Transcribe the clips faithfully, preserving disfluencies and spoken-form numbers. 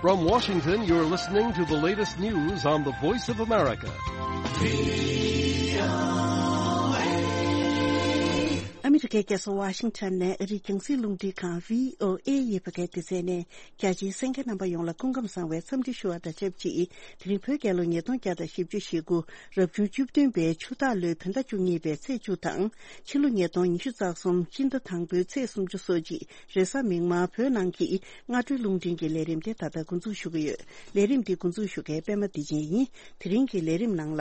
From Washington, you're listening to the latest news on the Voice of America. ཨ་མི་རི་ཀའི་རྒྱལ་ས་ཝ་ཤིང་ཊོན་ནས་ཨ་རིའི་རྒྱང་སྲིང་རླུང་འཕྲིན་ཁང་བྷི་ཨོ་ཨེ་ཡི་བོད་སྐད་སྡེ་ཚན་ནས། རྒྱ་ཆེའི་གསན་མཁན་རྣམ་པ་ཡོངས་ལ་སྐུ་ཁམས་བཟང་བའི་འཚམས་འདྲི་ཞུ་བ་དང་ཆབས་ཅིག་དེ་རིང་བོད་རྒྱལ་ལོ་ཉིས་སྟོང་བརྒྱ་དང་བཞི་བཅུ་ཞེ་དགུ། རབ་བྱུང་བཅུ་བདུན་པའི་ཆུ་སྟག་ལོའི་བོད་ཟླ་བཅུ་གཉིས་པའི་ཚེས་བཅུ་དང་། ཕྱི་ལོ་ཉིས་སྟོང་ཉི་ཤུ་རྩ་གསུམ་སྤྱི་ཟླ་དང་པོའི་ཚེས་སུམ་ཅུ་སོ་གཅིག་རེས་གཟའ་མིག་དམར། བོད་ནང་གི་སྔ་དྲོའི་རླུང་འཕྲིན་གྱི་ལས་རིམ་དེ་ད་ལྟ་འགོ་འཛུགས་ཞུ་གི་ཡོད། ལས་རིམ་འདི་འགོ་འཛུགས་ཞུ་མཁན་པད་མ་བདེ་ཆེན་ཡིན། དེ་རིང་གི་ལས་རིམ་ནང་ལ།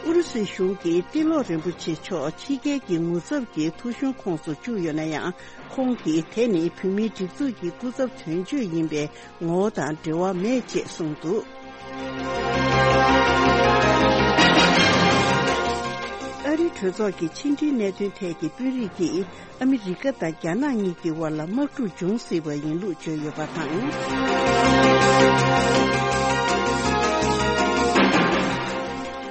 ཨུ་རུ་སུའི་གཞུང་གིས་ཏི་ལོ་རིན་པོ་ཆེ་མཆོག་ཕྱི་རྒྱལ་གྱི་ངོ་ཚབ་ཀྱི་ཐོ་གཞུང་ཁོངས་སུ་བཅུག་ཡོད་ན་ཡང་། ཁོང་གིས་དེ་ནི་བོད་མིའི་སྒྲིག་འཛུགས་ཀྱི་སྐུ་ཚབ་དོན་གཅོད་ཡིན་པའི་ངོ་བོ་དང་འབྲེལ་བ་མེད་ཅེས་གསུངས་འདུག་ཨ་རིའི་གྲོས་ཚོགས་ཀྱི་ཕྱི་འབྲེལ་གནད་དོན་ཐད་ཀྱི་དཔོན་རིགས་ཀྱིས། ཨ་མི་རི་ཀ་དང་རྒྱ་ནག་གཉིས་ཀྱི་དབར་ལ་དམག་འཁྲུག་འབྱུང་སྲིད་པ་ཡིན་ལུགས་བརྗོད་ཡོད་པ་དང་།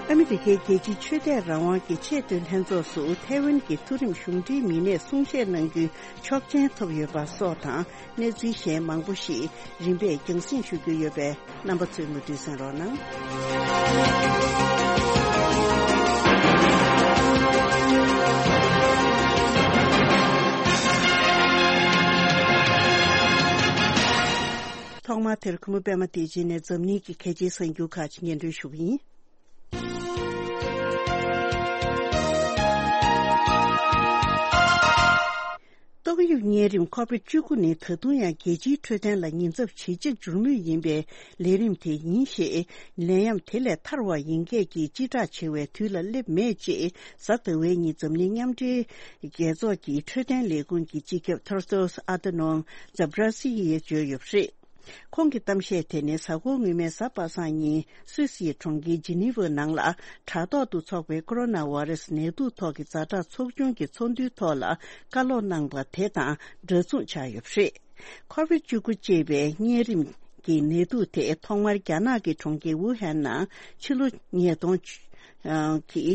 ཨ་མི་རི་ཀའི་རྒྱལ་སྤྱིའི་ཆོས་དད་རང་དབང་གི་ཆེས་མཐོའི་ལྷན་ཚོགས་སུ་ཐའེ་ཝན་གྱི་མཐོ་རིམ་གཞུང་འབྲེལ་མི་སྣས་གསུང་བཤད་གནང་རྒྱུའི་ཆོག་མཆན་ཐོབ་ཡོད་པ་སོགས་དང་། གནས་ཚུལ་གཞན་མང་པོ་ཞིག་རིམ་པས་རྒྱང་སྲིང་ཞུ་རྒྱུ་ཡོད་པས། རྣམ་པ་ཚོས་མུ་མཐུད་གསན་རོགས་གནང་། ཐོག་མར་དེར་གུས་མོ་པད་མ་བདེ་ཆེན་ནས་འཛམ་གླིང་གི་གལ་ཆེའི་གསར་འགྱུར་ཁག་ཅིག་སྙན་སྒྲོན་ཞུ་གི་ཡིན། ཏོག་དབྱིབས་གཉན་རིམས་ཁོ་བིད་བཅུ་དགུ་ནི་ད་དུང་ཡང་རྒྱལ་སྤྱིའི་འཕྲོད་བསྟེན་ལ་ཉེན་ཚབས་ཇེ་ཆེར་འགྱུར་མུས་ཡིན་པའི་ལས་རིམ་དེ་ཡིན་ཞེས། ནད་ཡམས་དེ་ལས་ཐར་བ་ཡིན་མཁན་གྱི་སྤྱི་བསྒྲགས་བྱེད་པའི་དུས་ལ་སླེབས་མེད་ཅེས། གཟའ་ཟླ་བའི་ཉིན་འཛམ་གླིང་མཉམ་འབྲེལ་རྒྱལ་ཚོགས་ཀྱི་འཕྲོད་བསྟེན་ལས་ཁུངས་ཀྱི་སྤྱི་ཁྱབ་Tedros Adhanom Ghebreyesus་ཡིས་བརྗོད་ཡོད་པ་རེད། ཁོང་གིས་གཏམ་བཤད་དེ་ནི་གཟའ་འཁོར་སྔོན་མའི་གཟའ་པ་སངས་ཉིན་སུད་སིའི་གྲོང་ཁྱེར་ཇི་ནི་ཝ་ནང་ལ་དྲ་ཐོག་ཏུ་འཚོགས་པའི་ཀོ་རོ་ན་བྷ་རེ་སི་ནད་དུག་ཐོག་གི་ཛ་དྲག་ཚོགས་ཆུང་གི་ཚོགས་འདུའི་ཐོག་ལ་བཀའ་སློབ་གནང་པ་དེ་དང་འདྲ་མཚུངས་ཆགས་ཡོད་པ་རེད། ཁོ་བིད་བཅུ་དགུ་ཅེས་པའི་གཉན་རིམས་ཀྱི་ནད་དུག་དེ་ཐོག་མར་རྒྱ་ནག་གི་གྲོང་ཁྱེར་ཝུ་ཧན་ནང་ཕྱི་ལོ་ཉིས་སྟོང་གི་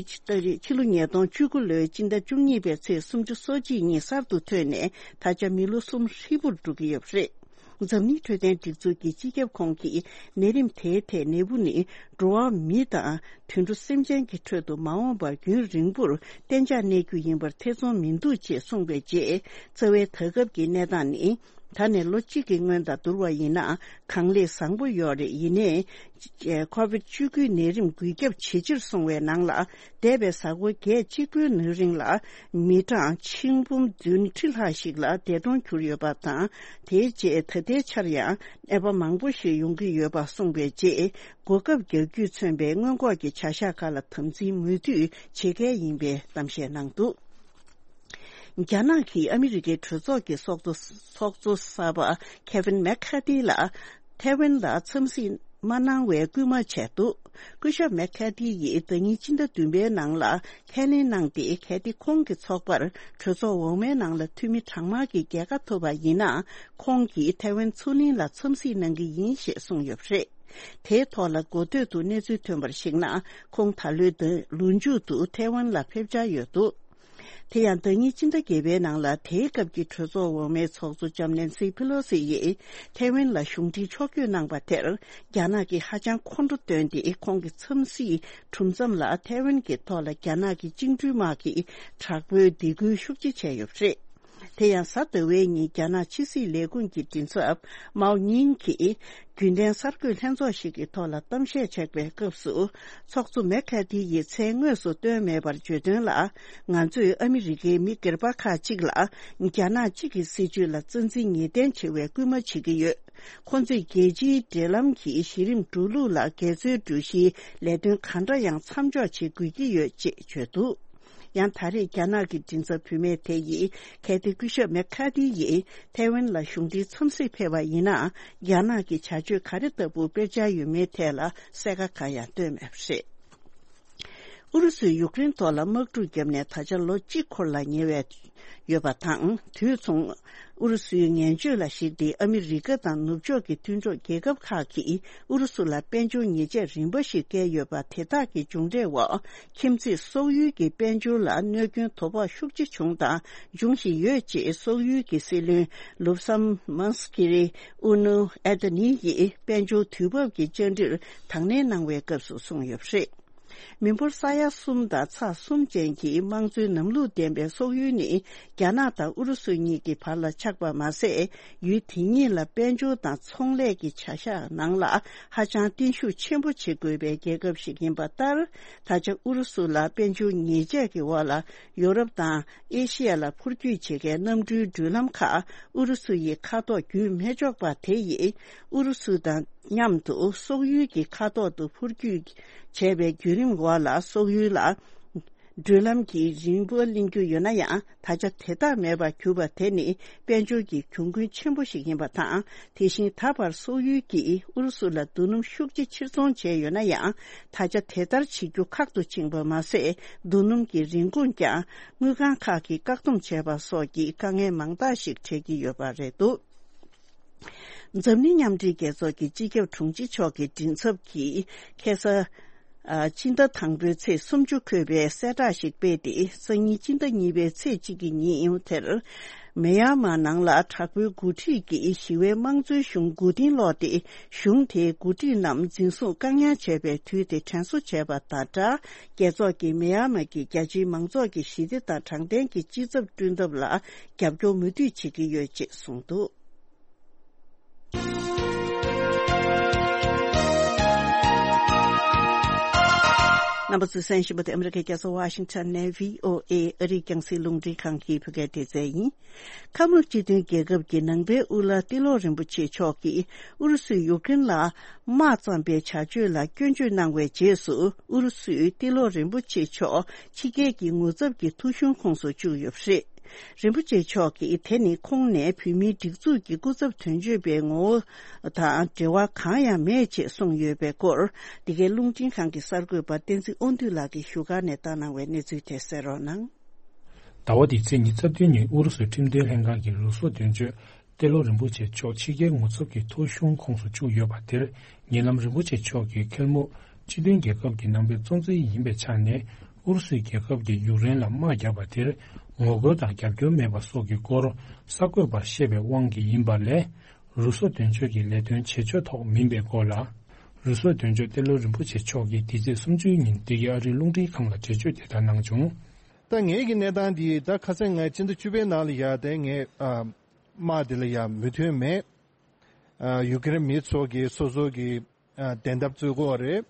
ཕྱི་ལོ་ཉིས་སྟོང་བཅུ་དགུ་ལོའི་སྤྱི་ཟླ་བཅུ་གཉིས་པའི་ཚེས་སུམ་ཅུ་སོ་གཅིག་ཉིན་གསར་དུ་ཐོན་ནས་ད་ཆ་མི་ལོ་གསུམ་ཧྲིལ་པོར་འགྲོ་གི་ཡོད་པ་རེད། འཛམ་གླིང་འཕྲོད་བསྟེན་སྒྲིག་འཛུགས་ཀྱི་སྤྱི་ཁྱབ་ཁོང་གིས་ནད་རིམས་དེའི་ཐད་ནད་འབུ་ནི་འགྲོ་བ་མི་དང་དུད་འགྲོ་སེམས་ཅན་གྱི་ཁྲོད་དུ་མ་འོངས་པར་རྒྱུན་རིང་པོར་གཏན་འཇགས་གནས་རྒྱུ་ཡིན་པར་ཐེ་ཚོམ་མི་འདུག་ཅེས་གསུངས་པའི་རྗེས། རྩ་བའི་ད་སྐབས་ཀྱི་གནས་སྟངས་ནི། ད་ནས་ལོ་གཅིག་གི་སྔོན་དང་བསྡུར་བ་ཡིན་ན་གང་ལེགས་བཟང་པོ་ཡོད་རེད། ཡིན་ནའི། ཁོ་བིད་བཅུ་དགུའི་ནད་རིམས་འགོས་ཁྱབ་ཇེ་ཆེར་སོང་བའི་ནང་ལ། འདས་པའི་གཟའ་འཁོར་བརྒྱད་གཅིག་པོའི་ནང་རིང་ལ་མི་གྲངས་ཆིག་འབུམ་བདུན་ཁྲི་ལྷག་ཞིག་ལ་འདས་གྲོངས་གྱུར་ཡོད་པ་དང་། དེའི་རྗེས་ད་ལྟའི་ཆར་ཡང་ནད་པ་མང་པོ་ཞིག་ཡོང་གི་ཡོད་པ་གསུངས་པའི་རྗེས། གོ་སྐབས་རྒྱག་རྒྱུས་མཚོན་པའི་སྔོན་འགོག་གི་བྱ་གཞག་ཁག་ལ་དམ་འཛིན་མུ་མཐུད་བྱེད་གལ་ཡིན་པའི་གཏམ་བཤད་གནང་འདུག་རྒྱ་ནག་གིས་ཨ་མི་རི་ཀའི་གྲོས་ཚོགས་ཀྱི་ཚོགས་གཙོ་ཚོགས་གཙོ་གསར་པ་ཁེ་ཝིན་མེག་ཁ་ཐི་ལ་ཐའེ་ཝན་ལ་འཚམས་གཟིགས་མ་གནང་བའི་སྐུལ་མ་བྱས་འདུག་སྐུ་ཞབས་མེག་ཁ་ཐི་ཡིས་ཟླ་ཉིན་སྤྱི་ཟླ་བདུན་པའི་ནང་ལ་ཁས་ལེན་གནང་སྟེ། གལ་ཏེ་ཁོང་གི་ཚོགས་པར་གྲོས་ཚོགས་འོག་མའི་ནང་ལ་འཐུས་མི་གྲངས་མང་གི་རྒྱལ་ཁ་ཐོབ་པ་ཡིན་ན། ཁོང་གིས་ཐའེ་ཝན་མཚོ་གླིང་ལ་འཚམས་གཟིགས་གནང་གི་ཡིན་ཞེས་གསུངས་ཡོད་པ་རེད། དེའི་ཐོག་ལ་འགོ་སྟོད་དུ་གནས་ཚུལ་ཐོན་པར་གཞིགས་ན། ཁོང་ད་ལོའི་ཟླ་ལོ་མཇུག་ཏུ་ཐའེ་ཝན་ལ་ཕེབས་འཆར་ཡོད་འདུག་དེ་ཡང་ཟླ་ཉིན་སྤྱི་ཟླ་བརྒྱད་པའི་ནང་ལ་དེའི་སྐབས་ཀྱི་གྲོས་ཚོགས་འོག་མའི་ཚོགས་གཙོ་ལྕམ་ནེན་སི་ཕི་ལོ་སི་ཡིས་ཐའེ་ཝན་ལ་གཞུང་འབྲེལ་ཕྱོགས་བསྐྱོད་གནང་པ་དེར་རྒྱ་ནག་གིས་ཧ་ཅང་ཁོང་ཁྲོ་བཏོན་ཏེ། ཁོང་གི་འཚམས་གཟིགས་གྲུབ་མཚམས་ལ་ཐའེ་ཝན་གྱི་ཐོག་ལ་རྒྱ་ནག་གི་བཅིངས་འགྲོལ་དམག་གིས་དྲག་པོའི་སྡིགས་སྐུལ་ཤུགས་ཆེ་བྱས་ཡོད་པ་རེད། དེ་ཡང་གཟའ་ཟླ་བའི་ཉིན་རྒྱ་ནག་ཕྱི་སྲིད་ལས་ཁུངས་ཀྱི་མགྲིན་ཚབ་མའོ་ཉིང་གིས་རྒྱུན་ལྡན་གསར་འགོད་ལྷན་ཚོགས་ཤིག་གི་ཐོག་ལ་གཏམ་བཤད་བྱས་པའི་སྐབས་སུ། ཚོགས་གཙོ་མེག་ཁ་ཐི་ཡིས་མཚན་དངོས་སུ་བཏོན་མེད་པར་བརྗོད་དོན་ལ། ང་ཚོས་ཨ་མི་རི་ཀའི་མི་སྒེར་པ་ཁག་ཅིག་ལ་རྒྱ་ནག་གཅིག་གི་སྲིད་བྱུས་ལ་རྩ་འཛིན་ངེས་གཏན་བྱེད་པའི་སྐུལ་མ་བྱེད་ཀྱི་ཡོད། ཁོང་ཚོས་རྒྱལ་སྤྱིའི་འབྲེལ་ལམ་གྱི་གཞི་རིམ་འགྲོ་ལུགས་ལ་འགལ་འཛོལ་འགྲོ་གཞིའི་ལས་དོན་གང་འདྲ་ཡང་མཚམས་འཇོག་བྱེད་དགོས་ཀྱི་ཡོད་ཅེས་བརྗོད་འདུག་ཡང་ད་རེས་རྒྱ་ནག་གི་མགྲིན་ཚབ་བུད་མེད་དེ་ཡིས། གལ་ཏེ་སྐུ་ཞབས་མེག་ཁ་ཐི་ཡིས་ཐའེ་ཝན་ལ་གཞུང་འབྲེལ་འཚམས་གཟིགས་ཕེབས་པ་ཡིན་ན། རྒྱ་ནག་གི་བྱ་སྤྱོད་ག་རེ་ལྟ་བུ་སྤེལ་འཆར་ཡོད་མེད་ཐད་ལ་གསལ་ཁ་གང་ཡང་བཏོན་མེད་པ་རེད། ཨུ་རུ་སུས་ཡུཀ་རེན་ཐོག་ལ་དམག་འཁྲུག་བརྒྱབ་ནས་ད་ཆ་ལོ་གཅིག་འཁོར་ལ་ཉེ་བའི་ཡོད་པ་དང་། དུས་མཚུངས། ཨུ་རུ་སུའི་ངན་བྱུས་ལ་གཞིགས་ཏེ། ཨ་མི་རི་ཀ་དང་ནུབ་ཕྱོགས་ཀྱི་མཐུན་གྲོགས་རྒྱལ་ཁབ་ཁག་གིས་ཨུ་རུ་སུ་ལ་དཔལ་འབྱོར་ཉེས་ཆད་རིམ་པ་ཞིག་བཀལ་ཡོད་པ། དེ་དག་གི་མཇུག་འབྲས་འོག་ཁྱིམ་མཚེས་སོག་ཡུལ་གྱི་དཔལ་འབྱོར་ལ་གནོད་སྐྱོན་དོ་ཕོག་ཤུགས་ཆེ་བྱུང་དང་འབྱུང་བཞིན་ཡོད་ཅེས། སོག་ཡུལ་གྱི་སྲིད་བློན་ལུབ་སམ་མཱ་སི་ཀི་རི་ཨུ་ནུ་ཨེ་ཏ་ནི་ཡིས་དཔལ་འབྱོར་དུས་བབ་ཀྱི་བཅར་འདྲིར་དང་ལེན་གནང་བའི་སྐབས་སུ་གསུངས་ཡོད་པ་རེད། མི་འབོར་ས་ཡ་གསུམ་དང་ཚེག་གསུམ་ཅན་གྱི་དམངས་གཙོའི་ལམ་ལུགས་ལྡན་པའི་སོག་ཡུལ་ནི། རྒྱ་ནག་དང་ཨུ་རུ་སུ་གཉིས་ཀྱི་བར་ལ་ཆགས་པ་མ་ཟད། ཡུལ་དེ་གཉིས་ལ་དཔལ་འབྱོར་དང་ཚོང་ལས་ཀྱི་བྱ་གཞག་ནང་ལ་ཧ་ཅང་བརྟན་བཞུགས་ཆེན་པོ་བྱེད་དགོས་པའི་རྒྱལ་ཁབ་ཞིག་ཡིན་པ་ལྟར། ད་ཆ་ཨུ་རུ་སུ་ལ་དཔལ་འབྱོར་ཉེས་ཆད་ཀྱི་འོག་ལ་ཡོ་རོབ་དང་ཨེ་ཤི་ཡ་ལ་འཕུར་སྐྱོད་བྱེད་མཁན་གནམ་གྲུའི་འགྲུལ་ལམ་ཁག་ཨུ་རུ་སུ་ཡི་མཁའ་ཐོག་བརྒྱུད་མི་ཆོག་པ་དེ་ཡིས། ཨུ་རུ་སུ་དང་མཉམ་དུ་སོག་ཡུལ་གྱི་མཁའ་ཐོག་ཏུ་འཕུར་སྐྱོད་བྱས་པའི་བརྒྱུད་རིམ་འོག་ལ། སོག་ཡུལ་ལ་འགྲུལ་ལམ་གྱི་རིན་པ་ལེན་རྒྱུ་ཡོད་ན་ཡང་། ད་ཆ་དེ་དག་མེད་པར་གྱུར་པ་དེ་ནི་དཔལ་འབྱོར་གྱི་གྱོང་གུན་ཆེན་པོ་ཞིག་ཡིན་པ་དང་། དེ་བཞིན་ད་བར་སོག་ཡུལ་གྱིས་ཨུ་རུ་སུ་ལ་རྡོ་སྣུམ་ཤུགས་ཆེ་ཕྱིར་ཚོང་བྱས་ཡོད་ན་ཡང་། ད་ཆ་དེ་ལྟར་བྱེད་རྒྱུ་ཁག་ཏུ་ཕྱིན་པ་མ་ཟད། རྡོ་སྣུམ་གྱི་རིན་གོང་ཀྱང་དངུལ་ཁང་ཁག་གིས་བཀག་སྡོམ་བྱས་པ་སོགས་ཀྱི་དཀའ་ངལ་མང་དག་ཞིག་འཕྲད་ཀྱི་ཡོད་པ་རེད་འདུག། འཛམ་གླིང་མཉམ་འབྲེལ་རྒྱལ་ཚོགས་ཀྱི་སྤྱི་ཁྱབ་དྲུང་ཆེ་མཆོག་གི་མགྲིན་ཚབ་ཀྱིས་ཁ་སང་། ཨ། སྤྱི་ཟླ་དང་པོའི་ཚེས་སུམ་ཅུ་འཁོད་པའི་གསལ་བསྒྲགས་ཤིག་སྤེལ་ཏེ། སང་ཉིན་སྤྱི་ཟླ་གཉིས་པའི་ཚེས་གཅིག་གི་ཉིན་དེར། མེ་ཡར་མར་ནང་ལ་དྲག་པོའི་འགོ་ཁྲིད་ཀྱིས་ཞི་བའི་དམངས་གཙོའི་གཞུང་མགོ་རྟིང་སློག་སྟེ། གཞུང་དེའི་འགོ་ཁྲིད་རྣམས་འཛིན་བཟུང་བཀག་ཉར་བྱས་པའི་དུས་དེ་དྲན་གསོ་བྱས་པ་དང་སྦྲགས། རྒྱལ་ཚོགས་ཀྱིས་མེ་ཡར་མར་གྱི་རྒྱ་ཆེའི་མང་ཚོགས་ཀྱི་ཞི་བདེ་དང་དྲང་བདེན་གྱི་སྤྱི་ཚབ་བསྐྲུན་ཐབས་ལ་རྒྱབ་སྐྱོར་མུ་མཐུད་བྱེད་ཀྱི་ཡོད་ཅེས་གསུངས་འདུག། རྣམ་པ་ཚོས་གསན་བཞིན་པ་དེ་ཨ་མི་རི་ཀའི་རྒྱལ་ས་ཝ་ཤིང་ཊོན་ནས་བྷི་ཨོ་ཨེ་ཨ་རིའི་རྒྱང་སྲིང་རླུང་འཕྲིན་ཁང་གི་བོད་སྐད་སྡེ་ཚན་ཡིན། ཁམས་སྤྱི་མཐུན་རྒྱལ་ཁབ་ཀྱི་ནང་པའི་དབུ་བླ་ཏེ་ལོ་རིན་པོ་ཆེ་མཆོག་གིས་ཨུ་རུ་སུས་ཡུཀ་རེན་ལ་དམག་བརྩམས་པའི་བྱ་སྤྱོད་ལ་སྐྱོན་བརྗོད་གནང་བའི་རྗེས་སུ། ཨུ་རུ་སུས་ཏེ་ལོ་རིན་པོ་ཆེ་མཆོག་ཕྱི་རྒྱལ་གྱི་ངོ་ཚབ་ཀྱི་ཐོ་གཞུང་ཁོངས་སུ་བཅུག་ཡོད་པ་རེད། རིན་པོ་ཆེ་མཆོག་གིས་དེ་ནི་ཁོང་ནས་བོད་མིའི་སྒྲིག་འཛུགས་ཀྱི་སྐུ་ཚབ་དོན་གཅོད་པའི་ངོ་བོ་དང་འབྲེལ་བ་གང་ཡང་མེད་ཅེས་གསུངས་ཡོད་པའི་སྐོར། འདི་གའི་རླུང་འཕྲིན་ཁང་གི་གསར་འགོད་པ་བསྟན་འཛིན་དབང་འདུས་ལགས་ཀྱིས་བཞུགས་སྒར་ནས་བཏང་གནང་བའི་གནས་ཚུལ་དེ་གསན་རོགས་གནང་། ཟླ་བ་འདིའི་ཚེས་ཉི་ཤུ་རྩ་བདུན་ཉིན་ཨུ་རུ་སུའི་ཁྲིམས་དོན་ལྷན་ཁང་གི་རུ་སོག་དོན་གཅོད་ཏེ་ལོ་རིན་པོ་ཆེ་མཆོག་ཕྱི་རྒྱལ་ངོ་ཚབ་ཀྱི་ཐོ་གཞུང་ཁོངས་སུ་བཅུག་ཡོད་པ་དེར། ཉེ་ལམ་རིན་པོ་ཆེ་མཆོག་གིས་ཁེར་མོ་སྤྱི་མཐུན་རྒྱལ་ཁབ་ཀྱི་ནང་པའི་གཙོ་འཛིན་ཡིན་པའི་ཆ་ནས། ཨུ་རུ་སུའི་རྒྱལ་ཁབ་ཀྱིས་ཡུཀ་རེན་ལ་དམག་བརྒྱབ་པ་དེར་ངོ་རྒོལ་དང་རྒྱབ་སྐྱོར་མེད་པ་སོགས་ཀྱི་སྐོར་གསར་འགོད་པར་བཤད་པའི་དབང་གིས་ཡིན་པ་ལས། རུ་སོག་དོན་གཅོད་ཀྱི་ལས་དོན་བྱེད་ཕྱོགས་ཐོག་མིན་པའི་སྐོར་ལ། རུ་སོག་དོན་གཅོད་ཏེ་ལོ་རིན་པོ་ཆེ་མཆོག་གིས་འདི་ཚེས་སུམ་ཅུའི་ཉིན་འདི་གའི་ཨ་རིའི་རླུང་འཕྲིན་ཁང་ལ་འགྲེལ་བརྗོད་དེ་ལྟར་གནང་བྱུང་། ད་ངེད་ཀྱི་གནས་སྟངས་འདི་ད་ཁ་སང་ང་སྤྱི་ཟླ་བཅུ་པའི་ནང་ལ་ཡ་དེ་ངས་ཨ་དམག་འདི་ལ་ཡ་མོས་མཐུན་མེད། ཨ་ཡུ་ཀེ་རེན་མི་ཚོ་གིས་སོ་སོ་གི་ཨ་བདེན་ཐབས་རྩོད་དགོས་པ་རེད།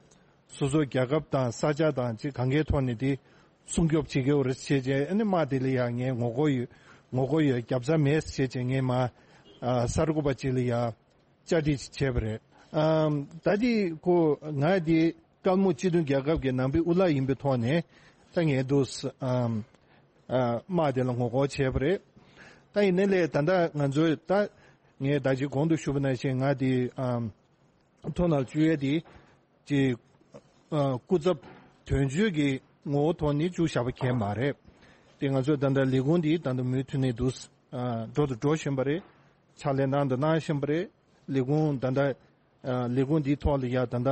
སོ་སོ་རྒྱལ་ཁབ་དང་ས་ཆ་དང་ཅིག་གང་གའི་ཐོག་ནས་དེ་སྲུང་སྐྱོབ་བྱེད་དགོས་པ་རེད་ཟེར་བྱས། ཨ་ནི་དམག་དེ་ལ་ཡ་ངས་ངོ་རྒོལ་ཡོད། ངོ་རྒོལ་ཡོད། རྒྱབ་རྩ་མེད་ཟེར་བྱས་ངས་མ་ཨ་གསར་འགོད་པ་ཅིག་ལ་ཡ་བཅར་འདྲི་བྱས་པ་རེད། ཨམ་ད་དེ་ཁོ་ང་དེ་སྐབས་མོ་སྤྱི་མཐུན་རྒྱལ་ཁབ་ཀྱི་ནང་པའི་དབུ་བླ་ཡིན་པའི་ཐོག་ནས་ད་ངས་འདུག་ཨམ་ཨ་དམག་དེ་ལ་ངོ་རྒོལ་བྱས་པ་རེད། ད་ཡིན་ནའི་ལས་ད་ལྟ་ང་ཚོས་ད་ངས་ད་ཅི་གོང་དུ་ཞུས་པ་ནང་བཞིན་ང་དེ་ཨམ་ཐོག་ནས་བཅུག་ཡས་དེ་ཅི་ཨ་སྐུ་ཚབ་དོན་གཅོད་ཀྱི་ངོ་བོ་ཐོག་ནས་བཅུག་བཞག་པ་གང་ཡང་མ་རེད། དེ་ང་ཚོས་ད་ལྟ་ལས་ཁུངས་འདི་ད་ལྟ་མུ་མཐུད་ནས་འདུག་ཨ་འགྲོ་དང་འགྲོ་བཞིན་པ་རེད། ཕྱག་ལས་གནང་དང་གནང་བཞིན་པ་རེད། ལས་ཁུངས་ད་ལྟ་ཨ་ལས་ཁུངས་འདིའི་ཐོག་ལ་ཡ་ད་ལྟ་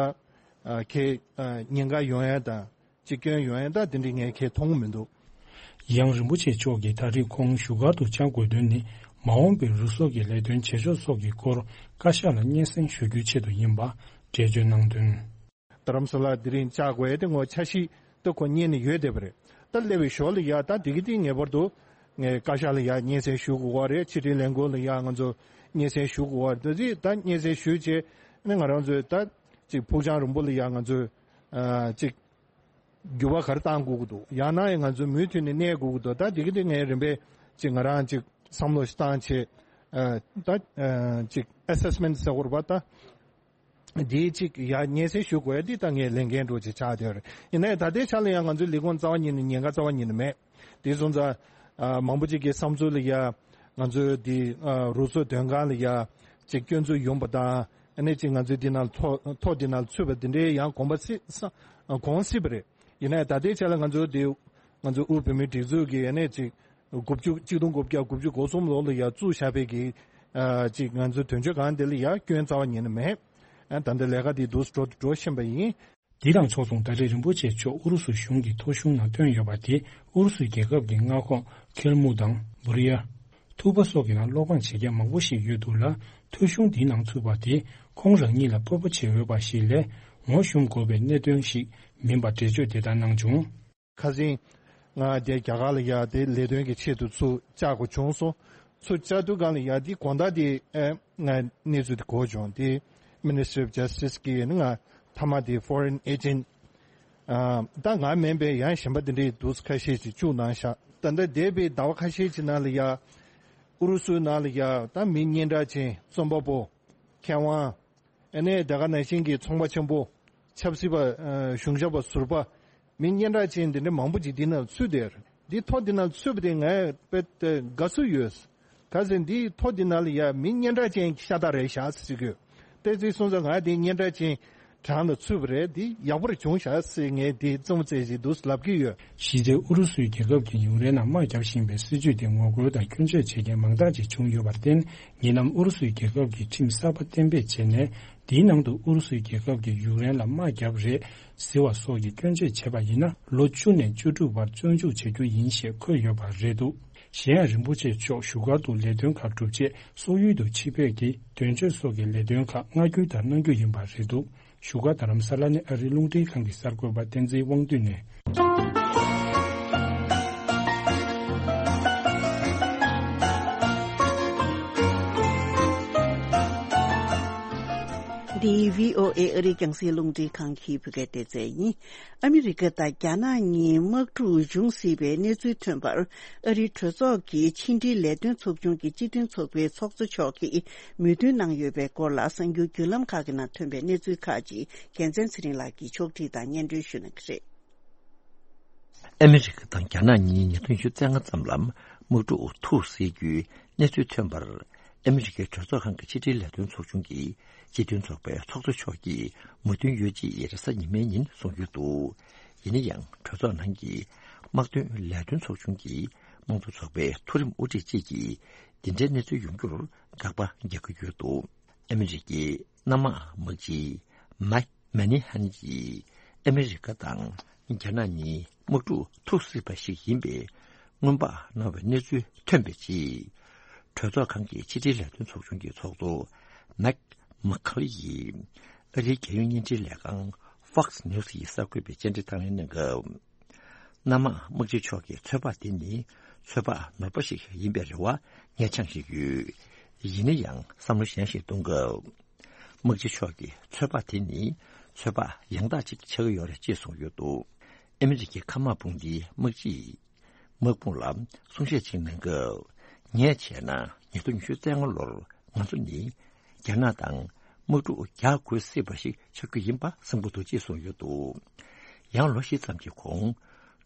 ཨ་གལ་ཨ་ཉེན་ཁ་ཡོང་ཡ་དང་ཅིག་སྐྱོན་ཡོང་ཡ་ད་དེ་འདྲའི་ངས་གལ་མཐོང་གི་མི་འདུག། ཡང་རིན་པོ་ཆེ་མཆོག་གིས་ད་རེས་ཁོང་བཞུགས་སྒར་དུ་བཅར་དགོས་དོན་ནི། མ་འོངས་པའི་རུ་སོག་གི་ལས་དོན་བྱེད་ཕྱོགས་སོགས་ཀྱི་སྐོར་བཀའ་ཤག་ལ་སྙན་སེང་ཞུ་རྒྱུའི་ཆེད་དུ་ཡིན་པ་འགྲེལ་བརྗོད་གནང་དོན། རྡ་རམ་ས་ལ་དེ་རིང་བཅར་དགོས་ཡ་དེ་ངོ་འཆར་གཞི་དེ་ཁོ་རྙེད་ནས་ཡོད་བསྡད་པ་རེད། ད་སླེབས་པའི་ཞོར་ལ་ཡ་ད་དེ་གི་དེ་ངེས་པར་དུ་ངས་བཀའ་ཤག་ལ་ཡ་སྙན་སེང་ཞུ་དགོས་པ་རེད། ཕྱི་དྲིལ་ལས་ཁུངས་ལ་ཡ་ང་ཚོ་སྙན་སེང་ཞུ་དགོས་པ་རེད། ད་ཅི་ད་སྙན་སེང་ཞུས་བྱས་ནས་ང་རང་ཚོས་ད་ཅིག་ཕུགས་རྒྱང་རིང་པོ་ལ་ཡ་ང་ཚོས་ཨ་ཅིག་འགྱུར་བ་ག་རེ་གཏང་དགོས་ཀྱི་འདུག། ཡང་ན་ཡང་ང་ཚོ་མུ་མཐུད་ནས་གནས་དགོས་ཀྱི་འདུག། ད་དེ་གི་དེ་ངས་རིམ་པས་ཅིག་ང་རང་ཅིག་བསམ་བློ་ཞིག་བཏང་བྱས་ཨ་ད་ཨ་ཅིག་ཨེ་སེ་སི་མེན་ཊི་ཟེར་དགོས་རེད་པ། ད་དེའི་ཅིག་ཡ་སྙན་སེང་ཞུ་དགོས་ཡ་འདི་ད་ངས་ལས་འགན་འདྲ་ཅིག་ཆགས་བསྡད་རེད། ཡིན་ནའི་ད་ལྟའི་ཆ་ལ་ཡང་ང་ཚོའི་ལས་ཁུངས་རྩ་བ་ཉིད་ནས་ཉེན་ཁ་རྩ་བ་ཉིད་ནས་མེད། དེ་སོང་ཙང་ཨ་མང་པོ་ཅིག་གི་བསམ་ཚུལ་ལ་ཡ་ང་ཚོའི་འདི་ཨ་རུ་སོག་དོན་ཁང་ལ་ཡ་ཅིག་སྐྱོན་འཛུགས་ཡོང་པ་དང་། ཨ་ནི་ཅིག་ང་ཚོའི་འདི་ནང་ཐོ་ཐོ་འདི་ནང་ཚུད་པ་འདི་འདྲའི་ཡང་གོམ་པ་སི་ས་གོང་སྲིད་པ་རེད། ཡིན་ནའི་ད་ལྟའི་ཆ་ལ་ང་ཚོ་འདི་ང་ཚོ་དབུས་བོད་མིའི་སྒྲིག་འཛུགས་ཀྱི་ཨ་ནི་ཅིག་ དགུ་བཅུ་གཅིག་སྟོང་དགུ་བརྒྱ་དགུ་བཅུ་གོ་གསུམ་ལོ་ལ་ཡ་བཙུགས་བཞག་པའི་གི་ཨ་ཅིག་ང་ཚོའི་དོན་གཅོད་ཁང་དེ་ལ་ཡ་སྐྱོན་རྩ་བ་ཉིད་ནས་མེད། ཨ་ད་ལྟ་ལས་ཀ་དེ་འདུག་སེ་འགྲོ་འགྲོ་བཞིན་པ་ཡིན། འདི་དང་ཕྱོགས་མཚུངས་ད་རེས་རིན་པོ་ཆེ་མཆོག་ཨུ་རུ་སུའི་གཞུང་གི་ཐོ་གཞུང་ནང་བཏོན་ཡོད་པ་དེ་ཨུ་རུ་སུའི་རྒྱལ་ཁབ་ཀྱི་མངའ་ཁོངས་ཁེལ་མུག་དང་བུ་རི་ཡ། ཐུ་པ་སོགས་ཀྱི་ནང་སློབ་ཁང་བྱེད་མཁན་མང་པོ་ཞིག་ཡོད་འདུག་ལ། ཐོ་གཞུང་འདིའི་ནང་ཚུད་པ་དེ་ཁོང་རང་ཉིད་ལ་སྤོབས་པ་བྱེད་འོས་པ་ཞིག་ལས་ངོ་ཤུམ་དགོས་པའི་གནད་དོན་ཞིག་མིན་པ་འགྲེལ་བརྗོད་དེ་ལྟར་གནང་བྱུང་། ཁ་སང་ང་དེ་རྒྱ་གར་ལ་ཡ་དེ་ལས་དོན་གྱི་ཆེད་དུ་ཚུར་བཅར་དགོས་བྱུང་སོང་། ཚུར་བཅར་དུས་སྒང་ལ་ཡ་དེ་དགོང་དག་དེ་ཨེ་ང་གནས་ཚུལ་དེ་གོ་བྱུང་། དེ་Ministry of Justice གི་ནི་ང་མཐའ་མ་དེ་Foreign Agent ཨ་ད་ང་མིན་པའི་ཡང་གཞན་པ་དེ་འདྲའི་འདུག་ཁ་ཤས་ཅིག་བཅུག་གནང་ཤག་ད་ལྟ་འདས་པའི་ཟླ་བ་ཁ་ཤས་ཅིག་ནང་ལ་ཡ་ཨུ་རུ་སུའི་ནང་ལ་ཡ་ད་མི་སྙན་གྲགས་ཅན་རྩོམ་པ་པོ་མཁས་དབང་། ཨ་ནི་དེ་ག་ནང་བཞིན་གྱི་ཚོང་པ་ཆེན་པོ། ཆབ་སྲིད་པ། ཨ་གཞུང་ཞབས་པ་ཟུར་པ། མི་སྙན་གྲགས་ཅན་འདི་འདྲ་མང་པོ་ཅིག་འདི་ནང་ཚུད་བསྡད་ཡོད་རེད། འདི་ཐོ་འདི་ནང་ཚུད་པ་དེ་ངས་དཔེ་དགའ་བསུ་ཡོད། ག་ཟེར་འདི་ཐོ་འདི་ནང་ལ་ཡ་མི་སྙན་གྲགས་ཅན་གྱི་ཤ་སྟག་རེད་ཤག་ཟེར་གྱི་ཡོད། དེ་ཚོའི་སོང་ཙང་ང་འདི་སྙན་གྲགས་ཅན་གྲངས་ལ་ཚུད་པ་རེད། འདི་ཡག་པོ་རེད་བྱུང་ཤག་ཟེར་ངས་འདི་རྩོམ་རྩལ་ཞིག་འདུག་ལབ་ཀྱི་ཡོད། གཞི་རྩའི་ཨུ་རུ་སུའི་རྒྱལ་ཁབ་ཀྱི་ཡུཀ་རེན་ནང་དམག་བརྒྱབ་བཞིན་པའི་སྲིད་བྱུས་དེ་ངོ་རྒོལ་དང་སྐྱོན་བརྗོད་བྱེད་མཁན་མང་དག་ཅིག་བྱུང་ཡོད་པར་བརྟེན། ཉེ་ལམ་ཨུ་རུ་སུའི་རྒྱལ་ཁབ་ཀྱི་ཁྲིམས་གསར་པ་གཏན་འབེབས་བྱས་ནས། དེའི་ནང་དུ་ཨུ་རུ་སུའི་རྒྱལ་ཁབ་ཀྱིས་ཡུཀ་རེན་ལ་དམག་བརྒྱབ་རེད་ཟེར་བ་སོགས་ཀྱི་སྐྱོན་བརྗོད་བྱས་པ་ཡིན་ན། ལོ་བཅུ་ནས་བཅུ་དྲུག་བར་བཙོན་འཇུག་བྱ་རྒྱུ་ཡིན་ཞེས་འཁོད་ཡོད་པ་རེད་འདུག་གཞན་ཡང་རིན་པོ་ཆེ་མཆོག་བཞུགས་སྒར་དུ་ལས་དོན་ཁག་སྒྲུབ་ཆེད་སོག་ཡུལ་དུ་ཕྱིན་པའི་གི་དོན་གཅོད་སོགས་ཀྱི་ལས་དོན་ཁག་མངའ་ཁུལ་དུ་གནང་རྒྱུ་ཡིན་པ་རེད་འདུག་བཞུགས་སྒར་རྡ་རམ་ས་ལ་ནས་ཨ་རིའི་རླུང་འཕྲིན་ཁང་གི་གསར་འགོད་པ་བསྟན་འཛིན་དབང་འདུས་ནས། འདི་བྷི་ཨོ་ཨེ་ཨ་རིའི་རྒྱང་སྲིང་རླུང་འཕྲིན་ཁང་གི་བོད་སྐད་སྡེ་ཚན་ཡིན། ཨ་མི་རི་ཀ་དང་རྒྱ་ནག་གཉིས་དམག་འཁྲུག་འབྱུང་སྲིད་པའི་གནས་ཚུལ་ཐོན་པར། ཨ་རིའི་གྲོས་ཚོགས་ཀྱི་ཕྱི་འབྲེལ་ལས་དོན་ཚོགས་ཆུང་གི་སྤྱི་མཐུན་ཚོགས་པའི་ཚོགས་གཙོ་མཆོག་གིས་མོས་མཐུན་གནང་ཡོད་པའི་སྐོར་ལ། གསར་འགྱུར་བརྒྱུད་ལམ་ཁག་གི་ནང་ཐོན་པའི་གནས་ཚུལ་ཁག་ཅིག་རྒྱལ་མཚན་ཚེ་རིང་ལགས་ཀྱིས་ཕྱོགས་སྒྲིག་དང་སྙན་སྒྲོན་ཞུ་གནང་གི་རེད། ཨ་མི་རི་ཀ་དང་རྒྱ་ནག་གཉིས་ཉིས་སྟོང་ཉི་ཤུ་རྩ་ལྔ་ཙམ་ལ་དམག་འཁྲུག་ཐུག་སྲིད་རྒྱུའི་གནས་ཚུལ་ཐོན་པར། ཨ་མི་རི་ཀའི་གྲོས་ཚོགས་ཁང་གི་ཕྱི་འབྲེལ་ལས་དོན་ཚོགས་ཆུང་གི་སྤྱི་མཐུན་ཚོགས་པའི་ཚོགས་གཙོ་མཆོག་གིས་མོས་མཐུན་ཡོད་ཅེས་རེས་གཟའ་ཉི་མའི་ཉིན་གསུངས་ཡོད་འདུག་ཡིན་ན་ཡང་གྲོས་ཚོགས་ནང་གི་དམག་དོན་ལས་དོན་ཚོགས་ཆུང་གི་དམངས་གཙོ་ཚོགས་པའི་མཐོ་རིམ་དབུ་ཁྲིད་ཅིག་གིས་འདི་འདྲའི་གནས་ཚུལ་ཡོང་རྒྱུར་དགག་པ་རྒྱག་གི་ཡོད་འདུག་ཨ་མི་རི་ཀའི་གནམ་དམག་དམག་སྤྱི་མཱིག་མཱ་ནི་ཧན་གྱིས་ཨ་མི་རི་ཀ་དང་རྒྱ་ནག་གཉིས་དམག་འཁྲུག་ཐུག་སྲིད་པ་ཞིག་ཡིན་པའི་སྔོན་དཔག་གནང་བའི་གནས་ཚུལ་ཐོན་པའི་རྗེས། གྲོས་ཚོགས་ཁང་གི་ཕྱི་འབྲེལ་ལས་དོན་ཚོགས་ཆུང་གི་ཚོགས་གཙོ་མཱིག་མཱ་ཁེ་ལི་ཡིས་ཨ་རིའི་རྒྱལ་ཡོངས་བརྙན་འཕྲིན་ལས་ཁང་Fox News ཡི་གསར་འགོད་པའི་བཅར་འདྲི་དང་ལེན་གནང་སྐབས། གནམ་དམག་དམག་སྤྱི་མཆོག་གི་ཚོད་དཔག་དེ་ནི་ཚོད་དཔག་ནོར་བ་ཞིག་ཡིན་པའི་རེ་བ་ངས་འཆང་བཞིན་ཡོད། ཡིན་ན་ཡང་བསམ་བློ་གཞན་ཞིག་གཏོང་སྐབས། དམག་སྤྱི་མཆོག་གི་ཚོད་དཔག་དེ་ནི་ཚོད་དཔག་ཡང་དག་ཅིག་ཆགས་ཀྱི་ཡོད་རེད་ཅེས་གསུངས་ཡོད་འདུག་ཨ་མི་རི་ཀའི་མཁའ་དམག་དཔུང་སྡེའི་དམག་སྤྱིས་དམག་དཔུང་ལ་གསུང་བཤད་ཅིག་གནང་སྐབས། ངས་བྱས་ན་ཉིས་སྟོང་ཉི་ཤུ་རྩ་ལྔ་ལོར་ང་ཚོ་ནི་རྒྱ་ནག་དང་དམག་འཁྲུག་རྒྱག་དགོས་སྲིད་པ་ཞིག་ཆགས་རྒྱུ་ཡིན་པ་བསམ་གྱི་འདུག་ཅེས་གསུངས་ཡོད་འདུག་ཡང་ལོ་བཞི་ཙམ་གྱི་གོང་།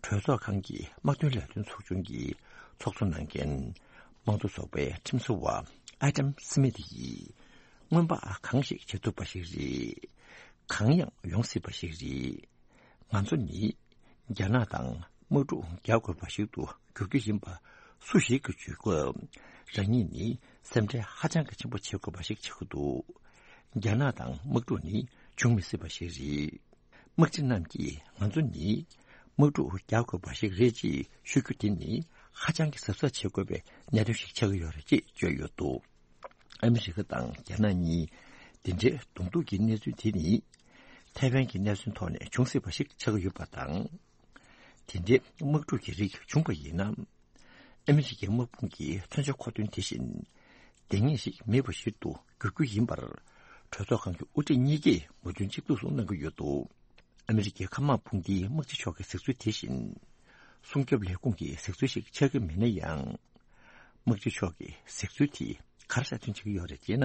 གྲོས་ཚོགས་ཁང་གི་དམག་དོན་ལས་དོན་ཚོགས་ཆུང་གི་ཚོགས་གཙོ་གནང་མཁན་དམངས་གཙོ་ཚོགས་པའི་ཁྲིམས་བཟོ་བ་ཨ་དམ་སི་མིད་ཡིས། སྔོན་དཔག་གང་ཞིག་བྱེད་ཐུབ་པ་ཞིག་རེད། གང་ཡང་ཡོང་སྲིད་པ་ཞིག་རེད། ང་ཚོ་ནི་རྒྱ་ནག་དང་དམག་འཁྲུག་རྒྱག་དགོས་པ་ཞིག་ཏུ་འགྱུར་རྒྱུ་ཡིན་པ་སུ་ཞིག་གིས་བརྗོད་སྐབས། རང་ཉིད་ནི་སེམས་ཁྲལ་ཧ་ཅང་གི་ཆེན་པོ་བྱེད་དགོས་པ་ཞིག་ཆགས་ཀྱི་འདུག་རྒྱ་ནག་དང་དམག་འཁྲུག་ནི་འབྱུང་མི་སྲིད་པ་ཞིག་རེད། དམག་སྤྱི་རྣམས་ཀྱིས་ང་ཚོ་ནི་དམག་འཁྲུག་རྒྱག་དགོས་པ་ཞིག་རེད་ཅེས་ཤོད་རྒྱུ་དེ་ནི་ཧ་ཅང་གི་གཟབ་གཟབ་བྱེད་དགོས་པའི་གནད་དོན་ཞིག་ཆགས་ཀྱི་ཡོད་རེད་ཅེས་བརྗོད་ཡོད་འདུག་ཨ་མི་རི་ཀ་དང་རྒྱ་ནག་གཉིས་འདི་འདྲའི་གདོང་ཐུག་གི་གནས་ཚུལ་དེ་ནི་ཐའེ་ཝན་གྱི་གནས་ཚུལ་ཐོག་ནས་འབྱུང་སྲིད་པ་ཞིག་ཆགས་ཀྱི་ཡོད་པ་དང་། དེ་འདྲའི་དམག་འཁྲུག་གི་རིགས་བྱུང་བ་ཡིན་ན། ཨ་མི་རི་ཀའི་དམག་དཔུང་གི་མཚོན་ཆ་མཁོ་འདོན་དེ་བཞིན་ལྡང་ངེས་ཤིག་མེད་པ་ཞིག་ཏུ་འགྱུར་རྒྱུ་ཡིན་པར། གྲོས་ཚོགས་ཁང་གི་དབུ་ཁྲིད་གཉིས་ཀས་མོས་མཐུན་གཅིག་མཐུན་སུ་གནང་གི་ཡོད་འདུག་ཨ་མི་རི་ཀའི་མཁའ་དམག་དཔུང་སྡེའི་དམག་སྤྱི་མཆོག་གི་གཟིགས་ཚུལ་དེ་བཞིན། སྲུང་སྐྱོབ་ལས་ཁུངས་ཀྱི་གཟིགས་ཚུལ་ཞིག་ཆགས་ཀྱི་མེད་ན་ཡང་། དམག་སྤྱི་མཆོག་གི་གཟིགས་ཚུལ་དེས་ག་རེ་གསལ་སྟོན་བྱེད་ཀྱི་ཡོད་རེད་ཅེ་ན།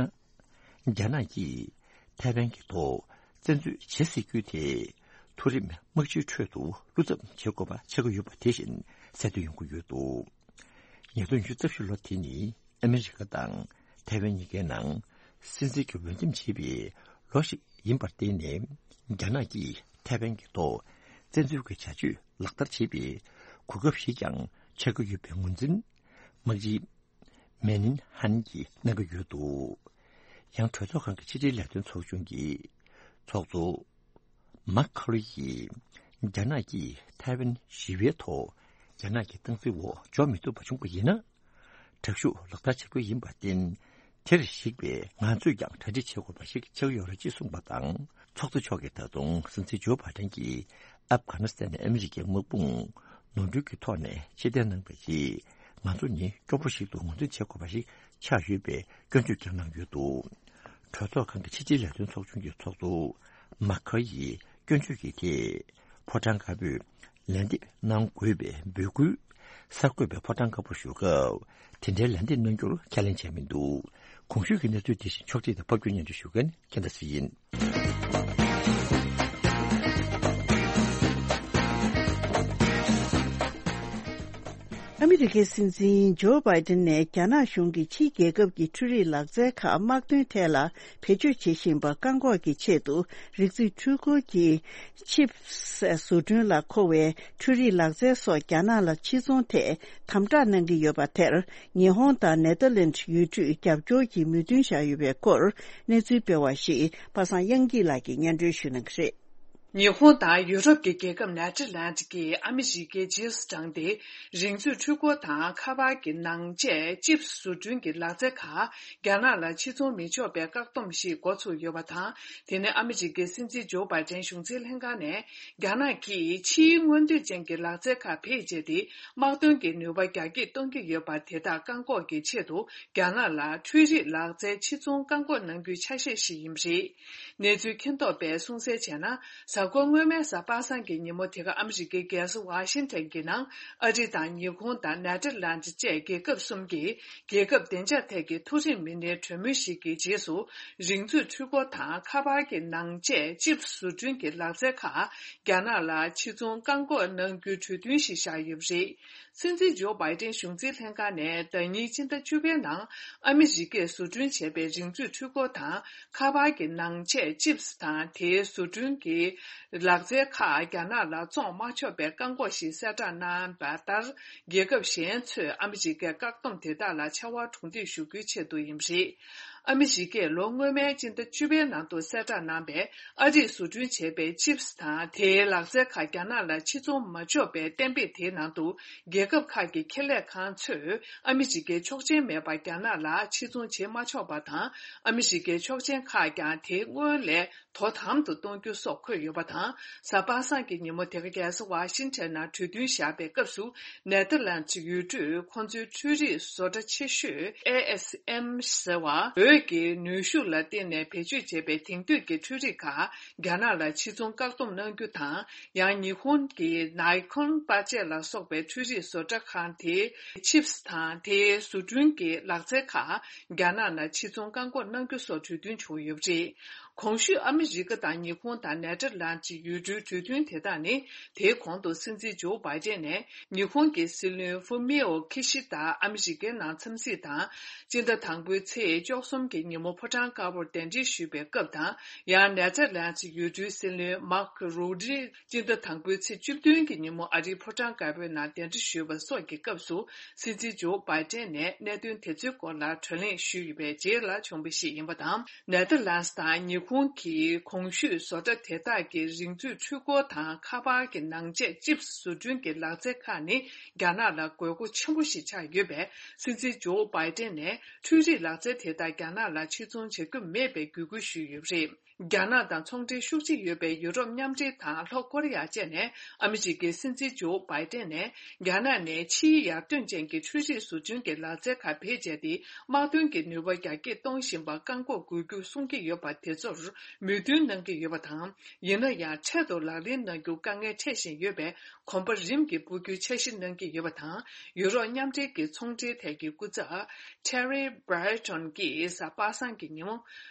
རྒྱ་ནག་གིས་ཐའེ་ཝན་གྱི་ཐོག་བཙན་འཛུལ་བྱེད་སྲིད་རྒྱུ་དེ། མཐོ་རིམ་དམག་སྤྱིའི་ཁྲོད་དུ་བློ་འཚབ་བྱེད་དགོས་པ་ཆགས་ཀྱི་ཡོད་པ་དེ་བཞིན་གསལ་སྟོན་ཡོང་གི་ཡོད་འདུག་ཉིས་སྟོང་ཉི་ཤུ་རྩ་བཞི་ལོ་དེ་ནི་ཨ་མི་རི་ཀ་དང་ཐའེ་ཝན་གཉིས་ཀའི་ནང་སྲིད་འཛིན་གྱི་འོས་འདེམས་བྱས་པའི་ལོ་ཞིག་ཡིན་པར་བརྟེན་ནས། རྒྱ་ནག་གིས་ཐའེ་ཝན་གྱི་ཐོག་བཙན་འཛུལ་གྱི་བྱ་སྤྱོད་ལག་བསྟར་བྱེད་པའི་གོ་སྐབས་ཤིག་ཀྱང་ ཆགས་ཀྱི་ཡོད་པའི་ངོས་འཛིན་དམག་སྤྱི་མེ་ནིན་ཧན་གྱིས་གནང་གི་ཡོད་འདུག། ཡང་གྲོས་ཚོགས་ཁང་གི་ཕྱི་དྲིལ་ལས་དོན་ཚོགས་ཆུང་གི་ཚོགས་གཙོ་མཱ་ཁ་ལོ་ཡིས་རྒྱ་ནག་གིས་ཐའེ་ཝན་ཞི་བའི་ཐོག་རྒྱ་ནག་གི་སྟངས་འཛིན་འོག་འཇོག་མི་ཐུབ་པ་བྱུང་པ་ཡིན་ན། དྲག་ཤུགས་ལག་བསྟར་བྱེད་དགོས་ཡིན་པར་བརྟེན། དེར་གཞིགས་པའི་ང་ཚོས་ཀྱང་གྲ་སྒྲིག་བྱེད་དགོས་པ་ཞིག་ཆགས་ཡོད་རེད་ཅེས་གསུངས་པ་དང་། ཚོགས་གཙོ་མཆོག་གིས་ད་དུང་སྲིད་འཛིན་ཇོ་བྷའི་ཏན་གྱིས་ཨབ་གྷ་ནི་སི་ཐན་ནས་ཨ་མི་རི་ཀའི་དམག་དཔུང་ནོར་འཁྲུལ་གྱི་ཐོག་ནས་ཕྱིར་འཐེན་གནང་བའི་རྗེས། ང་ཚོ་ནི་སྐྱོ་པོ་ཞིག་ཏུ་ངོས་འཛིན་བྱེད་དགོས་པ་ཞིག་ཆགས་ཡོད་པའི་སྐྱོན་བརྗོད་ཀྱང་གནང་ཡོད་འདུག། གྲོས་ཚོགས་ཁང་གི་ཕྱི་དྲིལ་ལས་དོན་ཚོགས་ཆུང་གི་ཚོགས་གཙོ་མཱ་ཁ་ཡིས་སྐྱོན་བརྗོད་ཀྱི་ཐད། ཕོ་བྲང་དཀར་པོས་ལན་འདེབས་གནང་དགོས་པའི་འབོད་སྐུལ་གསར་འགོད་པས་ཕོ་བྲང་དཀར་པོར་ཞུ་སྐབས། དེ་འདྲའི་ལན་འདེབས་གནང་རྒྱུར་ཁས་ལེན་བྱས་མི་འདུག། གོང་ཞུས་ཀྱི་གནས་ཚུལ་དེ་བཞིན་ཕྱོགས་སྒྲིག་དང་ཕབ་སྒྱུར་སྙན་སྒྲོན་ཞུ་མཁན་ཁྱེད་དང་སུ་ཡིན། ཨ་མི་རི་ཀའི་སྲིད་འཛིན་ཇོ་བྷའི་ཏན་ནས་རྒྱ་ནག་གཞུང་གིས་ཕྱིའི་རྒྱལ་ཁབ་ཀྱི་འཕྲུལ་རིག་ལག་རྩལ་ཁག་དམག་དོན་ཐད་ལ་བེད་སྤྱོད་བྱེད་བཞིན་པ་བཀག་འགོག་གི་ཆེད་དུ། རིག་རྩལ་འཕྲུལ་འཁོར་གྱི་ཆིབས་བཟོ་སྐྲུན་ལ་མཁོ་བའི་འཕྲུལ་རིག་ལག་རྩལ་སོགས་རྒྱ་ནག་ལ་ཕྱིར་ཚོང་ཐད་དམ་དྲག་གནང་གི་ཡོད་པ་དེར། ཉི་ཧོང་དང་ནེ་ཐར་ལེནྜ་ཡུལ་གྲུས་རྒྱབ་སྐྱོར་གྱི་མོས་མཐུན་བཞག་ཡོད་པའི་སྐོར་གནས་ཚུལ་སྤེལ་བ་ཞིག་པ་སངས་དབྱངས་སྐྱིད་ལགས་ཀྱིས་སྙན་སྒྲོན་ཞུ་གནང་གི་རེད། ཉི་ཧོང་དང་ཡུ་རོབ་ཀྱི་རྒྱལ་ཁབ་ནེ་ཐར་ལེནྜ་ཀྱིས་ཨ་མི་རི་ཀའི་རྗེས་སུ་འབྲངས་ཏེ། རིག་མཛོད་འཕྲུལ་འཁོར་དང་ཁ་པར་གྱི་ནང་ཆས་ཅིབ་བཟོ་སྐྲུན་གྱི་ལག་རྩལ་ཁག་རྒྱ་ནག་ལ་ཕྱིར་ཚོང་མི་ཆོག་པའི་བཀག་སྡོམ་ཞིག་འགོ་ཚུགས་ཡོད་པ་དང་། དེ་ནི་ཨ་མི་རི་ཀའི་སྲིད་འཛིན་ཇོ་བྷའི་ཏན་གཞུང་འཛིན་ལྷན་ཁང་ནས། རྒྱ་ནག་གིས་ཕྱིའི་མངོན་འདོད་ཅན་གྱི་ལག་རྩལ་ཁག་བེད་སྤྱད་དེ། དམག་དོན་གྱི་ནུས་པ་རྒྱ་སྐྱེད་གཏོང་གི་ཡོད་པ་དེ་དག་བཀག་འགོག་གི་ཆེད་དུ། རྒྱ་ནག་ལ་འཕྲུལ་རིག་ལག་རྩལ་ཕྱིར་ཚོང་བཀག་འགོག་གནང་རྒྱུའི་ཆ་ཤས་ཤིག་ཡིན་པ་རེད། གནས་ཚུལ་མཁྱེན་རྟོགས་པས་གསུངས་གསལ་བྱས་ན། གཟའ་འཁོར་སྔོན་མའི་གཟའ་པ་སངས་ཀྱི་ཉིན་མོ་དེ་ག་ཨ་མི་རི་ཀའི་རྒྱལ་ས་ཝ་ཤིང་ཊོན་གྱི་ནང་ཨ་རི་དང་ཉི་ཧོང་དང་ནེ་ཐར་ལེནྜ་བཅས་རྒྱལ་ཁབ་གསུམ་གྱི་རྒྱལ་ཁབ་བདེ་འཇགས་ཐད་ཀྱི་མཐོ་རིམ་མི་སྣའི་གྲོས་མོལ་ཞིག་གི་རྗེས་སུ། རིག་མཛོད་འཕྲུལ་འཁོར་དང་ཁ་པར་གྱི་ནང་ཆས་ཅིབ་བཟོ་སྐྲུན་གྱི་ལག་རྩལ་ཁག་རྒྱ་ནག་ལ་ཕྱིར་ཚོང་བཀག་འགོག་གནང་རྒྱུའི་གྲོས་མཐུན་ཞིག་བཞག་ཡོད་པ་རེད། སྲིད་འཛིན་ཇོ་བྷའི་ཏན་གཞུང་འཛིན་ལྷན་ཁང་ནས་ཟླ་ཉིན་སྤྱི་ཟླ་བཅུ་པའི་ནང་ཨ་མི་རི་ཀས་བཟོ་སྐྲུན་བྱས་པའི་རིག་མཛོད་འཕྲུལ་འཁོར་དང་ཁ་པར་གྱི་ནང་ཆས་ཅིབས་དང་དེའི་བཟོ་སྐྲུན་གྱི་ལག་རྩལ་ཁག་རྒྱ་ནག་ལ་བཙོང་མ་ཆོག་པའི་བཀག་འགོག་ཞིག་གསལ་བསྒྲགས་གནང་བ་ལྟར། རྒྱལ་ཁབ་གཞན་ཚོས་ཨ་མི་རི་ཀའི་བཀག་སྡོམ་དེ་དག་ལ་ཕྱར་བ་གྲུ་འདེགས་ཞུ་རྒྱུའི་ཆེད་དུ་ཡིན་པ་རེད། ཨ་མི་རི་ཀས་ལོ་སྔོན་མའི་སྤྱི་ཟླ་བཅུ་པའི་ནང་དུ་གསལ་བསྒྲགས་གནང་བའི་ཨ་རིས་བཟོ་སྐྲུན་བྱས་པའི་ཅིབས་དང་དེའི་ལག་རྩལ་ཁག་རྒྱ་ནག་ལ་ཕྱིར་ཚོང་མ་ཆོག་པའི་གཏན་འབེབས་དེའི་ནང་དུ། རྒྱལ་ཁབ་ཁག་གི་ཁེ་ལས་ཁང་ཚོས་ཨ་མི་རི་ཀའི་ཆོག་མཆན་མེད་པར་རྒྱ་ནག་ལ་ཕྱིར་ཚོང་བྱེད་མ་ཆོག་པ་དང་། ཨ་མི་རི་ཀའི་ཆོག་མཆན་ཁག་ཀྱང་དེ་སྔོན་ལས་དོ་དམ་དུ་གཏོང་རྒྱུ་སོགས་འཁོད་ཡོད་པ་དང་། གཟའ་པ་སངས་ཀྱི་ཉིན་མོ་དེ་ག་རྒྱལ་ས་ཝ་ཤིང་ཊོན་ནང་གྲོས་མཐུན་བཞག་པའི་སྐབས་སུ། ནེ་ཐར་ལན་ཡུལ་གྲུས་ཁོང་ཚོའི་འཕྲུལ་རིག་བཟོ་གྲྭ་ཆེ་ཤོས་ཨེ་ཨེས་ཨེམ་ཟེར་བ། འོད་ཀྱི་ནུས་ཤུགས་ལ་བརྟེན་ནས་བེད་སྤྱོད་བྱས་པའི་དེང་དུས་ཀྱི་འཕྲུལ་རིག་ཁག་རྒྱ་ནག་ལ་ཕྱིར་ཚོང་བཀག་སྡོམ་གནང་རྒྱུ་དང་། ཡང་ཉི་ཧོང་གི་ནའི་ཁོན་པ་ཅེ་ལ་སོགས་པའི་འཕྲུལ་རིག་བཟོ་གྲྭ་ཁང་དེའི་ཆིབས་དང་དེའི་བཟོ་སྐྲུན་གྱི་ལག་རྩལ་ཁག་རྒྱ་ནག་ལ་ཕྱིར་ཚོང་བཀག་འགོག་གནང་རྒྱུ་སོགས་གྲོས་མཐུན་བྱུང་ཡོད་པ་རེད། གོང་ཞུས་ཨ་མི་རི་ཀ་དང་ཉི་ཧོང་དང་ནེ་ཐར་ལན་ཡུལ་གྲུའི་གྲོས་མཐུན་དེ་དག་ནི། དེའི་གོང་དུ་སྲིད་འཛིན་ཇོ་བྷའི་ཏན་ནས་ཉི་ཧོང་གི་སྲིད་བློན་ཧྥུ་མིའོ་ཁི་ཤི་ད་ཨ་མི་རི་ཀའི་ནང་འཚམས་གཟིགས་དང་། སྤྱི་ཟླ་དང་པོའི་ཚེས་བཅུ་གསུམ་གྱི་ཉིན་མོ་ཕོ་བྲང་དཀར་པོར་གདན་འདྲེན་ཞུས་པའི་སྐབས་དང་། ཡང་ནེ་ཐར་ལན་ཡུལ་གྲུའི་སྲིད་བློན་མཱག་རུ་ཏི་སྤྱི་ཟླ་དང་པོའི་ཚེས་བཅུ་བདུན་གྱི་ཉིན་མོ་ཨ་རིའི་ཕོ་བྲང་དཀར་པོའི་ནང་གདན་འདྲེན་ཞུས་པ་སོགས་ཀྱི་སྐབས་སུ། སྲིད་འཛིན་ཇོ་བྷའི་ཏན་ནས་གནད་དོན་དེ་ཚོའི་སྐོར་ལ་བགྲོ་གླེང་ཞུས་ཡོད་པའི་རྗེས་ལ་བྱུང་བ་ཞིག་ཡིན་པ་དང་། ནེ་ཐར་ལན་དང་ཉི་ཧོང་གི་གོང་ཞུས་བཟོ་གྲྭ་དེ་དག་གི་རིག་མཛོད་འཕྲུལ་འཁོར་དང་ཁ་པར་གྱི་ནང་ཆས་ཅིབས་བཟོ་སྐྲུན་གྱི་ལག་རྩལ་ཁག་ནི་རྒྱ་ནག་ལ་དགོས་མཁོ་ཆེན་པོ་ཞིག་ཆགས་ཡོད་པས། སྲིད་འཛིན་ཇོ་བྷའི་ཏན་ནས་འཕྲུལ་རིག་ལག་རྩལ་དེ་དག་རྒྱ་ནག་ལ་ཕྱིར་ཚོང་བྱ་རྒྱུ་མེད་པའི་འབོད་སྐུལ་ཞུས་ཡོད་པ་རེད། རྒྱ་ནག་དང་ཚོང་འབྲེལ་ཤུགས་ཆེ་ཡོད་པའི་ཡུ་རོབ་མཉམ་འབྲེལ་དང་ལྷོ་ཀོ་རི་ཡ་བཅས་ནས་ཨ་མི་རི་ཀའི་སྲིད་འཛིན་ཇོ་བྷའི་ཏན་ནས། རྒྱ་ནག་ནས་ཕྱིའི་ཡར་ཐོན་ཅན་གྱི་འཕྲུལ་རིག་བཟོ་སྐྲུན་གྱི་ལག་རྩལ་ཁག་བེད་སྤྱད་དེ། དམག་དོན་གྱི་ནུས་པ་རྒྱ་སྐྱེད་གཏོང་བཞིན་པ་བཀག་འགོག་དགོས་རྒྱུ་གསུང་གི་ཡོད་པ་དེ་ཚོར་མོས་མཐུན་གནང་གི་ཡོད་པ་དང་། ཡིན་ན་ཡང་འཕྲལ་དུ་ལག་ལེན་གནང་རྒྱུ་དཀའ་ངལ་འཕྲད་བཞིན་ཡོད་པས། གོམ་པ་རིམ་གྱིས་སྤོ་རྒྱུའི་འཆར་གཞི་གནང་གི་ཡོད་པ་དང་། ཡུ་རོབ་མཉམ་འབྲེལ་གྱི་ཚོང་འབྲེལ་ཐད་ཀྱི་སྐུ་ཚབ་Thierry Breton་གྱིས་གཟའ་པ་སངས་ཀྱི་ཉིན་མོ།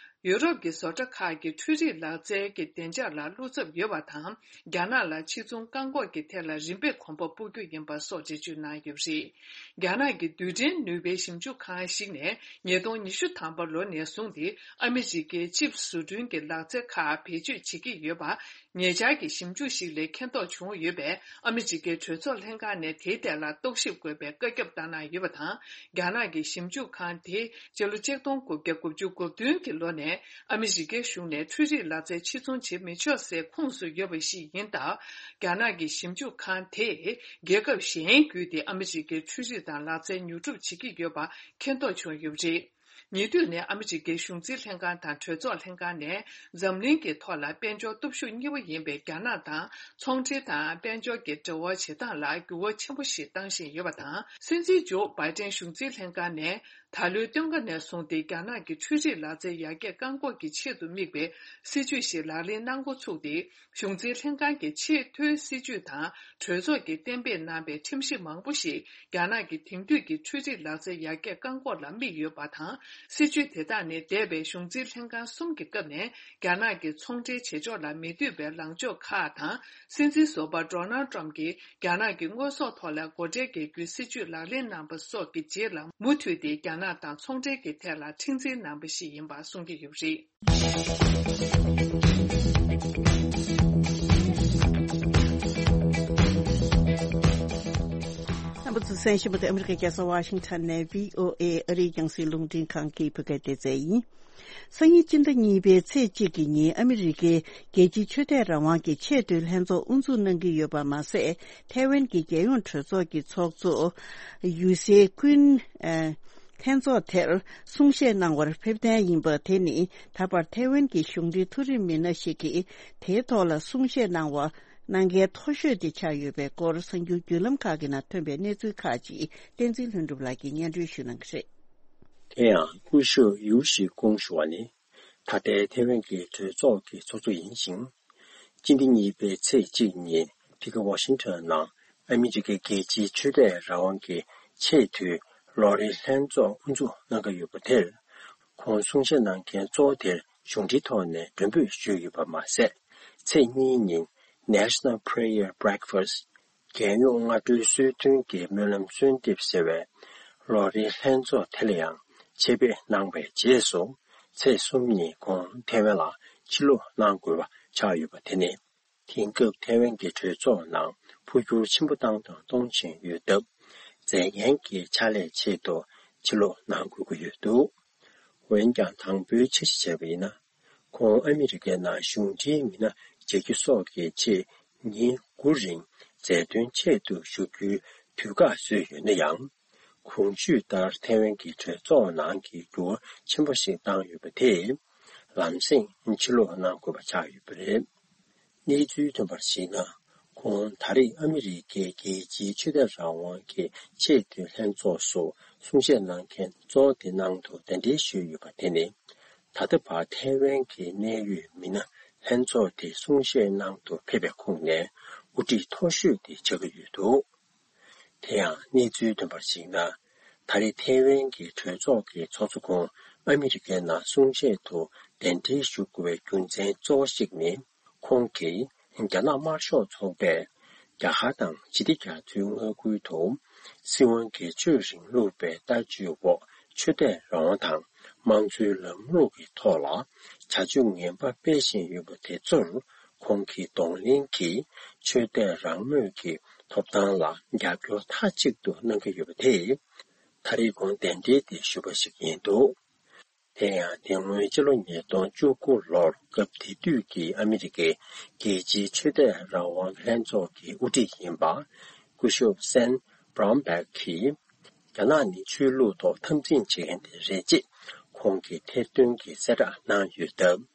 ཡུ་རོབ་ཀྱི་བཟོ་གྲྭ་ཁག་གི་འཕྲུལ་རིག་ལག་རྩལ་གྱི་བདེ་འཇགས་ལ་བློ་འཚབ་ཡོད་པ་དང་། རྒྱ་ནག་ལ་ཕྱིར་ཚོང་བཀག་འགོག་གི་ཐད་ལ་རིམ་པས་གོམ་པ་སྤོ་རྒྱུ་ཡིན་པ་སོགས་འགྲེལ་བརྗོད་གནང་ཡོད་པ་རེད། རྒྱ་ནག་གི་རྡུལ་ཕྲན་ནུས་པའི་ཞིབ་འཇུག་ཁང་ཞིག་ནས་ཉིས་སྟོང་ཉི་ཤུ་ཐམ་པ་ལོ་ནས་བཟུང་སྟེ་ཨ་མི་རི་ཀའི་ཅིབ་བཟོ་སྐྲུན་གྱི་ལག་རྩལ་ཁག་བེད་སྤྱོད་བྱེད་ཀྱི་ཡོད་པ། ཉེ་ཆར་གྱི་ཞིབ་འཇུག་ཞིག་ལས་མཁྱེན་རྟོགས་བྱུང་ཡོད་པས། ཨ་མི་རི་ཀའི་གྲོས་ཚོགས་ལྷན་ཁང་ནས་དེའི་ཐད་ལ་རྟོག་ཞིབ་དགོས་པའི་བཀའ་ཁྱབ་བཏང་གནང་ཡོད་པ་དང་། རྒྱ་ནག་གི་ཞིབ་འཇུག་ཁང་དེས་སྤྱི་ལོ་ཆིག་སྟོང་དགུ་བརྒྱ་དགུ་བཅུ་གོ་བདུན་གྱི་ལོ་ནས་ཨ་མི་རི་ཀའི་གཞུང་ནས་འཕྲུལ་རིག་ལག་རྩལ་ཕྱིར་ཚོང་བྱེད་མི་ཆོག་སའི་ཁོངས་སུ་ཡོད་པ་ཞིག་ཡིན་སྟབས། རྒྱ་ནག་གི་ཞིབ་འཇུག་ཁང་དེས་རྒྱལ་ཁབ་གཞན་བརྒྱུད་དེ་ཨ་མི་རི་ཀའི་འཕྲུལ་རིག་དང་ལག་རྩལ་ཉོ་སྒྲུབ་བྱེད་ཀྱི་ཡོད་པ་མཁྱེན་རྟོགས་བྱུང་ཡོད་པ་རེད། ཉེ་དུས་ནས་ཨ་མི་རི་ཀའི་གཞུང་འཛིན་ལྷན་ཁང་དང་གྲོས་ཚོགས་ལྷན་ཁང་ནས་འཛམ་གླིང་གི་ཐོག་ལ་དཔལ་འབྱོར་སྟོབས་ཤུགས་གཉིས་པ་ཡིན་པའི་རྒྱ་ནག་དང་ཚོང་འབྲེལ་དང་དཔལ་འབྱོར་གྱི་འབྲེལ་བ་བྱེད་སྟངས་ལ་འགྱུར་བ་ཆེན་པོ་ཞིག་བཏང་བཞིན་ཡོད་པ་དང་། སྲིད་འཛིན་ཇོ་བྷའི་ཏན་གཞུང་འཛིན་ལྷན་ཁང་ནས་ད་ལོའི་སྟོན་ཁ་ནས་བཟུང་སྟེ་རྒྱ་ནག་གི་འཕྲུལ་རིག་ལག་རྩལ་ཡར་རྒྱས་བཀག་འགོག་གི་ཆེད་དུ་དམིགས་པའི་སྲིད་ཇུས་ཤིག་ལག་ལེན་གནང་འགོ་ཚུགས་ཏེ། གཞུང་འཛིན་ལྷན་ཁང་གི་ཆེས་མཐོའི་སྲིད་ཇུས་དང་གྲོས་ཚོགས་ཀྱིས་གཏན་འབེབས་གནང་བའི་ཁྲིམས་གཞི་མང་པོ་ཞིག་རྒྱ་ནག་གི་དེང་དུས་ཀྱི་འཕྲུལ་རིག་ལག་རྩལ་ཡར་རྒྱས་བཀག་འགོག་ལ་དམིགས་ཡོད་པ་དང་། སྲིད་ཇུས་དེ་དག་ནི་འདས་པའི་གཞུང་འཛིན་ལྷན་ཁང་གསུམ་གྱི་སྐབས་ནས་རྒྱ་ནག་གི་ཚོང་འབྲེལ་བྱེད་ཕྱོགས་ལ་མི་འདོད་པའི་ལངས་ཕྱོགས་ཁག་དང་། སྲིད་འཛིན་ཟུར་པ་ཌོ་ནལ་ཊམ་གྱིས་རྒྱ་ནག་གི་དངོས་ཟོག་ཐོག་ལ་སྒོ་ཁྲལ་འགེལ་རྒྱུའི་སྲིད་ཇུས་ལག་ལེན་གནང་པ་སོགས་ཀྱི་རྗེས་ལ་མུ་མཐུད་དེ་རྒྱ་ནག་དང་ཚོང་འབྲེལ་གྱི་ཐད་ལ་མཁྲེགས་འཛིན་གནང་པ་ཞིག་ཡིན་པ་གསུང་གི་ཡོད་པ་རེད། རྣམ་པ་ཚོས་གསན་བཞིན་པ་དེ་ཨ་མི་རི་ཀའི་རྒྱལ་ས་ཝ་ཤིང་ཊོན་ནས་བྷི་ཨོ་ཨེ་ཨ་རིའི་རྒྱང་སྲིང་རླུང་འཕྲིན་ཁང་གི་བོད་སྐད་སྡེ་ཚན་ཡིན། སང་ཉིན་སྤྱི་ཟླ་གཉིས་པའི་ཚེས་གཅིག་གི་ཉིན་ཨ་མི་རི་ཀའི་རྒྱལ་སྤྱིའི་ཆོས་དད་རང་དབང་གི་ཆེས་མཐོའི་ལྷན་ཚོགས་དབུ་འཛུགས་གནང་གི་ཡོད་པ་མ་ཟད། ཐའེ་ཝན་གྱི་རྒྱལ་ཡོངས་གྲོས་ཚོགས་ཀྱི་ཚོགས་གཙོ་ཡུ་སེ་ཀུན། ལྷན་ཚོགས་དེར་གསུང་བཤད་གནང་བར་ཕེབས་གཏན་ཡིན་པ་དེ་ནི་ད་བར་ཐའེ་ཝན་གྱི་གཞུང་འབྲེལ་མཐོ་རིམ་མི་སྣ་ཞིག་གིས་དེའི་ཐོག་ལ་གསུང་བཤད་གནང་བ་གནང་མཁན་མཐོ་ཤོས་དེ་ཆགས་ཡོད་པའི་སྐོར་གསར་འགྱུར་བརྒྱུད་ལམ་ཁག་གི་ནང་ཐོན་པའི་གནས་ཚུལ་ཁག་ཅིག་བསྟན་འཛིན་ལྷུན་གྲུབ་ལགས་ཀྱིས་སྙན་སྒྲོན་ཞུ་གནང་གི་རེད། དེ་ཡང་སྐུ་ཞབས་ཡུ་ཤི་ཀུང་ཞུ་བ་ནི། ད་ལྟའི་ཐའེ་ཝན་གྱི་གྲོས་ཚོགས་ཀྱི་ཚོགས་གཙོ་ཡིན་ཞིང་། སྤྱི་ཟླ་གཉིས་པའི་ཚེས་གཅིག་ཉིན་ཕི་གི་ཝ་ཤིང་ཊོན་ནང་ཨ་མི་རི་ཀའི་རྒྱལ་སྤྱིའི་ཆོས་དད་རང་དབང་གི་ཆེས་མཐོའི་ལོ་རེའི་ལྷན་ཚོགས་དབུ་འཛུགས་གནང་གི་ཡོད་པ་དེར། ཁོང་གསུང་བཤད་གནང་མཁན་གཙོ་བོ་དེར་གཞུང་འབྲེལ་ཐོག་ནས་མགྲོན་འབོད་ཞུས་ཡོད་པ་མ་ཟད། ཚེས་གཉིས་ཉིན་National Prayer Breakfast། རྒྱལ་ཡོངས་སྔ་དྲོའི་གསོལ་སྟོན་གྱི་སྨོན་ལམ་གསོལ་འདེབས་ཟེར་བའི་ལོ་རེའི་ལྷན་ཚོགས་དེ་ལ་ཡང་ཆེད་ཕེབས་གནང་བའི་རྗེས་སུ། ཚེས་གསུམ་ཉིན་ཁོང་ཐའེ་ཝན་ལ་ཕྱིར་ལོག་གནང་དགོས་པ་ཆགས་ཡོད་པ་དེ་ནི། དེང་སྐབས་ཐའེ་ཝན་གྱི་གྲོས་ཚོགས་ནང་འཕོ་འགྱུར་ཆེན་པོ་བཏང་དང་གཏོང་བཞིན་ཡོད་སྟབས། མཛད་འགན་གྱི་ཕྱག་ལས་ཆེད་དུ་ཕྱིར་ལོག་གནང་དགོས་ཀྱི་ཡོད་འདུག་འོན་ཀྱང་། དང་པོའི་འཆར་གཞི་བྱས་པ་ཡིན་ན། ཁོང་ཨ་མི་རི་ཀའི་ནང་གཞུང་འབྲེལ་མི་སྣ་མཇལ་རྒྱུ་སོགས་ཀྱི་ཆེད་ཉིན་དགུ་རིང་མཛད་དོན་ཆེད་དུ་བཞུགས་རྒྱུའི་དུས་བཀག་བཟོས་ཡོད་ན་ཡང་། གོང་ཞུས་ལྟར་ཐའེ་ཝན་གྱི་གྲོས་ཚོགས་ནང་གི་འགྱུར་བ་ཆེན་པོ་ཞིག་བཏང་ཡོད་པ་དེས། ལམ་སེང་ཕྱིར་ལོག་གནང་དགོས་པ་ཆགས་ཡོད་པ་རེད། གནས་ཚུལ་ཐོན་པར་གཞིགས་ན། ཁོང་ད་རེས་ཨ་མི་རི་ཀའི་རྒྱལ་སྤྱིའི་ཆོས་དད་རང་དབང་གི་ཆེས་མཐོའི་ལྷན་ཚོགས་སུ་གསུང་བཤད་གནང་མཁན་གཙོ་བོ་དེ་ནང་དུ་གདན་འདྲེན་ཞུས་ཡོད་པ་དེ་ནི། ད་ལྟ་བར་ཐའེ་ཝན་གྱི་གནད་ཡོད་མི་སྣ་ལྷན་ཚོགས་དེ་གསུང་བཤད་གནང་དུ་ཕེབས་པའི་ཁོངས་ནས་དབུ་ཁྲིད་མཐོ་ཤོས་དེ་ཆགས་ཀྱི་ཡོད་འདུག་དེ་ཡང་གནས་ཚུལ་ཐོན་པར་གཞིགས་ན། ད་རེས་ཐའེ་ཝན་གྱི་གྲོས་ཚོགས་ཀྱི་ཚོགས་གཙོ་ཁོང་ཨ་མི་རི་ཀའི་ནང་གསུང་བཤད་དུ་གདན་འདྲེན་ཞུ་དགོས་པའི་རྒྱུ་མཚན་གཙོ་བོ་ཞིག་ནི། ཁོང་གིས་རྒྱ་ནག་དམར་ཤོག་ཚོགས་པས་རྒྱ་གར་དང་ཞི་བདེ་རྒྱ་མཚོའི་མངའ་ཁུལ་དུ་སྲིད་དབང་སྒེར་གཅོད་རིང་ལུགས་པའི་ལྟ་སྤྱོད་འོག་ཆོས་དད་རང་དབང་དང་དམངས་གཙོའི་ལམ་ལུགས་ཀྱི་ཐོག་ལ་བྱ་སྤྱོད་ངན་པ་སྤེལ་བཞིན་ཡོད་པ་དེ་ཚོར། ཁོང་གིས་གདོང་ལེན་གྱིས་ཆོས་དད་རང་མོས་ཀྱི་ཐོབ་ཐང་ལ་རྒྱབ་སྐྱོར་མཐའ་གཅིག་ཏུ་གནང་གི་ཡོད་པ་དེས། ད་རེས་ཁོང་གདན་འདྲེན་དེ་ཞུས་པ་ཞིག་ཡིན་འདུག་དེ་ཡང་། དེ་སྔོན་ཕྱི་ལོ་ཉིས་སྟོང་བཅུ་དགུ་ལོར་སྐབས་དེ་དུས་ཀྱི་ཨ་མི་རི་ཀའི་རྒྱལ་སྤྱིའི་ཆོས་དད་རང་དབང་ལྷན་ཚོགས་ཀྱི་དབུ་ཁྲིད་ཡིན་པ། སྐུ་ཞབས་སན་བྷ་རོན་བྷེག་གིས། རྒྱ་ནག་ནི་ཆོས་ལུགས་ཐོག་འཐབ་འཛིང་བྱེད་མཁན་དེ་རེད་ཅེས་ཁོང་གིས་ཐེར་འདོན་གྱི་གསལ་བསྒྲགས་གནང་ཡོད་སྟབས།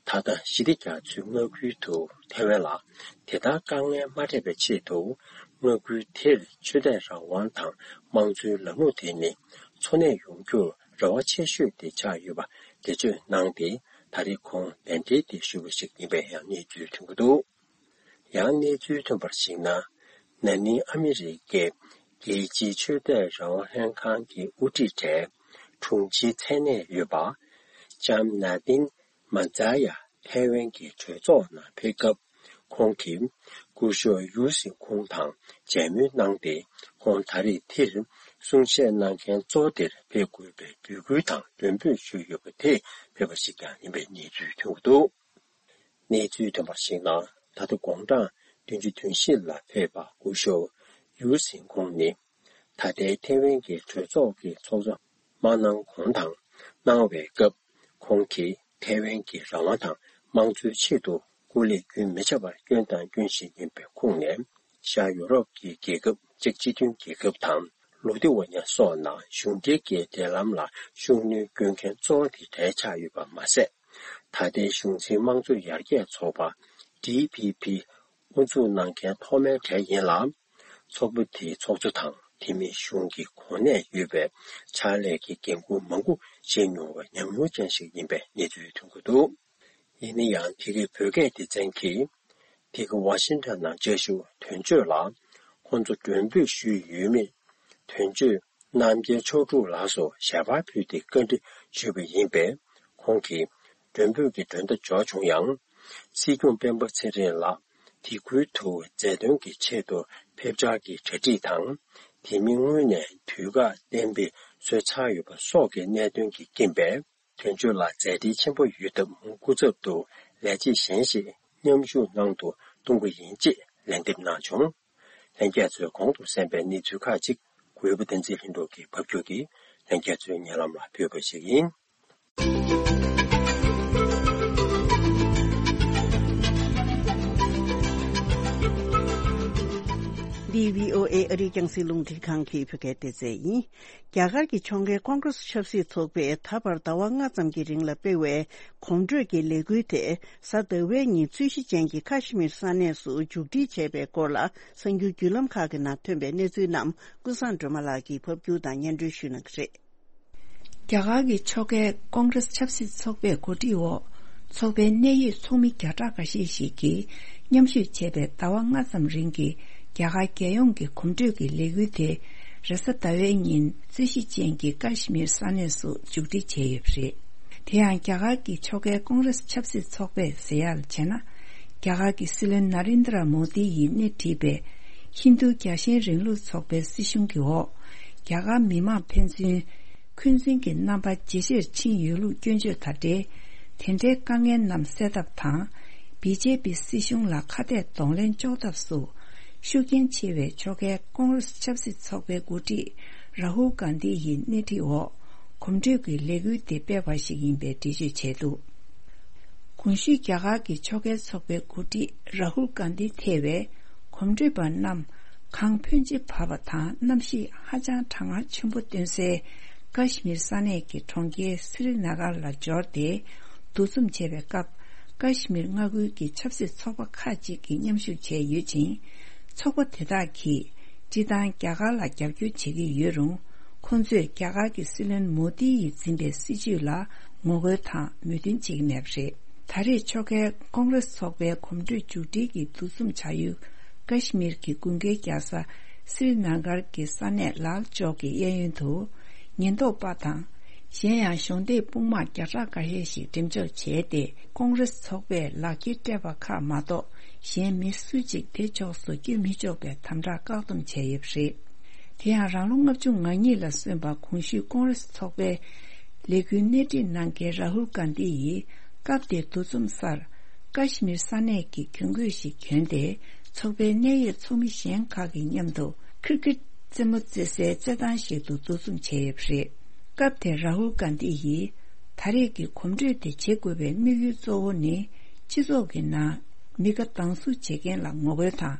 ད་ལྟ་ཞི་བདེ་རྒྱ་མཚོའི་མངའ་ཁུལ་དུ་ཐའེ་ཝན་ལ་དེ་ལྟར་དཀའ་ངལ་མ་འཕྲད་པའི་ཆེད་དུ། མངའ་ཁུལ་དེར་ཆོས་དད་རང་དབང་དང་དམངས་གཙོའི་ལམ་ལུགས་དེ་ནི་འཚོ་གནས་ཡོང་རྒྱུར་རེ་བ་ཆེ་ཤོས་དེ་ཆགས་ཡོད་པ་འགྲེལ་བརྗོད་གནང་སྟེ། ད་རེས་ཁོང་གདན་འདྲེན་དེ་ཞུས་པ་ཞིག་ཡིན་པའི་ཡང་གནས་ཚུལ་ཐོན་གྱི་འདུག་ཡང་གནས་ཚུལ་ཐོན་པར་གཞིགས་ན། ན་ནིང་ཨ་མི་རི་ཀའི་རྒྱལ་སྤྱིའི་ཆོས་དད་རང་དབང་ལྷན་ཁང་གི་དབུ་ཁྲིད་གྲས་དྲུང་ཆེའི་མཚན་གནས་ཡོད་པ། ལྕམ་ནཱ་ཏིན་མ་ཛ་ཡ་ཐའེ་ཝན་གྱི་གྲོས་ཚོགས་ནང་ཕེབས་སྐབས། ཁོང་གིས་སྐུ་ཞབས་ཡུའུ་སིན་ཁུང་དང་མཇལ་མོལ་གནང་སྟེ། ཁོང་ད་རེས་དེར་གསུང་བཤད་གནང་མཁན་གཙོ་བོ་དེར་ཕེབས་དགོས་པའི་འབོད་སྐུལ་དང་མགྲོན་འབོད་ཞུས་ཡོད་པ་དེ་ཕེབས་པ་ཞིག་ཀྱང་ཡིན་པའི་གནས་ཚུལ་ཐོན་གྱི་འདུག་གནས་ཚུལ་ཐོན་པར་གཞིགས་ན། ད་ལྟ་དགུང་གྲངས་བདུན་ཅུ་དོན་བཞི་ལ་ཕེབས་པ་སྐུ་ཞབས་ཡུའུ་སིན་ཁུང་ནི། ད་ལྟའི་ཐའེ་ཝན་གྱི་གྲོས་ཚོགས་ཀྱི་ཚོགས་གཙོ་མ་གནང་གོང་དང་གནང་བའི་སྐབས། ཁོང་གིས་ཐའེ་ཝན་གྱི་རང་དབང་དང་དམངས་གཙོའི་ཆེད་དུ་སྐུ་ལས་རྒྱུན་མི་ཆད་པར་བསྐྱོན་དང་སྐྱོན་བཞིན་ཡིན་པའི་ཁོངས་ནས། ཤར་ཡུ་རོབ་ཀྱི་རྒྱལ་ཁབ་གཅིག་སྤྱི་མཐུན་རྒྱལ་ཁབ་དང་ལུ་ཐི་ཝ་ཉ་སོགས་ནང་གཞུང་འབྲེལ་གྱི་འབྲེལ་ལམ་ལ་ཤུགས་སྣོན་སྐྱོན་མཁན་གཙོ་བོ་དེ་གྲས་ཆགས་ཡོད་པ་མ་ཟད། ད་ལྟའི་གཞུང་འཛིན་དམངས་གཙོ་ཡར་རྒྱས་ཚོགས་པ་ཌི་པི་པི་དབུ་འཛུགས་གནང་མཁན་ཐོག་མའི་གྲས་ཡིན་ལ། ཚོགས་པ་དེའི་ཚོགས་གཙོ་དང་དེ་མིན་གཞུང་གི་གོ་གནས་ཡོད་པའི་ཕྱག་ལས་ཀྱི་འགན་འཁུར་མང་པོ་བཞེས་མྱོང་བའི་ཉམས་མྱོང་ཅན་ཞིག་ཡིན་པའི་གནས་ཚུལ་ཐོན་གྱི་འདུག་ཡིན་ན་ཡང་། དེ་གའི་བོད་སྐད་སྡེ་ཚན་གྱིས་དེ་ག་ཝ་ཤིང་ཊོན་ནང་བཅའ་བཞུགས་དོན་གཅོད་ལ་ཁོང་ཚོ་མགྲོན་འབོད་ཞུས་ཡོད་མེད། དོན་གཅོད་རྣམ་རྒྱལ་མཆོག་སྤྲུལ་ལགས་སུ་ཞལ་པར་ཕུལ་ཏེ་བཀའ་འདྲི་ཞུས་པ་ཡིན་པས། ཁོང་གིས་མགྲོན་འབོད་ཀྱི་མགྲོན་བརྡ་འབྱོར་བྱུང་ཡང་། སྲིད་སྐྱོང་སྤེན་པ་ཚེ་རིང་ལགས་དེ་ཁུལ་དུ་མཛད་དོན་གྱི་ཆེད་དུ་ཕེབས་འཆར་གྱི་གྲ་སྒྲིག་དང་། དེ་མིན་སྔོན་ནས་དུས་བཀག་གཏན་འབེབས་བཟོས་ཚར་ཡོད་པ་སོགས་ཀྱི་གནད་དོན་གྱི་རྐྱེན་པས། དོན་གཅོད་ལ་མཛད་བྲེལ་ཆེན་པོ་ཡོད་སྟབས། སྐུ་ཚབ་ཏུ་ལས་བྱེད་གཞན་ཞིག་མཉམ་ཞུགས་གནང་དུ་གཏོང་གི་ཡིན་ཅེས་ལན་འདེབས་གནང་བྱུང་། ལྷན་རྒྱས་ཚོས་གོང་དུ་གསན་པའི་གནས་ཚུལ་ཁག་ཅིག་གུས་པ་བསྟན་འཛིན་ལྷུན་གྲུབ་ཀྱིས་ཕབ་སྒྱུར་གྱིས་ལྷན་རྒྱས་ཚོའི་སྙན་ལམ་ལ་ཕུལ་བ་ཞིག་ཡིན། འདི་བྷི་ཨོ་ཨེ་ཨ་རིའི་རྒྱང་སྲིང་རླུང་འཕྲིན་ཁང་གི་བོད་སྐད་སྡེ་ཚན་ཡིན། རྒྱ་གར་གྱི་ཕྱོགས་འགལ་ཀོང་ཀྲེས་ཆབ་སྲིད་ཚོགས་པས་ད་བར་ཟླ་བ་ལྔ་ཙམ་གྱི་རིང་ལ་སྤེལ་བའི་གོམ་བགྲོད་ཀྱི་ལས་འགུལ་དེ་གཟའ་ཟླ་བའི་ཉིན་རྩོད་གཞི་ཅན་གྱི་ཀ་ཤི་མིར་ས་གནས་སུ་མཇུག་སྒྲིལ་བྱས་པའི་སྐོར་ལ། གསར་འགྱུར་བརྒྱུད་ལམ་ཁག་གི་ནང་ཐོན་པའི་གནས་ཚུལ་རྣམས་ཀུན་བཟང་སྒྲོལ་མ་ལགས་ཀྱིས་ཕབ་སྒྱུར་དང་སྙན་སྒྲོན་ཞུ་གནང་གི་རེད། རྒྱ་གར་གྱི་ཕྱོགས་འགལ་ཀོང་ཀྲེས་ཆབ་སྲིད་ཚོགས་པའི་གོ་སྒྲིག་འོག་ཚོགས་པའི་གནད་ཡོད་ཚོགས་མི་བརྒྱ་ཕྲག་འགའ་ཤས་ཤིག་གིས་མཉམ་ཞུགས་བྱས་པའི་ཟླ་བ་ལྔ་ཙམ་རིང་གི་རྒྱ་གར་རྒྱལ་ཡོངས་ཀྱི་གོམ་བགྲོད་ཀྱི་ལས་འགུལ་དེ་རེས་གཟའ་ཟླ་བའི་ཉིན་རྩོད་གཞི་ཅན་གྱི་ཀ་ཤི་མིར་ས་གནས་སུ་མཇུག་སྒྲིལ་བྱས་ཡོད་པ་རེད། དེ་ཡང་རྒྱ་གར་གྱི་ཕྱོགས་འགལ་ཀོང་ཀྲེས་ཆབ་སྲིད་ཚོགས་པས་ཟེར་ཡག་ལ་བྱས་ན། རྒྱ་གར་གྱི་སྲིད་བློན་ན་རེན་དྲ་མོ་དི་ཡིས་སྣེ་ཁྲིད་པའི་ཧིན་རྡུ་རྒྱལ་ཞེན་རིང་ལུགས་ཚོགས་པའི་སྲིད་གཞུང་གི་འོག་རྒྱ་གར་མི་མང་ཕན་ཚུན་འཁོན་འཛིན་གྱི་རྣམ་པ་ཇེ་ཆེར་ཕྱིན་ཡོད་ལུགས་སྐྱོན་བརྗོད་དང་འབྲེལ། དེ་འདྲའི་དཀའ་ངལ་རྣམས་སེལ་ཐབས་དང་། བི་ཇེ་པི་སྲིད་གཞུང་ལ་ཁ་གཏད་གདོང་ལེན་གཅོག་ཐབས་སུ་ཤུགས་རྐྱེན་ཆེ་བའི་ཕྱོགས་འགལ་ཀོང་ཀྲེས་ཆབ་སྲིད་ཚོགས་པའི་འགོ་ཁྲིད་རཱ་ཧུལ་གྷན་དྷི་ཡི་སྣེ་ཁྲིད་འོག་གོམ་བགྲོད་ཀྱི་ལས་འགུལ་དེ་སྤེལ་བ་ཞིག་ཡིན་པའི་འགྲེལ་བརྗོད་བྱས་འདུག་གོང་ཞུས་རྒྱ་གར་གྱི་ཕྱོགས་འགལ་ཚོགས་པའི་འགོ་ཁྲིད་རཱ་ཧུལ་གྷན་དྷི་ཐེ་བའི་གོམ་བགྲོད་པ་རྣམས་གངས་ཕོན་ཆེ་བབས་པ་དང་གནམ་གཤིས་ཧ་ཅང་གྲང་ངར་ཆེན་པོ་སྟོན་སའི་ཀ་ཤི་མིར་ས་གནས་ཀྱི་གྲོང་ཁྱེར་སི་རི་ན་གར་ལ་འབྱོར་ཏེ་འདུ་འཛོམས་བྱས་པའི་སྐབས། ཀ་ཤི་མིར་མངའ་ཁུལ་གྱི་ཆབ་སྲིད་ཚོགས་པ་ཁག་ཅིག་གིས་མཉམ་ཞུགས་བྱས་ཡོད་ཅིང་། ཚོགས་པ་དེ་དག་གིས་སྤྱིར་བཏང་རྒྱ་གར་ལ་རྒྱབ་སྐྱོར་བྱེད་ཀྱི་ཡོད་རུང་། ཁོང་ཚོས་རྒྱ་གར་གྱི་སྲིད་བློན་མོ་དི་ཡིས་འཛིན་པའི་སྲིད་བྱུས་ལ་ངོ་རྒོལ་དང་མོས་མཐུན་བྱེད་ཀྱི་མེད་པ་རེད། ད་རེས་ཕྱོགས་འགལ་ཀོང་ཀྲེས་ཚོགས་པའི་གོམ་བགྲོད་མཇུག་སྒྲིལ་གྱི་འདུ་འཛོམས་བྱ་ཡུལ་ཀ་ཤི་མིར་གྱི་དགུན་ཁའི་རྒྱལ་ས་སི་རི་ན་གར་གྱི་ས་གནས་ལཱལ་ཅོག་གི་གཡས་གཡོན་དུ་ཉེན་རྟོག་པ་དང་། གཞན་ཡང་གཞོགས་འདེགས་དཔུང་དམག་བརྒྱ་ཕྲག་འགའ་ཤས་ཤིག་འགྲེམས་འཇོག་བྱས་ཏེ། ཀོང་ཀྲེས་ཚོགས་པས་ལག་འཁྱེར་སྤྲད་པ་ཁག་མ་གཏོགས་གཞན་མི་སུ་གཅིག་དེ་ཕྱོགས་སུ་བསྐྱོད་མི་ཆོག་པའི་དམ་དྲག་བཀག་སྡོམ་བྱས་ཡོད་པ་རེད། དེ་ཡང་རང་ལོ་ལྔ་བཅུ་ང་གཉིས་ལ་སོན་པ་གོང་ཞུས་ཀོང་ཀྲེས་ཚོགས་པའི་ལས་འགུལ་སྣེ་ཁྲིད་གནང་མཁན་རཱ་ཧུལ་གྷན་དྷི་ཡིས་སྐབས་དེའི་འདུ་འཛོམས་སར་ཀ་ཤི་མིར་ས་གནས་ཀྱི་གྱོན་གོས་ཤིག་གྱོན་ཏེ། ཚོགས་པའི་གནད་ཡོད་ཚོགས་མི་གཞན་ཁག་གི་མཉམ་དུ་ཁིར་ཀིར་རྩེད་མོ་རྩེ་སའི་རྩེད་ཐང་ཞིག་ཏུ་འདུ་འཛོམས་བྱས་ཡོད་པ་རེད། སྐབས་དེར་རཱ་ཧུལ་གྷན་དྷི་ཡིས་ད་རེས་ཀྱི་གོམ་བགྲོད་དེ་བྱེད་དགོས་པའི་དམིགས་ཡུལ་གཙོ་བོ་ནི། སྤྱི་ཚོགས་ཀྱི་ནང་མི་དགའ་སྡང་ཟུག་བྱེད་མཁན་ལ་ངོ་རྒོལ་དང་།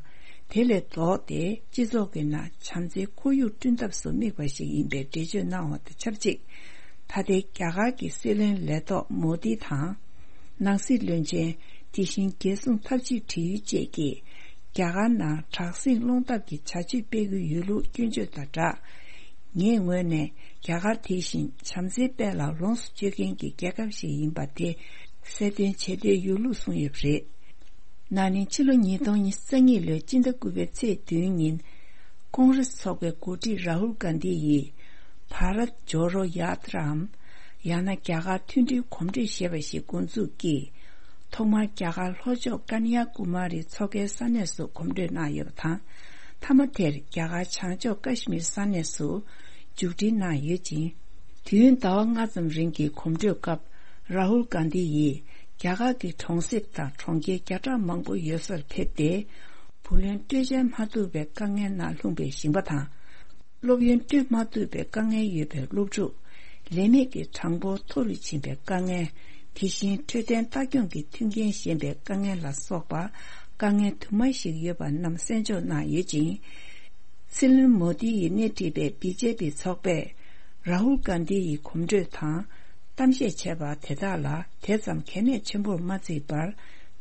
དེ་ལས་ལྡོག་སྟེ་སྤྱི་ཚོགས་ཀྱི་ནང་བྱམས་བརྩེའི་ཁོར་ཡུག་བསྐྲུན་ཐབས་སུ་དམིགས་པ་ཞིག་ཡིན་པའི་འགྲེལ་བརྗོད་གནང་བ་དང་ཆབས་ཅིག་ད་ལྟའི་རྒྱ་གར་གྱི་སྲིད་བློན་ལས་ཐོག་མོ་དི་དང་། ནང་སྲིད་བློན་ཆེན། དེ་བཞིན་རྒྱལ་སྲུང་འཐབ་ཇུས་དྲི་ཡུལ་བཅས་ཀྱིས་རྒྱ་གར་ནང་དྲག་ཟིང་སློང་ཐབས་ཀྱི་བྱ་སྤྱོད་སྤེལ་གྱི་ཡོད་ལུགས་སྐྱོན་བརྗོད་དང་སྦྲགས། ངའི་ངོས་ནས་རྒྱ་གར་དེ་བཞིན་བྱམས་བརྩེའི་དཔལ་ལ་ལོངས་སུ་སྤྱོད་མཁན་གྱི་རྒྱལ་ཁབ་ཞིག་ཡིན་པ་དེ་གསལ་སྟོན་བྱེད་འདོད་ཡོད་ལུགས་གསུངས་ཡོད་པ་རེད། ན་ནིང་ཕྱི་ལོ་ཉིས་སྟོང་ཉི་ཤུ་རྩ་གཉིས་ལོའི་སྤྱི་ཟླ་དགུ་པའི་ཚེས་བདུན་ཉིན། ཀོང་རེས་ཚོགས་པའི་འགོ་ཁྲིད་རཱ་ཧུལ་གྷན་དྷི་ཡིས་བྷ་རཏ་ཇོ་རོ་ཡཱ་ཏྲའམ། ཡང་ན་རྒྱ་གར་མཐུན་སྒྲིལ་གོམ་བགྲོད་ཞེས་པ་ཞིག་འགོ་འཛུགས་ཀྱིས། ཐོག་མར་རྒྱ་གར་ལྷོ་ཕྱོགས་ཀ་ན་ཡ་ཀུ་མ་རི་མཚོ་ཁའི་ས་གནས་སུ་གོམ་བགྲོད་གནང་ཡོད་པ་དང་། མཐའ་མ་དེར་རྒྱ་གར་བྱང་ཕྱོགས་ཀ་ཤི་མིར་ས་གནས་སུ་མཇུག་སྒྲིལ་གནང་ཡོད་ཅིང་། དུས་ཡུན་ཟླ་བ་ལྔ་ཙམ་རིང་གི་གོམ་བགྲོད་སྐབས། རཱ་ཧུལ་གྷན་དྷི་ཡིས་རྒྱ་གར་གྱི་གྲོང་གསེབ་དང་གྲོང་ཁྱེར་བརྒྱ་ཕྲག་མང་པོ་ཡོད་སར་ཕེབས་ཏེ། བུ་ལོན་སྤྲོད་འཇལ་མ་ཐུབ་པའི་དཀའ་ངལ་ནང་ལྷུང་པའི་ཞིང་པ་དང་། སློབ་ཡོན་སྤྲོད་མ་ཐུབ་པའི་དཀའ་ངལ་ཡོད་པའི་སློབ་ཕྲུག་ལས་མེད་ཀྱི་གྲངས་འབོར་མཐོ་རུ་ཕྱིན་པའི་དཀའ་ངལ། དེ་བཞིན་འཕྲོད་བསྟེན་ལྟ་སྐྱོང་གི་མཐུན་རྐྱེན་ཞན་པའི་དཀའ་ངལ་ལ་སོགས་པ། དཀའ་ངལ་དུ་མ་ཞིག་ཡོད་པ་རྣམས་གསན་འཇོག་གནང་ཡོད་ཅིང་། སྲིད་བློན་མོ་དི་ཡིས་སྣེ་ཁྲིད་པའི་བི་ཇེ་པི་ཚོགས་པས། རཱ་ཧུལ་གྷན་དྷི་ཡི་གོམ་བགྲོད་དང་། གཏམ་བཤད་བྱས་པ་དེ་དག་ལ་དེ་ཙམ་གལ་གནད་ཆེན་པོར་མ་བརྩིས་པར།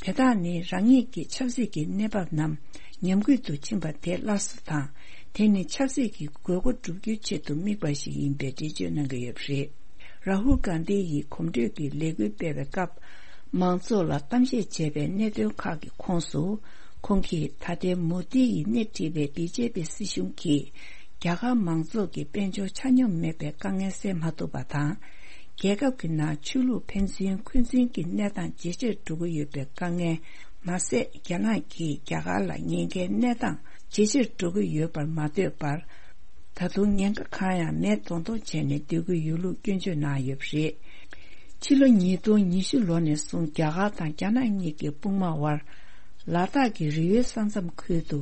དེ་དག་ནི་རང་ཉིད་ཀྱི་ཆབ་སྲིད་ཀྱི་གནས་བབ་རྣམས་ཉམས་རྒུད་དུ་ཕྱིན་པ་དེ་སླར་གསོ་དང་། དེ་ནི་ཆབ་སྲིད་ཀྱི་དགོས་མཁོ་བསྒྲུབ་རྒྱུའི་ཆེད་དུ་དམིགས་པ་ཞིག་ཡིན་པའི་འགྲེལ་བརྗོད་གནང་གི་ཡོད་པ་རེད། རཱ་ཧུལ་གྷན་དྷི་ཡིས་གོམ་བགྲོད་ཀྱི་ལས་འགུལ་སྤེལ་བའི་སྐབས། མང་ཚོགས་ལ་གཏམ་བཤད་བྱས་པའི་གནད་དོན་ཁག་གི་ཁོངས་སུ། ཁོང་གིས་ད་ལྟའི་མོ་དི་ཡིས་སྣེ་ཁྲིད་པའི་བི་ཇེ་པི་སྲིད་གཞུང་གིས། རྒྱ་གར་མང་ཚོགས་ཀྱི་དཔལ་འབྱོར་ཆ་སྙོམས་མེད་པའི་དཀའ་ངལ་སེལ་མ་ཐུབ་པ་དང་། རྒྱལ་ཁབ་ཀྱི་ནང་ཆོས་ལུགས་ཕན་ཚུན་འཁོན་འཛིན་གྱི་གནས་སྟངས་ཇེ་ཆེར་འགྲོ་གི་ཡོད་པའི་དཀའ་ངལ། མ་ཟད། རྒྱ་ནག་གིས་རྒྱ་གར་ལ་ཉེན་ཁའི་གནས་སྟངས་ཇེ་ཆེར་འགྲོ་གི་ཡོད་པར་མ་ལྟོས་པར། ད་དུང་ཉེན་ཁ་གང་ཡང་མེད་མདོག་མདོག་བྱས་ནས་སྡོད་ཀྱི་ཡོད་ལུགས་སྐྱོན་བརྗོད་གནང་ཡོད་པ་རེད། ཕྱི་ལོ་ཉིས་སྟོང་ཉི་ཤུ་ལོ་ནས་བཟུང་རྒྱ་གར་དང་རྒྱ་ནག་གཉིས་ཀྱི་དཔུང་དམག་དབར། ལ་དྭགས་ཀྱི་རི་ཡོལ་ས་མཚམས་ཁུལ་དུ་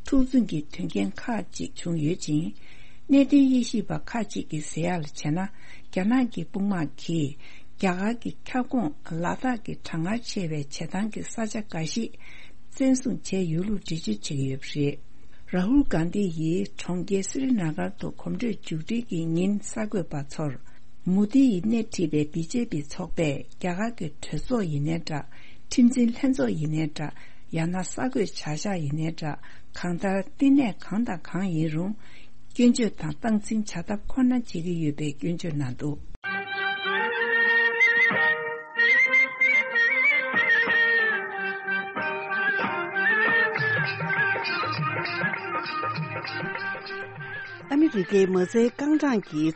འཁྲུག་འཛིང་གི་དོན་རྐྱེན་ཁག་ཅིག་བྱུང་ཡོད་ཅིང་། གནད་དོན་དབྱེ་ཞིབ་པ་ཁག་ཅིག་གིས་ཟེར་ཡག་ལ་བྱས་ན། རྒྱ་ནག་གི་དཔུང་དམག་གིས་རྒྱ་གར་གྱི་ཁྱབ་ཁོངས་ལ་དྭགས་ཀྱི་གྲང་ངར་ཆེ་བའི་བྱེ་ཐང་གི་ས་ཆ་འགའ་ཞིག་བཙན་བཟུང་བྱས་ཡོད་ལུགས་འགྲེལ་བརྗོད་བྱེད་ཀྱི་ཡོད་པ་རེད། རཱ་ཧུལ་གྷན་དྷི་ཡིས་གྲོང་ཁྱེར་སི་རི་ན་གར་དུ་གོམ་བགྲོད་མཇུག་སྒྲིལ་གྱི་ཉིན་གསར་འགོད་པ་ཚོར། མོ་དི་ཡིས་སྣེ་ཁྲིད་པའི་བི་ཇེ་པི་ཚོགས་པས་རྒྱ་གར་གྱི་གྲོས་ཚོགས་ཡིན་ནའི་འདྲ། ཁྲིམས་འཛིན་ལྷན་ཚོགས་ཡིན་ནའི་འདྲ། ཡང་ན་གསར་འགོད་བྱ་གཞག་ཡིན་ནའི་འདྲ། གང་ལྟར་བསྟི་གནས་གང་དང་གང་ཡིན་རུང་། སྐྱོན་བརྗོད་དང་སྟངས་འཛིན་བྱ་ཐབས་ཁོ་ན་བྱེད་ཀྱི་ཡོད་པའི་སྐྱོན་བརྗོད་གནང་འདུག། ཨ་མི་རི་ཀའི་མ་རྩའི་རྐང་གྲངས་ཀྱི་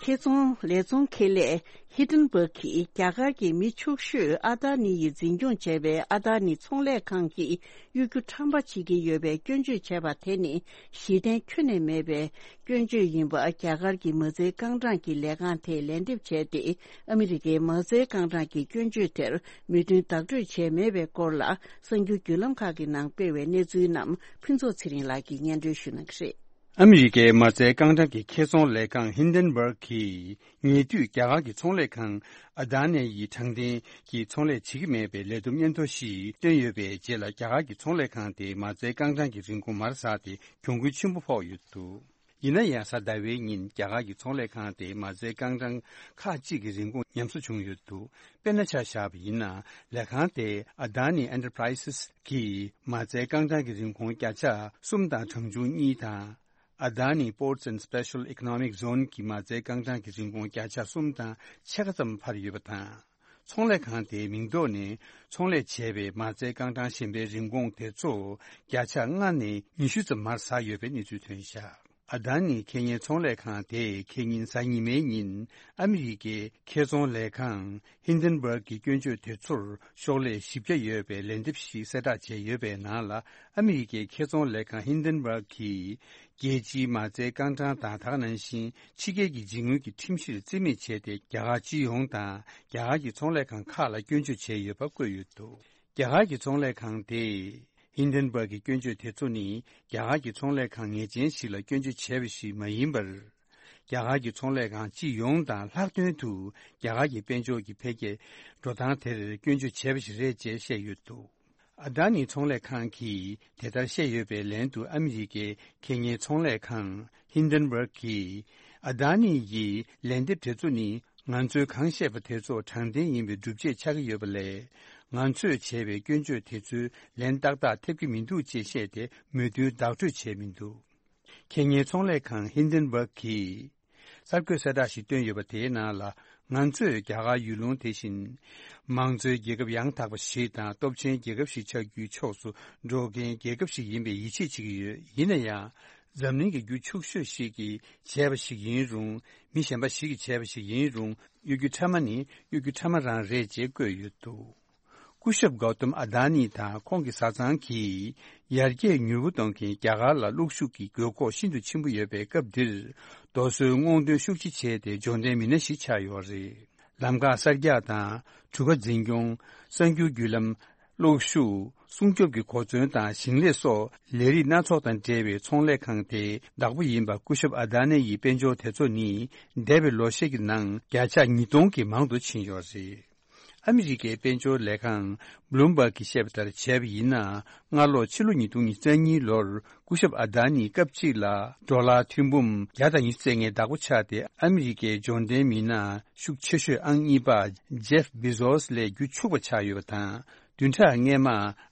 ཁེ་ཚོང་ལས་ཚོང་ཁེ་ལས་ཧིན་ཌེན་བྷག་གིས་རྒྱ་གར་གྱི་མི་ཕྱུག་ཤོས་ཨ་དཱ་ནི་ཡིས་འཛིན་སྐྱོང་བྱས་པའི་ཨ་དཱ་ནི་ཚོང་ལས་ཁང་གིས་གཡོ་སྒྱུ་ཁྲམ་པ་བྱེད་ཀྱི་ཡོད་པའི་སྐྱོན་བརྗོད་བྱས་པ་དེ་ནི་གཞི་རྟེན་ཁྱོན་ནས་མེད་པའི་སྐྱོན་བརྗོད་ཡིན་པ། རྒྱ་གར་གྱི་མ་རྩའི་རྐང་གྲངས་ཀྱི་ལས་ཁང་དེས་ལན་འདེབས་བྱས་ཏེ། ཨ་མི་རི་ཀའི་མ་རྩའི་རྐང་གྲངས་ཀྱི་སྐྱོན་བརྗོད་དེར་མོས་མཐུན་བདག་སྤྲོད་བྱས་མེད་པའི་སྐོར་ལ། གསར་འགྱུར་བརྒྱུད་ལམ་ཁག་གི་ནང་སྤེལ་བའི་གནས་ཚུལ་རྣམས་ཕུན་ཚོགས་ཚེ་རིང་ལགས་ཀྱིས་སྙན་སྒྲོན་ཞུ་གནང་གི་རེད། ཨ་མི་རི་ཀའི་མ་རྩའི་རྐང་གྲངས་ཀྱི་ཁེ་ཚོང་ལས་ཁང་ཧིན་ཌེན་བྷག་གིས། ཉེ་དུས་རྒྱ་གར་གྱི་ཚོང་ལས་ཁང་ཨ་དཱ་ནི་ཡིས་དྲང་བདེན་གྱི་ཚོང་ལས་བྱེད་ཀྱི་མེད་པའི་ལས་བསྡོམས་སྙན་ཐོ་ཞིག་བཏོན་ཡོད་པའི་རྗེས་ལ། རྒྱ་གར་གྱི་ཚོང་ལས་ཁང་དེའི་མ་རྩའི་རྐང་གྲངས་ཀྱི་རིན་གོང་མར་ཟགས་ཏེ་གྱོང་གུན་ཆེན་པོ་ཕོག་ཡོད་འདུག། ཡིན་ན་ཡང་། གཟའ་ཟླ་བའི་ཉིན་རྒྱ་གར་གྱི་ཚོང་ལས་ཁང་དེའི་མ་རྩའི་རྐང་གྲངས་ཁག་ཅིག་གི་རིན་གོང་ཉམས་གསོ་བྱུང་ཡོད་འདུག། དཔེར་ན་ཆ་བཞག་པ་ཡིན་ན། ལས་ཁང་དེས་ཨ་དཱ་ནི་ཨེན་ཊར་པ་རའི་སི་གི་མ་རྩའི་རྐང་གྲངས་ཀྱི་རིན་གོང་བརྒྱ་ཆ་གསུམ་དང་གྲངས་ཆུང་གཉིས་དང་། ཨ་དཱ་ནི་པོར་ཊི་སི་ཨེན་ཌི་སི་པེ་ཤལ་ཨི་ཀོ་ནོ་མིག་ཛོན་གྱི་མ་རྩའི་རྐང་གྲངས་ཀྱི་རིན་གོང་བརྒྱ་ཆ་གསུམ་དང་ཕྱེད་ཀ་ཙམ་འཕར་ཡོད་པ་དང་། ཚོང་ལས་ཁང་དེའི་མིང་ཐོག་ནས་ཚོང་ལས་བྱས་པའི་མ་རྩའི་རྐང་གྲངས་གཞན་པའི་རིན་གོང་དེ་ཚོ་བརྒྱ་ཆ་ལྔ་ནས་ཉི་ཤུ་ཙམ་མར་ཟགས་ཡོད་པའི་གནས་ཚུལ་ཐོན་བཞག། ཨ་དཱ་ནི་ཁེ་ཉེན་ཚོང་ལས་ཁང་དེས་ཁེ་ཉིན་གཟའ་ཉི་མའི་ཉིན་ཨ་མི་རི་ཀའི་ཁེ་ཚོང་ལས་ཁང་ཧིན་ཌེན་བྷག་གི་སྐྱོན་བརྗོད་དེ་ཚོར་ཤོག་ལྷེ་བཞི་བརྒྱ་ཡོད་པའི་ལན་འདེབས་ཤིག་གསལ་བསྒྲགས་བྱས་ཡོད་པའི་ནང་ལ། ཨ་མི་རི་ཀའི་ཁེ་ཚོང་ལས་ཁང་ཧིན་ཌེན་བྷག་གིས། རྒྱལ་སྤྱིའི་མ་རྩའི་རྐང་གྲངས་དང་། དེ་ག་ནང་བཞིན་ཕྱི་རྒྱལ་གྱི་འཇིགས་སྣང་གི་ཁྲིམས་གཞིར་བརྩི་མེད་བྱས་ཏེ། རྒྱ་གར་སྤྱི་ཡོངས་དང་རྒྱ་གར་གྱི་ཚོང་ལས་ཁང་ཁག་ལ་སྐྱོན་བརྗོད་བྱས་ཡོད་པ་བཀོད་ཡོད་འདུག། རྒྱ་གར་གྱི་ཚོང་ལས་ཁང་དེས། ཧིན་ཌེན་བྷག་གི་སྐྱོན་བརྗོད་དེ་ཚོ་ནི་རྒྱ་གར་གྱི་ཚོང་ལས་ཁང་ངེས་ཅན་ཞིག་ལ་སྐྱོན་བརྗོད་བྱས་པ་ཞིག་མ་ཡིན་པར། རྒྱ་གར་གྱི་ཚོང་ལས་ཁང་སྤྱི་ཡོངས་དང་ལྷག་དོན་དུ་རྒྱ་གར་གྱི་དཔལ་འབྱོར་གྱི་འཕེལ་རྒྱས་འགྲོ་སྟངས་དེར་སྐྱོན་བརྗོད་བྱས་པ་ཞིག་རེད་ཅེས་བཤད་ཡོད་འདུག། ཨ་དཱ་ནི་ཚོང་ལས་ཁང་གིས་དེ་ལྟར་བཤད་ཡོད་པའི་ལན་དུ། ཨ་མི་རི་ཀའི་ཁེ་ཉེན་ཚོང་ལས་ཁང་ཧིན་ཌེན་བྷག་གིས། ཨ་དཱ་ནི་ཡི་ལན་འདེབས་དེ་ཚོ་ནི། ང་ཚོས་གང་བཤད་པ་དེ་ཚོ་དྲང་བདེན་ཡིན་པའི་སྒྲུབ་བྱེད་ཆགས་ཀྱི་ཡོད་པ་ལས། ང་ཚོས་བྱས་པའི་སྐྱོན་བརྗོད་དེ་ཚོའི་ལན་ཏག་ཏག་ཐེབས་ཀྱི་མི་འདུག་ཅེས་བཤད་དེ། མོས་མཐུན་བདག་སྤྲོད་བྱས་མི་འདུག། ཁེ་ཉེན་ཚོང་ལས་ཁང་ཧིན་ཌེན་བྷག་གིས། གསར་འགོད་གསལ་བསྒྲགས་ཤིག་བཏོན་ཡོད་པ། དེའི་ནང་ལ། ང་ཚོས་རྒྱ་གར་ཡུལ་ལུང་དེ་བཞིན། མང་གཙོའི་རྒྱལ་ཁབ་ཡང་དག་པ་ཞིག་དང་། སྟོབས་ཆེན་རྒྱལ་ཁབ་ཞིག་ཆགས་རྒྱུའི་ཕྱོགས་སུ་འགྲོ་མཁན་རྒྱལ་ཁབ་ཞིག་ཡིན་པའི་ཡིད་ཆེས་བྱེད་ཀྱི་ཡོད། ཡིན་ན་ཡང་། འཛམ་གླིང་གི་རྒྱུ་ཕྱུག་ཤོས་ཤིག་གིས་བྱས་པ་ཞིག་ཡིན་རུང་། མི་གཞན་པ་ཞིག་གིས་བྱས་པ་ཞིག་ཡིན་རུང་། གཡོ་སྒྱུ་ཕྲ་མ་ནི་གཡོ་སྒྱུ་ཕྲ་མ་རང་རེད་ཅེས་བཀོད་ཡོད་འདུག་སྐུ་ཞབས་གའོ་ཏམ་ཨ་དྷ་ནི་དང་ཁོང་གི་བཟའ་ཚང་གིས། ཡར་རྒྱས་མྱུར་པོ་གཏོང་མཁན་རྒྱ་གར་ལ་གློག་ཤུགས་ཀྱི་དགོས་མཁོ་ཤིན་ཏུ་ཆེན་པོ་ཡོད་པའི་སྐབས་འདིར། རྡོ་སོལ་སྔོག་འདོན་ཤུགས་ཆེ་བྱས་ཏེ་འབྱོར་ལྡན་མི་སྣ་ཞིག་ཆགས་ཡོད་རེད། ལམ་ཁ་གསར་རྒྱག་དང་། གྲུ་ཁ་འཛིན་སྐྱོང་། གསར་འགྱུར་བརྒྱུད་ལམ། གློག་ཤུགས། སྲུང་སྐྱོབ་ཀྱི་གོ་མཚོན་དང་ཞིང་ལས་སོགས་ལས་རིགས་སྣ་ཚོགས་དང་འབྲེལ་བའི་ཚོང་ལས་ཁང་དེའི་བདག་པོ་ཡིན་པ་སྐུ་ཞབས་ཨ་དྷ་ནེ་ཡི་དཔལ་འབྱོར་དེ་ཚོ་ནི། འདས་པའི་ལོ་ཤས་ཀྱི་ནང་བརྒྱ་ཆ་ཉིས་སྟོང་གིས་མང་དུ་ཕྱིན་ཡོད་རེད། ཨ་མི་རི་ཀའི་དཔལ་འབྱོར་ལས་ཁང་Bloomberg གིས་བཤད་པ་ལྟར་བྱས་པ་ཡིན་ན། སྔ་ལོ་ཕྱི་ལོ་ཉིས་སྟོང་ཉི་ཤུ་རྩ་གཉིས་ལོར་སྐུ་ཞབས་ཨ་དྷ་ནི་སྐབས་གཅིག་ལ་ཌོ་ལར་ཐེར་འབུམ་བརྒྱ་དང་ཉི་ཤུ་རྩ་ལྔའི་བདག་པོ་ཆགས་ཏེ། ཨ་མི་རི་ཀའི་འབྱོར་ལྡན་མི་སྣ་ཤུགས་ཆེ་ཤོས་ཨང་གཉིས་པ་ཇེབ་བི་ཟོས་ལས་རྒྱུ་ཕྱུག་པ་ཆགས་ཡོད་པ་དང་། བདུན་ཕྲག་སྔས་མ་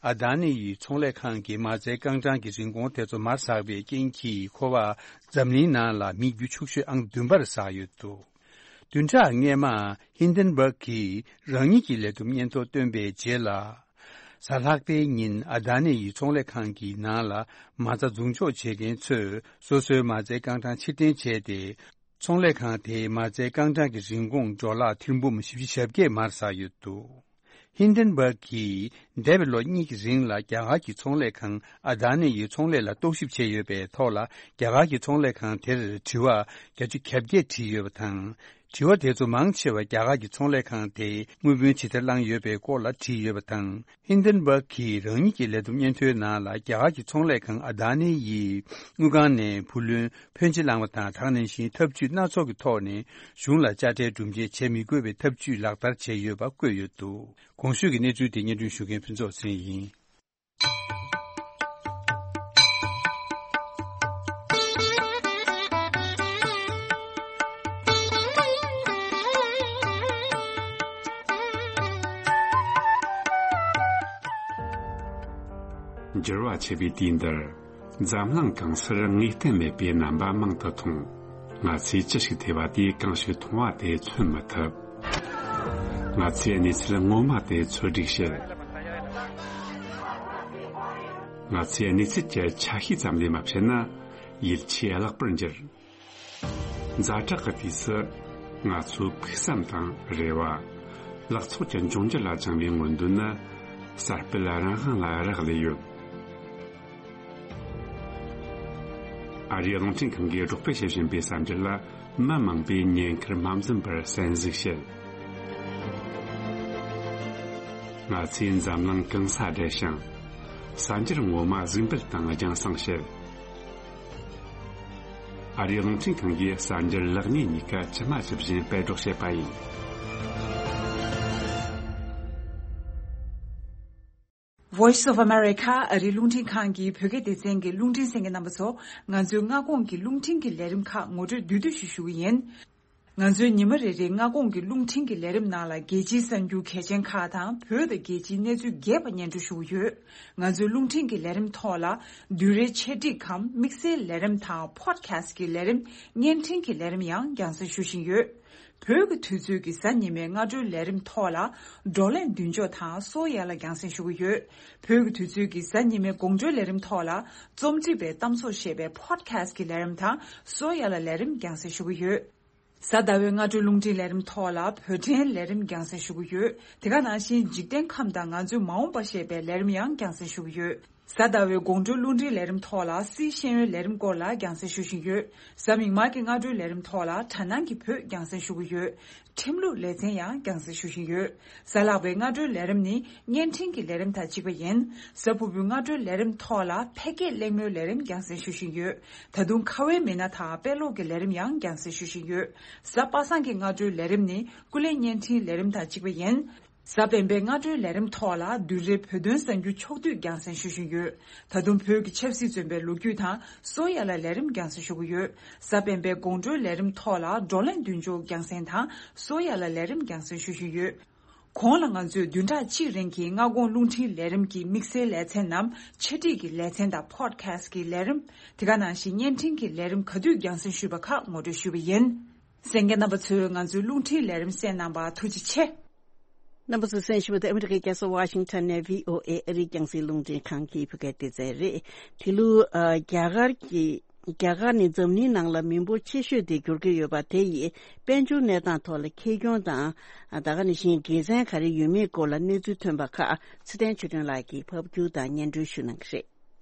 ཨ་དྷ་ནི་ཡི་ཚོང་ལས་ཁང་གི་མ་རྩའི་རྐང་གྲངས་ཀྱི་རིན་གོང་དེ་ཚོ་མར་ཟགས་པའི་རྐྱེན་གྱིས། ཁོ་པ་འཛམ་གླིང་ནང་ལ་མི་རྒྱུ་ཕྱུག་ཤོས་ཨང་བདུན་པར་ཟགས་ཡོད་འདུག་བདུན་ཕྲག་སྔས་མ་ཧིན་ཌེན་སྦག་གིས་རང་ཉིད་ཀྱི་ལས་བསྡོམས་སྙན་ཐོ་བཏོན་པའི་རྗེས་ལ། གཟའ་ལྷག་པའི་ཉིན་ཨ་དྷ་ནེ་ཡི་ཚོང་ལས་ཁང་གི་ནང་ལ་མ་རྩ་འཛུགས་འཇོག་བྱེད་མཁན་ཚོས་སོ་སོའི་མ་རྩའི་རྐང་གྲངས་ཕྱིར་འཐེན་བྱས་ཏེ། ཚོང་ལས་ཁང་དེའི་མ་རྩའི་རྐང་གྲངས་ཀྱི་རིན་གོང་ཌོ་ལར་ཐེར་འབུམ་བཞི་བཅུ་ཞེ་བརྒྱད་མར་ཟགས་ཡོད་འདུག་ཧིན་ཌེན་སྦག་གིས་འདས་པའི་ལོ་གཉིས་ཀྱི་རིང་ལ་རྒྱ་གར་གྱི་ཚོང་ལས་ཁང་ཨ་དྷ་ནེ་ཡི་ཚོང་ལས་ལ་རྟོག་ཞིབ་བྱས་ཡོད་པའི་ཐོག་ལ། རྒྱ་གར་གྱི་ཚོང་ལས་ཁང་དེར་དྲི་བ་བརྒྱ་ཆ་གྱ་བརྒྱད་དྲིས་ཡོད་པ་དང་། དྲི་བ་དེ་ཚོ་མང་ཆེ་བ་རྒྱ་གར་གྱི་ཚོང་ལས་ཁང་དེས་དངུལ་བུན་ཇི་ལྟར་བླངས་ཡོད་པའི་སྐོར་ལ་དྲིས་ཡོད་པ་དང་། ཧིན་ཌེན་སྦག་གིས་རང་ཉིད་ཀྱི་ལས་བསྡོམས་སྙན་ཐོའི་ནང་ལ། རྒྱ་གར་གྱི་ཚོང་ལས་ཁང་ཨ་དྷ་ནེ་ཡིས་དངུལ་ཁང་ནས་བུ་ལོན་ཕོན་ཆེ་བླངས་པ་དང་། ད་ག་ནང་བཞིན་ཐབས་ཇུས་སྣ་ཚོགས་ཀྱི་ཐོག་ནས་གཞུང་ལ་དཔྱ་ཁྲལ་སྒྲུབ་འབྱེད་བྱེད་མི་དགོས་པའི་ཐབས་ཇུས་ལག་བསྟར་བྱས་ཡོད་པ་བཀོད་ཡོད་འདུག་གོང་ཞུས་ཀྱི་གནས་ཚུལ་དེ་སྙན་སྒྲོན་ཞུ་མཁན་ཕུན་ཚོགས་ཚེ་རིང་ཡིན། འགྱུར་བ་ཆེ་བའི་དུས་འདིར། འཛམ་གླིང་གང་སར་ངེས་གཏན་མེད་པའི་རྣམ་པ་མང་དུ་མཐོང་། ང་ཚོས་ཅི་ཞིག་ཐོས་པ་དེས་གང་ཞིག་མཐོང་བ་དེ་མཚོན་མི་ཐུབ། ང་ཚོས་གནས་ཚུལ་ངོ་མ་དེ་འཚོལ་སྒྲིག་བྱེད། ང་ཚོས་གནས་ཚུལ་གྱི་ཆ་ཤས་ཙམ་ལས་མ་བཤད་ན། ཡིད་ཆེས་བརླག་པར་འགྱུར། ཛ་དྲག་གི་དུས་སུ། ང་ཚོའི་ཕུགས་བསམ་དང་རེ་བ། ལག་ཚོགས་ཀྱི་འབྱུང་འགྱུར་ལ་བཅངས་པའི་མངོན་འདོད་ནི། གསར་སྤེལ་རང་དབང་ལ་རག་ལས་ཡོད། ཨ་རིའི་རླུང་འཕྲིན་ཁང་གིས་སྒྲོག་སྤེལ་བྱེད་བཞིན་པའི་གསར་འགྱུར་ལ། མི་མང་པོས་ཉེན་ཁར་མ་འཛེམས་པར་གསན་གཟིགས་བྱེད། ང་ཚོས་འཛམ་གླིང་གང་སར་བསྡད་ཤིང་། གསར་འགྱུར་ངོ་མ་གཟིགས་འབུལ་དང་རྒྱང་སྲིང་བྱེད། ཨ་རིའི་རླུང་འཕྲིན་ཁང་གིས་གསར་འགྱུར་ལེགས་ཉེས་གཉིས་ཀ་ཇི་མ་ཇི་བཞིན་སྤེལ་སྒྲོག་བྱེད་པ་ཡིན། Voice of America ཨ་རིའི་རླུང་འཕྲིན་ཁང་གི་བོད་སྐད་སྡེ་ཚན་གྱི་རླུང་འཕྲིན་གསན་མཁན་རྣམ་པ་ཚོ། ང་ཚོའི་སྔ་དགོང་གི་རླུང་འཕྲིན་གྱི་ལས་རིམ་ཁག་ངོ་སྤྲོད་བསྡུས་བསྡུས་ཤིག་ཞུ་གི་ཡིན། ང་ཚོའི་ཉི་མ་རེ་རེའི་སྔ་དགོང་གི་རླུང་འཕྲིན་གྱི་ལས་རིམ་ནང་ལ། རྒྱལ་སྤྱིའི་གསར་འགྱུར་གལ་ཆེན་ཁག་དང་། བོད་དང་རྒྱལ་སྤྱིའི་གནས་ཚུལ་རྒྱས་པ་སྙན་སྒྲོན་ཞུ་གི་ཡོད། ང་ཚོའི་རླུང་འཕྲིན་གྱི་ལས་རིམ་ཐོག་ལ། བསྡུས་གྲྭའི་འཆད་ཁྲིད་གམ་དམིགས་བསལ་ལས་རིམ་དང་། Podcast གི་ལས་རིམ། བརྙན་འཕྲིན་གྱི་ལས་རིམ་ཡང་རྒྱང་སྲིང་ཞུ་བཞིན་ཡོད། བོད་ཀྱི་དུས་ཚོད་ཀྱི་གཟའ་ཉི་མའི་སྔ་དྲོའི་ལས་རིམ་ཐོག་ལ། བགྲོ་གླེང་མདུན་ལྕོག་དང་གསོ་ཡ་ལ་རྒྱང་སྲིང་ཞུ་གི་ཡོད། བོད་ཀྱི་དུས་ཚོད་ཀྱི་གཟའ་ཉི་མའི་དགོང་དྲོའི་ལས་རིམ་ཐོག་ལ། རྩོམ་སྒྲིག་པའི་གཏམ་བཟོ་ཞེས་པའི་Podcast གི་ལས་རིམ་དང་གསོ་ཡ་ལ་ལས་རིམ་རྒྱང་སྲིང་ཞུ་གི་ཡོད། གཟའ་ཟླ་བའི་སྔ་དྲོའི་རླུང་འཕྲིན་ལས་རིམ་ཐོག་ལ་བོད་ཕྲན་ལས་རིམ་རྒྱང་སྲིང་ཞུ་གི་ཡོད། དེ་ག་ནང་བཞིན་འཇིག་རྟེན་ཁམས་དང་ང་ཚོའི་མ་འོངས་པ་ཞེས་པའི་ལས་རིམ་ཡང་རྒྱང་སྲིང་ཞུ་གི་ཡོད། གཟའ་ཟླ་བའི་དགོང་དྲོའི་རླུང་འཕྲིན་ལས་རིམ་ཐོག་ལ་སཱི་ཤེས་ཡོན་ལས་རིམ་སྐོར་ལ་རྒྱང་སྲིང་ཞུ་བཞིན་ཡོད། གཟའ་མིག་དམར་གྱི་སྔ་དྲོའི་ལས་རིམ་ཐོག་ལ་དྲ་སྣང་གི་བོད་རྒྱང་སྲིང་ཞུ་གི་ཡོད། ཁྲིམས་ལུགས་ལེ་ཚན་ཡང་རྒྱང་སྲིང་ཞུ་བཞིན་ཡོད། གཟའ་ལྷག་པའི་སྔ་དྲོའི་ལས་རིམ་ནི་བརྙན་འཕྲིན་གྱི་ལས་རིམ་དང་གཅིག་པ་ཡིན། གཟའ་ཕུར་བུའི་སྔ་དྲོའི་ལས་རིམ་ཐོག་ལ་ཕལ་སྐད་གླེང་མོལ་ལས་རིམ་རྒྱང་སྲིང་ཞུ་བཞིན་ཡོད། ད་དུང་ཁ་བའི་མི་སྣ་དང་དཔེ་ཀློག་གི་ལས་རིམ་ཡང་རྒྱང་སྲིང་ཞུ་བཞིན་ཡོད། གཟའ་པ་སངས་ཀྱི་སྔ་དྲོའི་ལས་རིམ་ནི་སྐུ་ལས་བརྙན་འཕྲིན་ལས་རིམ་དང་གཅིག་པ་ཡིན། གཟའ་སྤེན་པའི་སྔ་དྲོའི་ལས་རིམ་ཐོག་ལ་བསྡུས་གྲྭའི་བོད་དོན་གསར་འགྱུར་ཕྱོགས་བསྡུས་རྒྱང་སྲིང་ཞུ་བཞིན་ཡོད། ད་དུང་བོད་ཀྱི་ཆབ་སྲིད་བཙོན་པའི་ལོ་རྒྱུས་དང་གསོ་ཡ་ལ་ལས་རིམ་རྒྱང་སྲིང་ཞུ་གི་ཡོད། གཟའ་སྤེན་པའི་དགོང་དྲོའི་ལས་རིམ་ཐོག་ལ་བགྲོ་གླེང་མདུན་ལྕོག་རྒྱང་སྲིང་དང་གསོ་ཡ་ལ་ལས་རིམ་རྒྱང་སྲིང་ཞུ་བཞིན་ཡོད། གོང་ལ་ང་ཚོས་བདུན་ཕྲག་གཅིག་རིང་གི་སྔ་དགོང་རླུང་འཕྲིན་ལས་རིམ་གྱི་དམིགས་བསལ་ལེ་ཚན་ནམ་འཆད་ཁྲིད་ཀྱི་ལེ་ཚན་དང་Podcast གི་ལས་རིམ། དེ་ག་ནང་བཞིན་བརྙན་འཕྲིན་གྱི་ལས་རིམ་ག་དུས་རྒྱང་སྲིང་ཞུས་པ་ཁག་ངོ་སྤྲོད་ཞུས་པ་ཡིན། གསན་མཁན་རྣམ་པ་ཚོས་ང་ཚོའི་རླུང་འཕྲིན་ལས་རིམ་གསན་གནང་བར་ཐུགས་རྗེ་ཆེ། རྣམ་པ་ཚོས་གསན་བཞིན་པ་དེ་ཨ་མི་རི་ཀའི་རྒྱལ་ས་ཝ་ཤིང་ཊོན་ནས་བྷི་ཨོ་ཨེ་ཨ་རིའི་རྒྱང་སྲིང་རླུང་འཕྲིན་ཁང་གི་བོད་སྐད་སྡེ་ཚན་རེད། དེ་ལུ་ཨ་རྒྱ་གར་གྱི་ རྒྱ་གར་ནི་འཛམ་གླིང་ནང་ལ་མི་འབོར་ཆེ་ཤོས་དེ་འགྱུར་གྱི་ཡོད་པ་དེ་ཡིས་དཔལ་འབྱོར་གནས་སྟངས་ཐོག་ལ་ཁེ་གྱོང་དང་། ད་ག་ནང་བཞིན་དགེ་མཚན་ག་རེ་ཡོད་མེད་སྐོར་ལ་གནས་ཚུལ་ཐོན་པ་ཁག་ཚེ་བརྟན་ཆོས་སྒྲོན་ལགས་ཀྱིས་ཕབ་སྒྱུར་དང་སྙན་སྒྲོན་ཞུ་གནང་གི་རེད།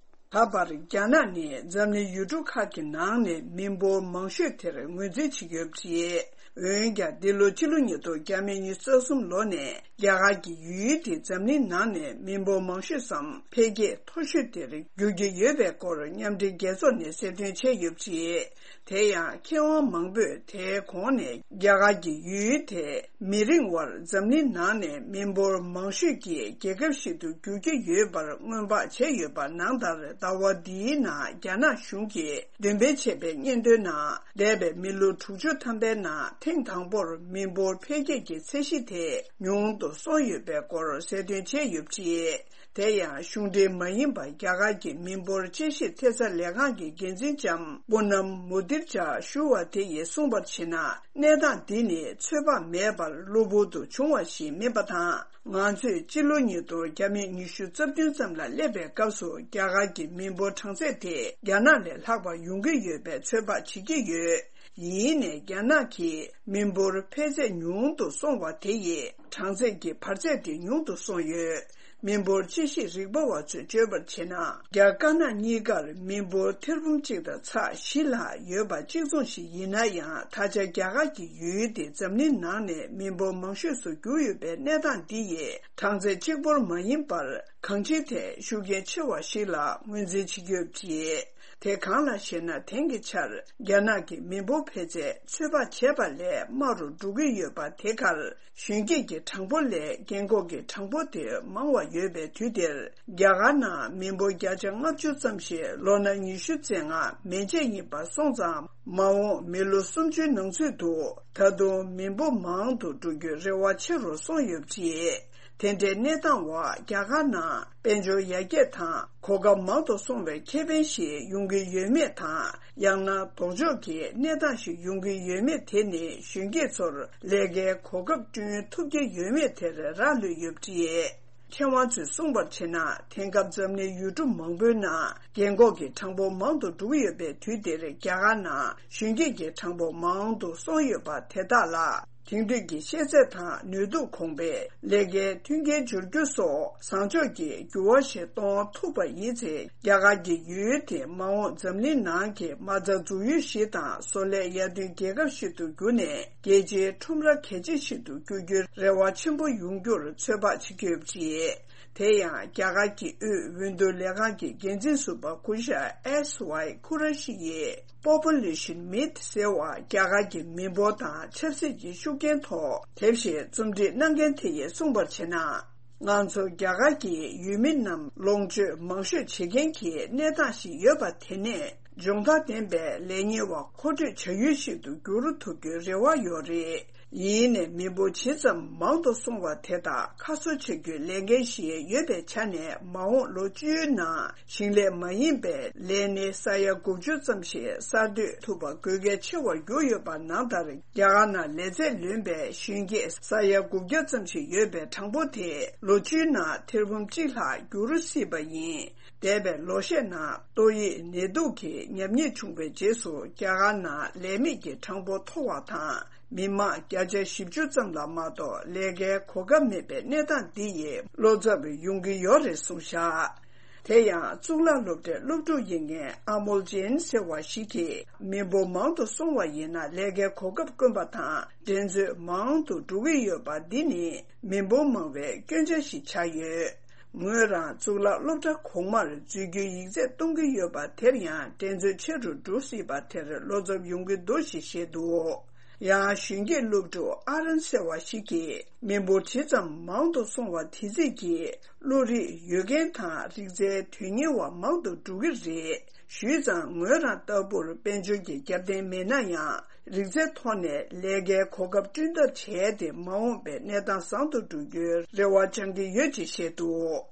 ད་བར་རྒྱ་ནག་ནི་འཛམ་གླིང་ཡུལ་གྲུ་ཁག་གི་ནང་ནས་མི་འབོར་མང་ཤོས་དེར་ངོས་འཛིན་བྱེད་ཀྱི་ཡོད་པ་རེད། འོན་ཀྱང་འདི་ལོ་སྤྱི་ལོ་ཉིས་སྟོང་ཉི་ཤུ་རྩ་གསུམ་ལོ་ནས་རྒྱ་གར་གྱི་ཡུལ་དེ་འཛམ་གླིང་ནང་ནས་མི་འབོར་མང་ཤོས་སམ་འཕེལ་རྒྱས་མཐོ་ཤོས་དེར་འགྱུར་གྱི་ཡོད་པའི་སྐོར་མཉམ་འབྲེལ་རྒྱལ་ཚོགས་ནས་གསལ་སྟོན་བྱས་ཡོད་པ་རེད། དེ་ཡང་མཁས་དབང་མང་པོས་དེའི་གོང་ནས་རྒྱ་གར་གྱི་ཡུལ་དེ་མི་རིང་བར་འཛམ་གླིང་ནང་ནས་མི་འབོར་མང་ཤོས་ཀྱི་རྒྱལ་ཁབ་ཞིག་ཏུ་འགྱུར་གྱི་ཡོད་པར་སྔོན་དཔག་བྱས་ཡོད་པ་ནང་ལྟར། ཟླ་བ་འདིའི་ནང་རྒྱ་ནག་གཞུང་གིས་འདོན་སྤེལ་བྱས་པའི་སྙན་ཐོའི་ནང་། འདས་པའི་མི་ལོ་དྲུག་ཅུ་ཐམ་པའི་ནང་ཐེངས་དང་པོར་མི་འབོར་འཕེལ་རྒྱས་ཀྱི་ཚད་གཞི་དེ་ཉུང་དུ་སོང་ཡོད་པའི་སྐོར་གསལ་སྟོན་བྱས་ཡོད་པ་རེད། དེ་ཡང་གཞུང་འབྲེལ་མ་ཡིན་པ་རྒྱ་གར་གྱི་མི་འབོར་དཔྱད་ཞིབ་ཐེབས་རྩ་ལས་ཁང་གི་འགན་འཛིན་ལྕམ་པུ་ནམ་མུ་དིར་ཇཱ་ཞུ་བ་དེ་ཡིས་གསུངས་པར་བྱས་ན། གནས་སྟངས་འདི་ནི་ཚོད་དཔག་མེད་པར་གློ་བུར་དུ་བྱུང་བ་ཞིག་མིན་པ་དང་། ང་ཚོས་སྤྱི་ལོ་ཉིས་སྟོང་ཉི་ཤུ་རྩ་བདུན་ཙམ་ལ་སླེབས་པའི་སྐབས་སུ་རྒྱ་གར་གྱི་མི་འབོར་གྲངས་ཚད་དེ་རྒྱ་ནག་ལས་ལྷག་པ་ཡོང་གི་ཡོད་པའི་ཚོད་དཔག་བྱེད་ཀྱི་ཡོད། ཡིན་ནའི་རྒྱ་ནག་གི་མི་འབོར་འཕེལ་ཚད་ཉུང་དུ་སོང་བ་དེ་ཡིས་གྲངས་ཚད་ཀྱི་བར་ཚད་དེ་ཉུང་དུ་སོང་ཡོད། མི་འབོར་དཔྱད་ཞིབ་རིག་པ་བ་ཚོས་བརྗོད་པར་བྱས་ན། རྒྱ་དཀར་ནག་གཉིས་ཀར་མི་འབོར་ཐེར་འབུམ་གཅིག་དང་ཚེག་བཞི་ལྷག་ཡོད་པ་གཅིག་མཚུངས་ཤིག་ཡིན་ན་ཡང་། ད་ཆ་རྒྱ་གར་གྱི་ཡུལ་དེ་འཛམ་གླིང་ནང་ནས་མི་འབོར་མང་ཤོས་སུ་གྱུར་ཡོད་པའི་གནས་སྟངས་འདི་ཡིས་གྲངས་ཚད་གཅིག་པོར་མ་ཡིན་པར་གང་ཅིའི་ཐད་ཤུགས་རྐྱེན་ཆེ་བ་ཞིག་ལ་ངོས་འཛིན་བྱེད་ཀྱི་ཡོད་པ་རེད། དེ་གང་ལགས་ཤེ་ན། དེང་གི་ཆར་རྒྱ་ནག་གི་མི་འབོར་འཕེལ་ཚད་ཚོད་དཔག་བྱས་པ་ལས་དམའ་རུ་འགྲོ་གི་ཡོད་པ་དེ་ཁར། གཞོན་སྐྱེས་ཀྱི་གྲངས་འབོར་ལས་རྒན་འཁོགས་ཀྱི་གྲངས་འབོར་དེ་མང་བ་ཡོད་པའི་དུས་དེར། རྒྱ་གར་ནང་མི་འབོར་བརྒྱ་ཆ་ལྔ་བཅུ་ཙམ་ཞིག་ལོ་ན་ཉི་ཤུ་རྩ་ལྔ་མན་ཆད་ཡིན་པ་སོང་ཙང་། མ་འོངས་མི་ལོ་སུམ་ཅུའི་ནང་ཚུད་དུ་ད་དུང་མི་འབོར་མང་དུ་འགྲོ་རྒྱུའི་རེ་བ་ཆེ་རུ་སོང་ཡོད་པ་རེད། དེ་འདྲའི་གནས་སྟངས་འོག་རྒྱ་གར་ནང་དཔལ་འབྱོར་ཡར་རྒྱས་དང་གོ་སྐབས་མང་དུ་སོང་བའི་ཁེ་ཕན་ཞིག་ཡོང་གི་ཡོད་མེད་དང་། ཡང་ན་ལྡོག་ཕྱོགས་ཀྱི་གནས་སྟངས་ཤིག་ཡོང་གི་ཡོད་མེད་དེ་ནི་གཞོན་སྐྱེས་ཚོར་ལས་ཀའི་གོ་སྐབས་བསྐྲུན་ཐུབ་ཀྱི་ཡོད་མེད་དེར་རག་ལུས་ཡོད་པ་རེད། མཁས་དབང་ཚོས་གསུངས་པར་བྱས་ན། དེང་སྐབས་འཛམ་གླིང་ཡུལ་གྲུ་མང་པོའི་ནང་རྒན་འཁོགས་ཀྱི་གྲངས་འབོར་མང་དུ་འགྲོ་གི་ཡོད་པའི་དུས་འདིར། རྒྱ་གར་ནང་གཞོན་སྐྱེས་ཀྱི་གྲངས་འབོར་མང་དུ་སོང་ཡོད་པ་དེ་དག་ལ། དེང་དུས་ཀྱི་ཤེས་ཚད་དང་ནུས་སྟོབས་གོང་འཕེལ། ལས་ཀའི་མཐུན་རྐྱེན་འབྱོར་རྒྱུ་སོགས་བཟང་ཕྱོགས་ཀྱི་འགྱུར་བ་ཞིག་གཏོང་ཐུབ་པ་ཡིན་ཚེ། རྒྱ་གར་གྱི་ཡུལ་དེ་མ་འོངས་འཛམ་གླིང་ནང་གི་མ་རྩ་འཛུགས་ཡུལ་ཞིག་དང་། བཟོ་ལས་ཡར་ཐོན་རྒྱལ་ཁབ་ཞིག་ཏུ་གྱུར་ནས། རྒྱལ་སྤྱིའི་ཁྲོམ་ར་གལ་ཆེ་ཞིག་ཏུ་འགྱུར་རྒྱུའི་རེ་བ་ཆེན་པོ་ཡོང་རྒྱུར་ཚོད་དཔག་བྱེད་ཀྱི་ཡོད་པ་རེད། དེ་ཡང་རྒྱ་གར་གྱི་དབུས་འོས་བསྡུ་ལས་ཁང་གི་འགན་འཛིན་ཟུར་པ་སྐུ་ཞབས་ཨེས་ཝའི་ཁུ་ར་ཤི་ཡིས། Population Myth ཟེར་བ། རྒྱ་གར་གྱི་མི་འབོར་དང་ཆབ་སྲིད་ཀྱི་ཤུགས་རྐྱེན་ཐོག་དེབ་ཞིག་རྩོམ་སྒྲིག་གནང་མཁན་དེ་ཡིས་གསུངས་པར་བྱས་ན། ང་ཚོ་རྒྱ་གར་གྱི་ཡུལ་མི་རྣམས་ལོངས་སྤྱོད་མང་ཤོས་བྱེད་མཁན་གྱི་གནས་སྟངས་ཤིག་ཡོད་པ་དེ་ནས། སྦྱོང་བརྡར་ལྡན་པའི་ལས་གཉེར་བ་མཁོ་སྤྲོད་བྱ་ཡུལ་ཞིག་ཏུ་འགྱུར་ཐུབ་རྒྱུའི་རེ་བ་ཡོད་རེད། ཡིན་ནའི་མི་འབོར་ཇི་ཙམ་མང་དུ་སོང་བ་དེ་དག་ཁ་གསོ་བྱ་རྒྱུའི་ལས་འགན་ཞིག་ཡོད་པའི་ཆ་ནས། མ་འོངས་ལོ་བཅུའི་ནང་ཞིང་ལས་མ་ཡིན་པའི་ལས་སྣེ་ས་ཡ་དགུ་བཅུ་ཙམ་ཞིག་གསར་གཏོད་ཐུབ་པ་དགོས་གལ་ཆེ་བར་གྱུར་ཡོད་པ་ནང་ལྟར། རྒྱ་གར་ནང་ལས་ཚད་ལོན་པའི་གཞོན་སྐྱེས་ས་ཡ་དགུ་བརྒྱ་ཙམ་ཞིག་ཡོད་པའི་གྲངས་འབོར་དེ་ལོ་བཅུའི་ནང་ཐེར་འབུམ་གཅིག་ལྷག་འགྱུར་སྲིད་པ་ཡིན། འདས་པའི་ལོ་ཤས་ནང་ཏོག་དབྱིབས་ནད་དུག་གི་ཉམས་ཉེས་བྱུང་བའི་རྗེས་སུ། རྒྱ་གར་ནང་ལས་མེད་ཀྱི་གྲངས་འབོར་མཐོ་བ་དང་། མི་མང་བརྒྱ་ཆ་བཞི་བཅུ་ཙམ་ལ་མ་གཏོགས་ལས་ཀའི་གོ་སྐབས་མེད་པའི་གནས་སྟངས་འདི་ཡིས་བློ་འཚབ་ཡོང་གི་ཡོད་རེད་གསུངས་བཞག་དེ་ཡང་གཙུག་ལག་སློབ་གྲྭའི་སློབ་ཕྲུག་ཡིན་མཁན་ཨ་མོལ་ཇེན་ཟེར་བ་ཞིག་གིས། མི་འབོར་མང་དུ་སོང་བ་ཡིན་ན། ལས་ཀའི་གོ་སྐབས་དཀོན་པ་དང་འགྲན་རྩོད་མང་དུ་འགྲོ་གི་ཡོད་པ་འདི་ནི་མི་འབོར་མང་བའི་སྐྱོན་ཆ་ཞིག་ཆགས་ཡོད། ངོས་རང་གཙུག་ལག་སློབ་གྲྭ་གོང་མར་འཛུལ་རྒྱུའི་ཡིག་ཚད་གཏོང་གི་ཡོད་པ་དེར་ཡང་འགྲན་རྩོད་ཆེ་རུ་འགྲོ་སྲིད་པ་དེར་བློ་འཚབ་ཡོང་གི་འདུག་ཞེས་བཤད་འདུག་ཡང་གཞོན་སྐྱེས་སློབ་ཕྲུག་ཨ་རན་ཟེར་བ་ཞིག་གིས། མི་འབོར་ཇི་ཙམ་མང་དུ་སོང་བ་དེ་ཙམ་གྱིས་བློ་རིག་ཡོད་མཁན་དང་རིག་རྩལ་དོན་གཉེར་བ་མང་དུ་འགྲོ་གི་རེད། ཞུས་ཙང་ངོས་རང་ལྟ་བུར་དཔལ་འབྱོར་གྱི་རྒྱབ་རྟེན་མེད་ན་ཡང་། རིག་རྩལ་ཐོག་ནས་ལས་ཀའི་གོ་སྐབས་བསྐྲུན་ཐབས་བྱས་ཏེ། མ་འོངས་པའི་གནས་སྟངས་བཟང་དུ་འགྲོ་རྒྱུའི་རེ་བ་བཅང་གི་ཡོད་ཅེས་བཤད་འདུག་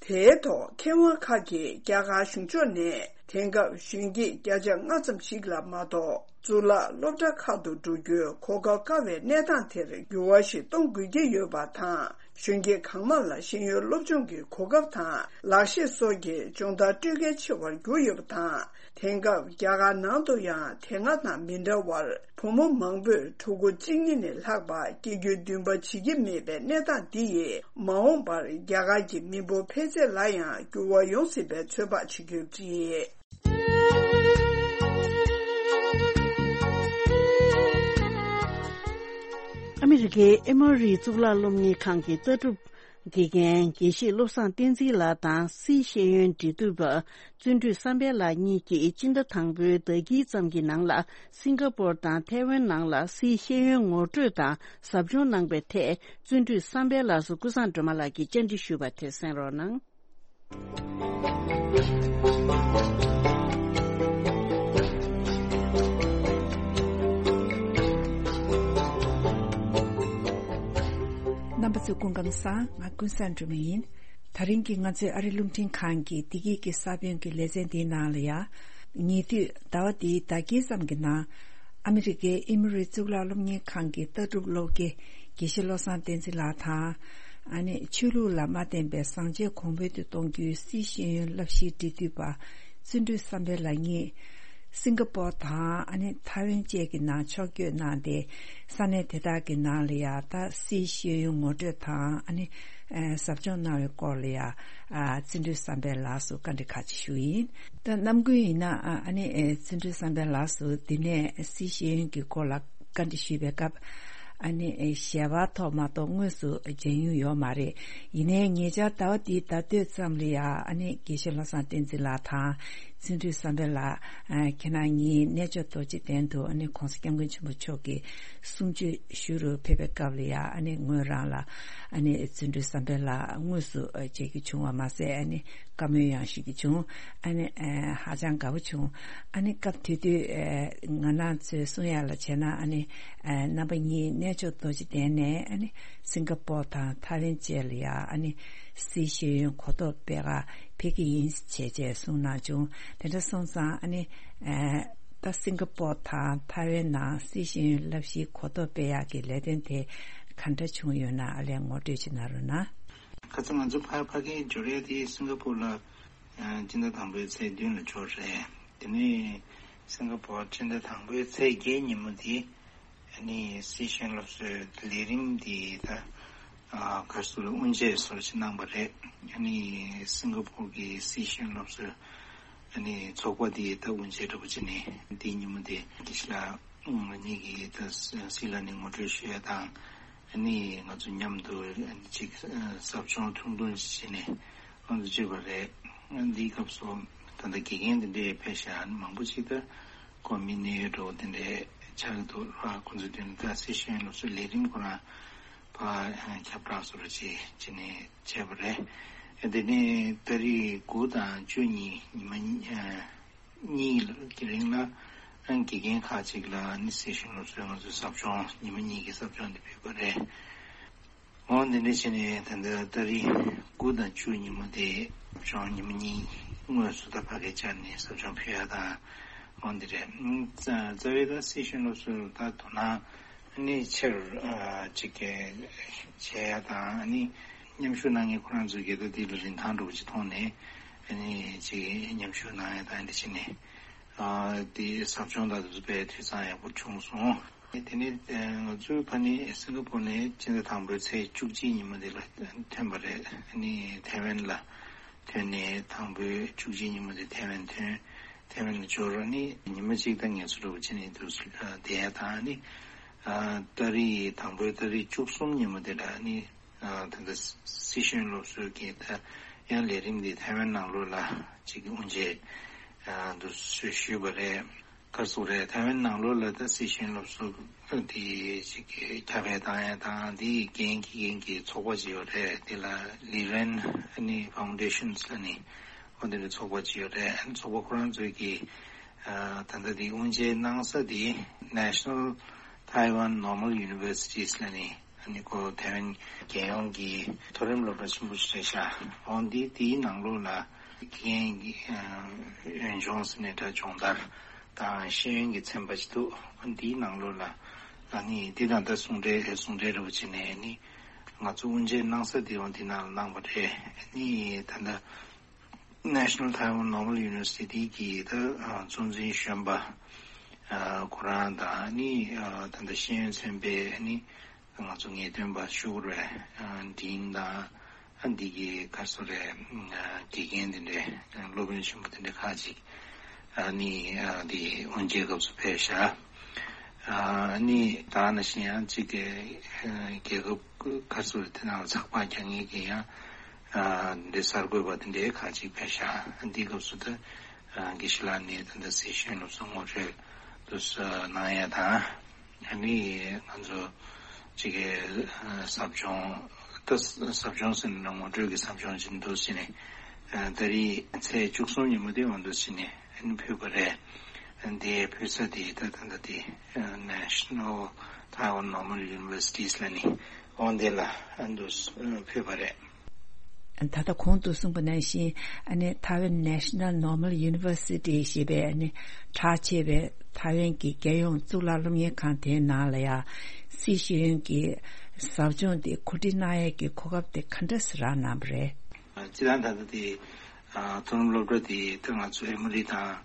དེའི་ཐོག་མཁས་དབང་ཁག་གིས་རྒྱ་གར་གཞུང་ཕྱོགས་ནས་དེང་སྐབས་གཞོན་སྐྱེས་བརྒྱ་ཆ་ལྔ་ཙམ་ཞིག་ལ་མ་གཏོགས་གཙུག་ལག་སློབ་གྲྭ་ཁག་ཏུ་འགྲོ་རྒྱུའི་གོ་སྐབས་དཀའ་བའི་གནས་སྟངས་དེར་འགྱུར་བ་ཞིག་གཏོང་དགོས་ཀྱི་ཡོད་པ་དང་། གཞོན་སྐྱེས་གང་མང་ལ་ཤེས་ཡོན་སློབ་སྦྱོང་གི་གོ་སྐབས་དང་ལག་ཤེས་སོགས་ཀྱི་སྦྱོང་བརྡར་སྤྲོད་གལ་ཆེ་བར་གྱུར་ཡོད་པ་དང་། དེང་སྐབས་རྒྱ་གར་ནང་དུ་ཡང་དེ་སྔ་དང་མི་འདྲ་བར་བུ་མོ་མང་པོས་ཕྲུ་གུ་གཅིག་གཉིས་ནས་ལྷག་པ་སྐྱེ་རྒྱུའི་འདུན་པ་བྱེད་ཀྱི་མེད་པའི་གནས་སྟངས་འདི་ཡིས་མ་འོངས་པར་རྒྱ་གར་གྱི་མི་འབོར་འཕེལ་ཚད་ལ་ཡང་འགྱུར་བ་ཡོང་སྲིད་པའི་ཚོད་དཔག་བྱེད་ཀྱི་ཡོད་པ་རེད། ཨ་མི་རི་ཀའི་ཨེ་མོ་རི་གཙུག་ལག་སློབ་གཉེར་ཁང་གི་ལྟ་གྲུབ་དགེ་རྒན་དགེ་བཤེས་བློ་བཟང་བསྟན་འཛིན་ལགས་དང་སིའི་ཤེས་ཡོན་འབྲེལ་མཐུད་པ་བརྩོན་འགྲུས་བསམ་འཕེལ་ལགས་གཉིས་ཀྱིས་སྤྱི་ཟླ་དང་པོའི་ཟླ་དཀྱིལ་ཙམ་གྱི་ནང་ལ་སིང་ག་པོར་དང་ཐའེ་ཝན་ནང་ལ་སིའི་ཤེས་ཡོན་ངོ་སྤྲོད་དང་ཟབ་སྦྱོང་གནང་པའི་ཐད་བརྩོན་འགྲུས་བསམ་འཕེལ་ལགས་སུ་ཀུན་བཟང་སྒྲོལ་མ་ལགས་ཀྱིས་བཅར་འདྲི་ཞུས་པ་དེ་གསན་རོགས་གནང་། རྣམ་པ་ཚོ་སྐུ་ཁམས་བཟང་། ང་ཀུན་བཟང་སྒྲོལ་མ་ཡིན། ད་རིང་གི་ང་ཚོའི་ཨ་རི་རླུང་འཕྲིན་ཁང་གི་བདེ་སྐྱིད་ཀྱི་ས་བོན་གྱི་ལེ་ཚན་འདིའི་ནང་ལ་ཡ། ཉེ་དུས་ཟླ་བ་འདིའི་ཟླ་དཀྱིལ་ཙམ་གྱི་ནང་། ཨ་མི་རི་ཀའི་ཨེ་མོ་རི་གཙུག་ལག་སློབ་གཉེར་ཁང་གི་ལྟ་གྲུབ་སློབ་དགེ་དགེ་བཤེས་བློ་བཟང་བསྟན་འཛིན་ལགས་དང་། ཨ་ནི་ཆོས་ལུགས་ལ་མ་བརྟེན་པའི་བཟང་སྤྱོད་གོང་འཕེལ་དུ་གཏོང་རྒྱུའི་སིའི་ཤེས་ཡོན་བསླབ་གཞིའི་འབྲེལ་མཐུད་པ་བརྩོན་འགྲུས་བསམ་འཕེལ་ལགས་གཉིས། སིང་ག་པོར་དང་ཨ་ནི་ཐའེ་ཝན་བཅས་ཀྱི་ནང་ཕྱོགས་བསྐྱོད་གནང་སྟེ། ས་གནས་དེ་དག་གི་ནང་ལ་ཡང་ད་སིའི་ཤེས་ཡོན་ངོ་སྤྲོད་དང་ཨ་ནི་ཨ་ཟབ་སྦྱོང་གནང་བའི་སྐོར་ལ་ཡང་ཨ་བརྩོན་འགྲུས་བསམ་འཕེལ་ལགས་སུ་བཀའ་འདྲི་ཁག་ཅིག་ཞུ་ཡིན། ད་ནམ་རྒྱུན་ཡིན་ན་ཨ་ཨ་ནི་ཨ་བརྩོན་འགྲུས་བསམ་འཕེལ་ལགས་སུ་འདི་ནས་སིའི་ཤེས་ཡོན་གྱི་སྐོར་ལ་བཀའ་འདྲི་ཞུས་པའི་སྐབས། ཨ་ནི་ཨེ་ཞལ་པར་ཐོག་མ་གཏོགས་དངོས་སུ་མཇལ་མྱོང་ཡོད་མ་རེད། ཡིན་ནའི་ཉེ་ཆར་ཟླ་བ་འདིའི་ཟླ་སྟོད་ཙམ་ལ་ཡང་ཨ་ནི་དགེ་བཤེས་བློ་བཟང་བསྟན་འཛིན་ལགས་དང་བརྩོན་འགྲུས་བསམ་འཕེལ་ལགས། ཨ་ཁྱེད་རང་གཉིས་གནས་མཆོག་རྡོ་རྗེ་གདན་དུ་ཨ་ནི་༸གོང་ས་༸སྐྱབས་མགོན་ཆེན་པོ་མཆོག་གི་གསུང་ཆོས་ཞུ་རུ་ཕེབས་པའི་སྐབས་ལ་ཡང་ཨ་ནི་ངོས་རང་ལ་ཨ་ནི་བརྩོན་འགྲུས་བསམ་འཕེལ་ལགས་དངོས་སུ་ཨ་མཇལ་རྒྱུ་བྱུང་བ་མ་ཟད་ཨ་ནི། བཀའ་མོལ་ཡང་ཞུ་རྒྱུ་བྱུང་། ཨ་ནི་ཨ་ཧ་ཅང་དགའ་པོ་བྱུང་། ཨ་ནི་སྐབས་དེ་དུས་ཨ་ང་རང་ཚོས་གསུང་ཡག་ལ་བྱས་ན་ཨ་ནི་ཨ་རྣམ་པ་གཉིས་གནས་མཆོག་རྡོ་རྗེ་གདན་ནས་ཨ་ནི་སིང་ག་པོར་དང་ཐའེ་ཝན་བཅས་ལ་ཡང་ཨ་ནི་སིའི་ཤེས་ཡོན་གོ་རྟོགས་སྤེལ་ག་ཕེབས་ཀྱི་ཡིན་བྱས་བྱས་གསུང་གནང་བྱུང་། དེ་འདྲ་སོང་ཙང་ཨ་ནི་ཨ་ད་སིང་ག་པོར་དང་ཐའེ་ཝན་ནང་སིའི་ཤེས་ཡོན་བསླབ་གཞིའི་གོ་རྟོགས་སྤེལ་ཡག་གི་ལས་དོན་དེ་ག་འདྲ་བྱུང་ཡོད་ན་ཨ་ལས་ངོ་སྤྲོད་ཅིག་གནང་རོགས་གནང་། ཁ་སང་ང་ཚོ་ཕ་ཕ་གིའི་འབྱོར་ཡ་དེ་སིང་ག་པོར་ལ། ཨ་སྤྱི་ཟླ་དང་པོའི་ཚེས་བདུན་ལ་འབྱོར་རེད། དེ་ནས་སིང་ག་པོར་སྤྱི་ཟླ་དང་པོའི་ཚེས་བརྒྱད་ཉིན་མོ་དེ་ཨ་ནི་སིའི་ཤེས་ཡོན་སློབ་གསོའི་ལས་རིམ་དེ་ད་ཨ་ག་རེ་ཟེར་དགོས་རེད། དབུ་འབྱེད་སོགས་ཅིག་གནང་བ་རེད། ཨ་ནི་སིང་ག་པོར་གྱི་སིའི་ཤེས་ཡོན་སློབ་གསོའི་ཨ་ནི་ཚོགས་པ་དེ་ད་དབུ་འབྱེད་འདྲ་པོ་བྱས་ནས་དེའི་ཉིན་མོ་དེ་དགེ་བཤེས་ལགས་ང་གཉིས་ཀྱིས་ད་སི་ལ་ནི་ངོ་སྤྲོད་ཞུ་ཡ་དང་། ཨ་ནི་ང་ཚོ་མཉམ་དུ་ཨ་ནི་ཅིག་ཟབ་སྦྱོང་ཐུང་ཐུང་ཅིག་བྱས་ནས་ང་ཚོ་བྱས་པ་རེད། ཨ་འདིའི་སྐབས་སུ་ད་ལྟ་དགེ་རྒན་དེ་འདྲས་ཕེབས་ཤག་ཨ་ནི་མང་པོ་ཅིག་ད་ཁོ་མི་གནད་ཡོད་འགྲོ་དེ་འདྲས་ཆགས་ཀྱི་འདུག་ཨ་ཁོ་ཚོའི་མདུན་ད་སི་ཤེས་ཡོན་སློབ་གསོའི་ལས་རིམ་ཁོ་རང་ཕར་ཁྱབ་བསྒྲགས་བཟོ་འདྲ་ཅིག་བྱས་ནས་བྱས་པ་རེད། ཨ་དེ་ནས་ཏ་རིག་དགུ་དང་བཅུ་གཉིས་ཉི་མ་གཉིས། གཉིས་ཀྱི་རིང་ལ་ཨང་དགེ་རྒན་ཁག་ཅིག་ལ་ནི་སི་ཤེས་ཡོན་སློབ་གསོའི་ང་ཚོའི་ཟབ་སྦྱོང་ཉི་མ་གཉིས་ཀྱི་ཟབ་སྦྱོང་འདི་ཕུལ་བ་རེད། འོ་འདི་འདྲ་བྱས་ནས་ད་ལྟ་ཏ་རིག་དགུ་དང་བཅུ་ཉིན་མོ་དེ་ཟབ་སྦྱོང་ཉི་མ་གཉིས་དངོས་སུ་ད་ཕ་གིར་བཅར་ནས་ཟབ་སྦྱོང་ཕུལ་ཡ་དང་འོ་འདི་རེད། རྩ་རྩ་བའི་ད་སི་ཤེས་ཡོན་སློབ་གསོ་ད་དོ་སྣང་ནི་ཆེར་ཅིག་བྱས་ཡ་དང་ནི། མཉམ་ཞུགས་གནང་མཁན་ཁོ་རང་ཚོས་ཀྱི་ད་འདི་ལ་རིན་ཐང་འདྲ་པོ་ཅིག་མཐོང་ནས་ཨ་ནི་ཅིག་མཉམ་ཞུགས་གནང་ཡ་དང་འདི་བྱས་ནས་ཨ་འདི་ཟབ་སྦྱོང་དང་དེ་ཚོ་དཔེ་འཐུས་ཚང་ཡག་པོ་བྱུང་སོང་། དེ་ནས་ང་ཚོའི་ཕ་ནི་སིང་ག་པོར་ནས་སྤྱི་ཟླ་དང་པོའི་ཚེས་བཅུ་གཅིག་ཉིན་མོ་འདི་ལ་ཐོན་པ་རེད། ཨ་ནི་ཐའེ་ཝན་ལ་ཐོན་ནས་དང་པོའི་བཅུ་གཅིག་ཉིན་མོ་འདི་ཐའེ་ཝན་ཐོན། ཐའེ་ཝན་ལ་འབྱོར་ཨ་ནི་ཉི་མ་གཅིག་དང་ངལ་གསོ་འདྲ་པོ་བྱས་ནས་འདུག་བསྡད་ཡ་དང་ཨ་ནི་ཏ་རིག་དང་པོའི་ཏ་རིག་བཅུ་གསུམ་ཉིན་མོ་འདི་ལ་ཨ་ནི། ད་ལྟ་སི་ཤེས་ཡོན་སློབ་གསོའི་གི་ད་ཡང་ལས་རིམ་འདི་ཐའེ་ཝན་ནང་ལོགས་ལ་ཅིག་དབུ་འབྱེད་འདུ་ཞུས་པ་རེད། ག་རེ་ཟེར་དགོས་རེད། ཐའེ་ཝན་ནང་ལོགས་ལ་ད་སི་ཤེས་ཡོན་སློབ་གསོ་འདི་ཅིག་ཁྱབ་སྤེལ་བཏང་ཡ་དང་འདི་འགན་འཁྱེར་མཁན་གྱི་ཚོགས་པ་ཅིག་ཡོད་རེད། འདི་ལ་ལི་རན་ཨ་ནི་ཕའུན་ཌེ་ཤན་ལ་ནི་འོ་འདི་འདྲའི་ཚོགས་པ་ཅིག་ཡོད་རེད། ཨ་ནི་ཚོགས་པ་ཁོ་རང་ཚོས་ཀྱི་ད་ལྟ་འདི་དབུ་འབྱེད་གནང་ས་འདི་National Taiwan Normal Universities ལ་ནི། ཨ་ནི་ཁོ་ཐའེ་ཝན་རྒྱལ་ཡོངས་ཀྱི་མཐོ་རིམ་སློབ་གྲྭ་ཆེན་པོ་ཞིག་རེད་ཤག་འོ་འདི་དེའི་ནང་ལོགས་ལ་དགེ་རྒན་གྱི་ཨ་འོས་སྦྱོང་ཟེར་ནས་འདྲ་སྦྱོང་བརྡར་དང་ཤེས་ཡོན་གྱི་ཚན་པ་ཞིག་འདུག་འོ་འདིའི་ནང་ལོགས་ལ་ཨ་ནི་འདི་དང་ད་ཟུང་འབྲེལ་ཟུང་འབྲེལ་འདྲ་པོ་བྱས་ནས་ཨ་ནི་ ང་ཚོ་དབུ་འབྱེད་གནང་ས་དེ་ཡང་དེ་ནང་ལ་གནང་བ་རེད། ཨ་ནི་ད་ལྟ་National Taiwan Normal University གི་ད་གཙོ་འཛིན་གཞོན་པ་ཁོ་རང་དང་ཨ་ནི་ད་ལྟ་ཤེས་ཡོན་ཚན་པའི་ཨ་ནི་ང་ཚོ་ངེས་སྟོན་པ་ཤུ་གུ་རེ་ཌིན་དང་། ཨ་འདི་གི་ཁ་སོ་རེ་དགེ་རྒན་དེ་འདྲའི་སློབ་དཔོན་ཆེན་པོ་དེ་འདྲའི་ཁག་ཅིག་ཨ་ནི་ཨ་འདི་དབུ་འབྱེད་སྐབས་སུ་ཕེབས་ཤག་ཨ་ནི་ད་ནང་བཞིན་ཡང་གཅིག་གི་རྒྱལ་ཁབ་ཁ་སོ་རེ་དེ་ནང་ལ་ཚགས་པར་རྒྱག་མཁན་གྱི་ཡང་ཨ་འདི་གསར་འགོད་པ་དེ་འདྲའི་ཁག་ཅིག་ཕེབས་ཤག་ཨ་འདི་སྐབས་སུ་ད་ཨ་དགེ་བཤེས་ལགས་ནས་ད་ལྟ་སི་ཤེས་ཡོན་སློབ་གསོ་ངོ་སྤྲོད་དུ་གནང་ཡ་དང་། ཨ་ནི་ང་ཚོ་གཅིག་གི་ཟབ་སྦྱོང་ད་ཟབ་སྦྱོང་ཟེར་ན་ངོ་སྤྲོད་ཀྱི་ཟབ་སྦྱོང་ཅིག་འདུག་ཟེར་ནས་ད་རེས་ཚེས་བཅུ་གསུམ་ཉིན་མོ་དེ་འོང་འདུག་ཟེར་ནས་ཨ་ནི་ཕུལ་བ་རེད། དེ་ཕུལ་ས་དེ་ད་ད་ད་དེ་National Taiwan Normal Universities ལ་ནི་འོང་དེ་ལ་ཨ་འདུག་ཕུལ་བ་རེད། ད་ལྟ་གོང་དུ་གསུངས་པ་ནང་བཞིན་ཨ་ནི་Taiwan National Normal University ཞེས་པའི་ཨ་ནི་གྲགས་ཆེ་བའི་ཐའེ་ཝན་གྱི་རྒྱལ་ཡོངས་གཙུག་ལག་སློབ་གཉེར་ཁང་དེའི་ནང་ལ་ཡང་སི་ཤེས་ཡོན་གྱི་ཟབ་སྦྱོང་དེ་གོ་སྒྲིག་གནང་ཡས་ཀྱི་གོ་སྐབས་དེ་ག་འདྲ་སེ་རག་གནང་བ་རེད། སྤྱིར་བཏང་ད་ལྟ་དེ་མཐོ་རིམ་སློབ་གྲྭ་དེ་ད་ང་ཚོ་ཨེ་མོ་རི་དང་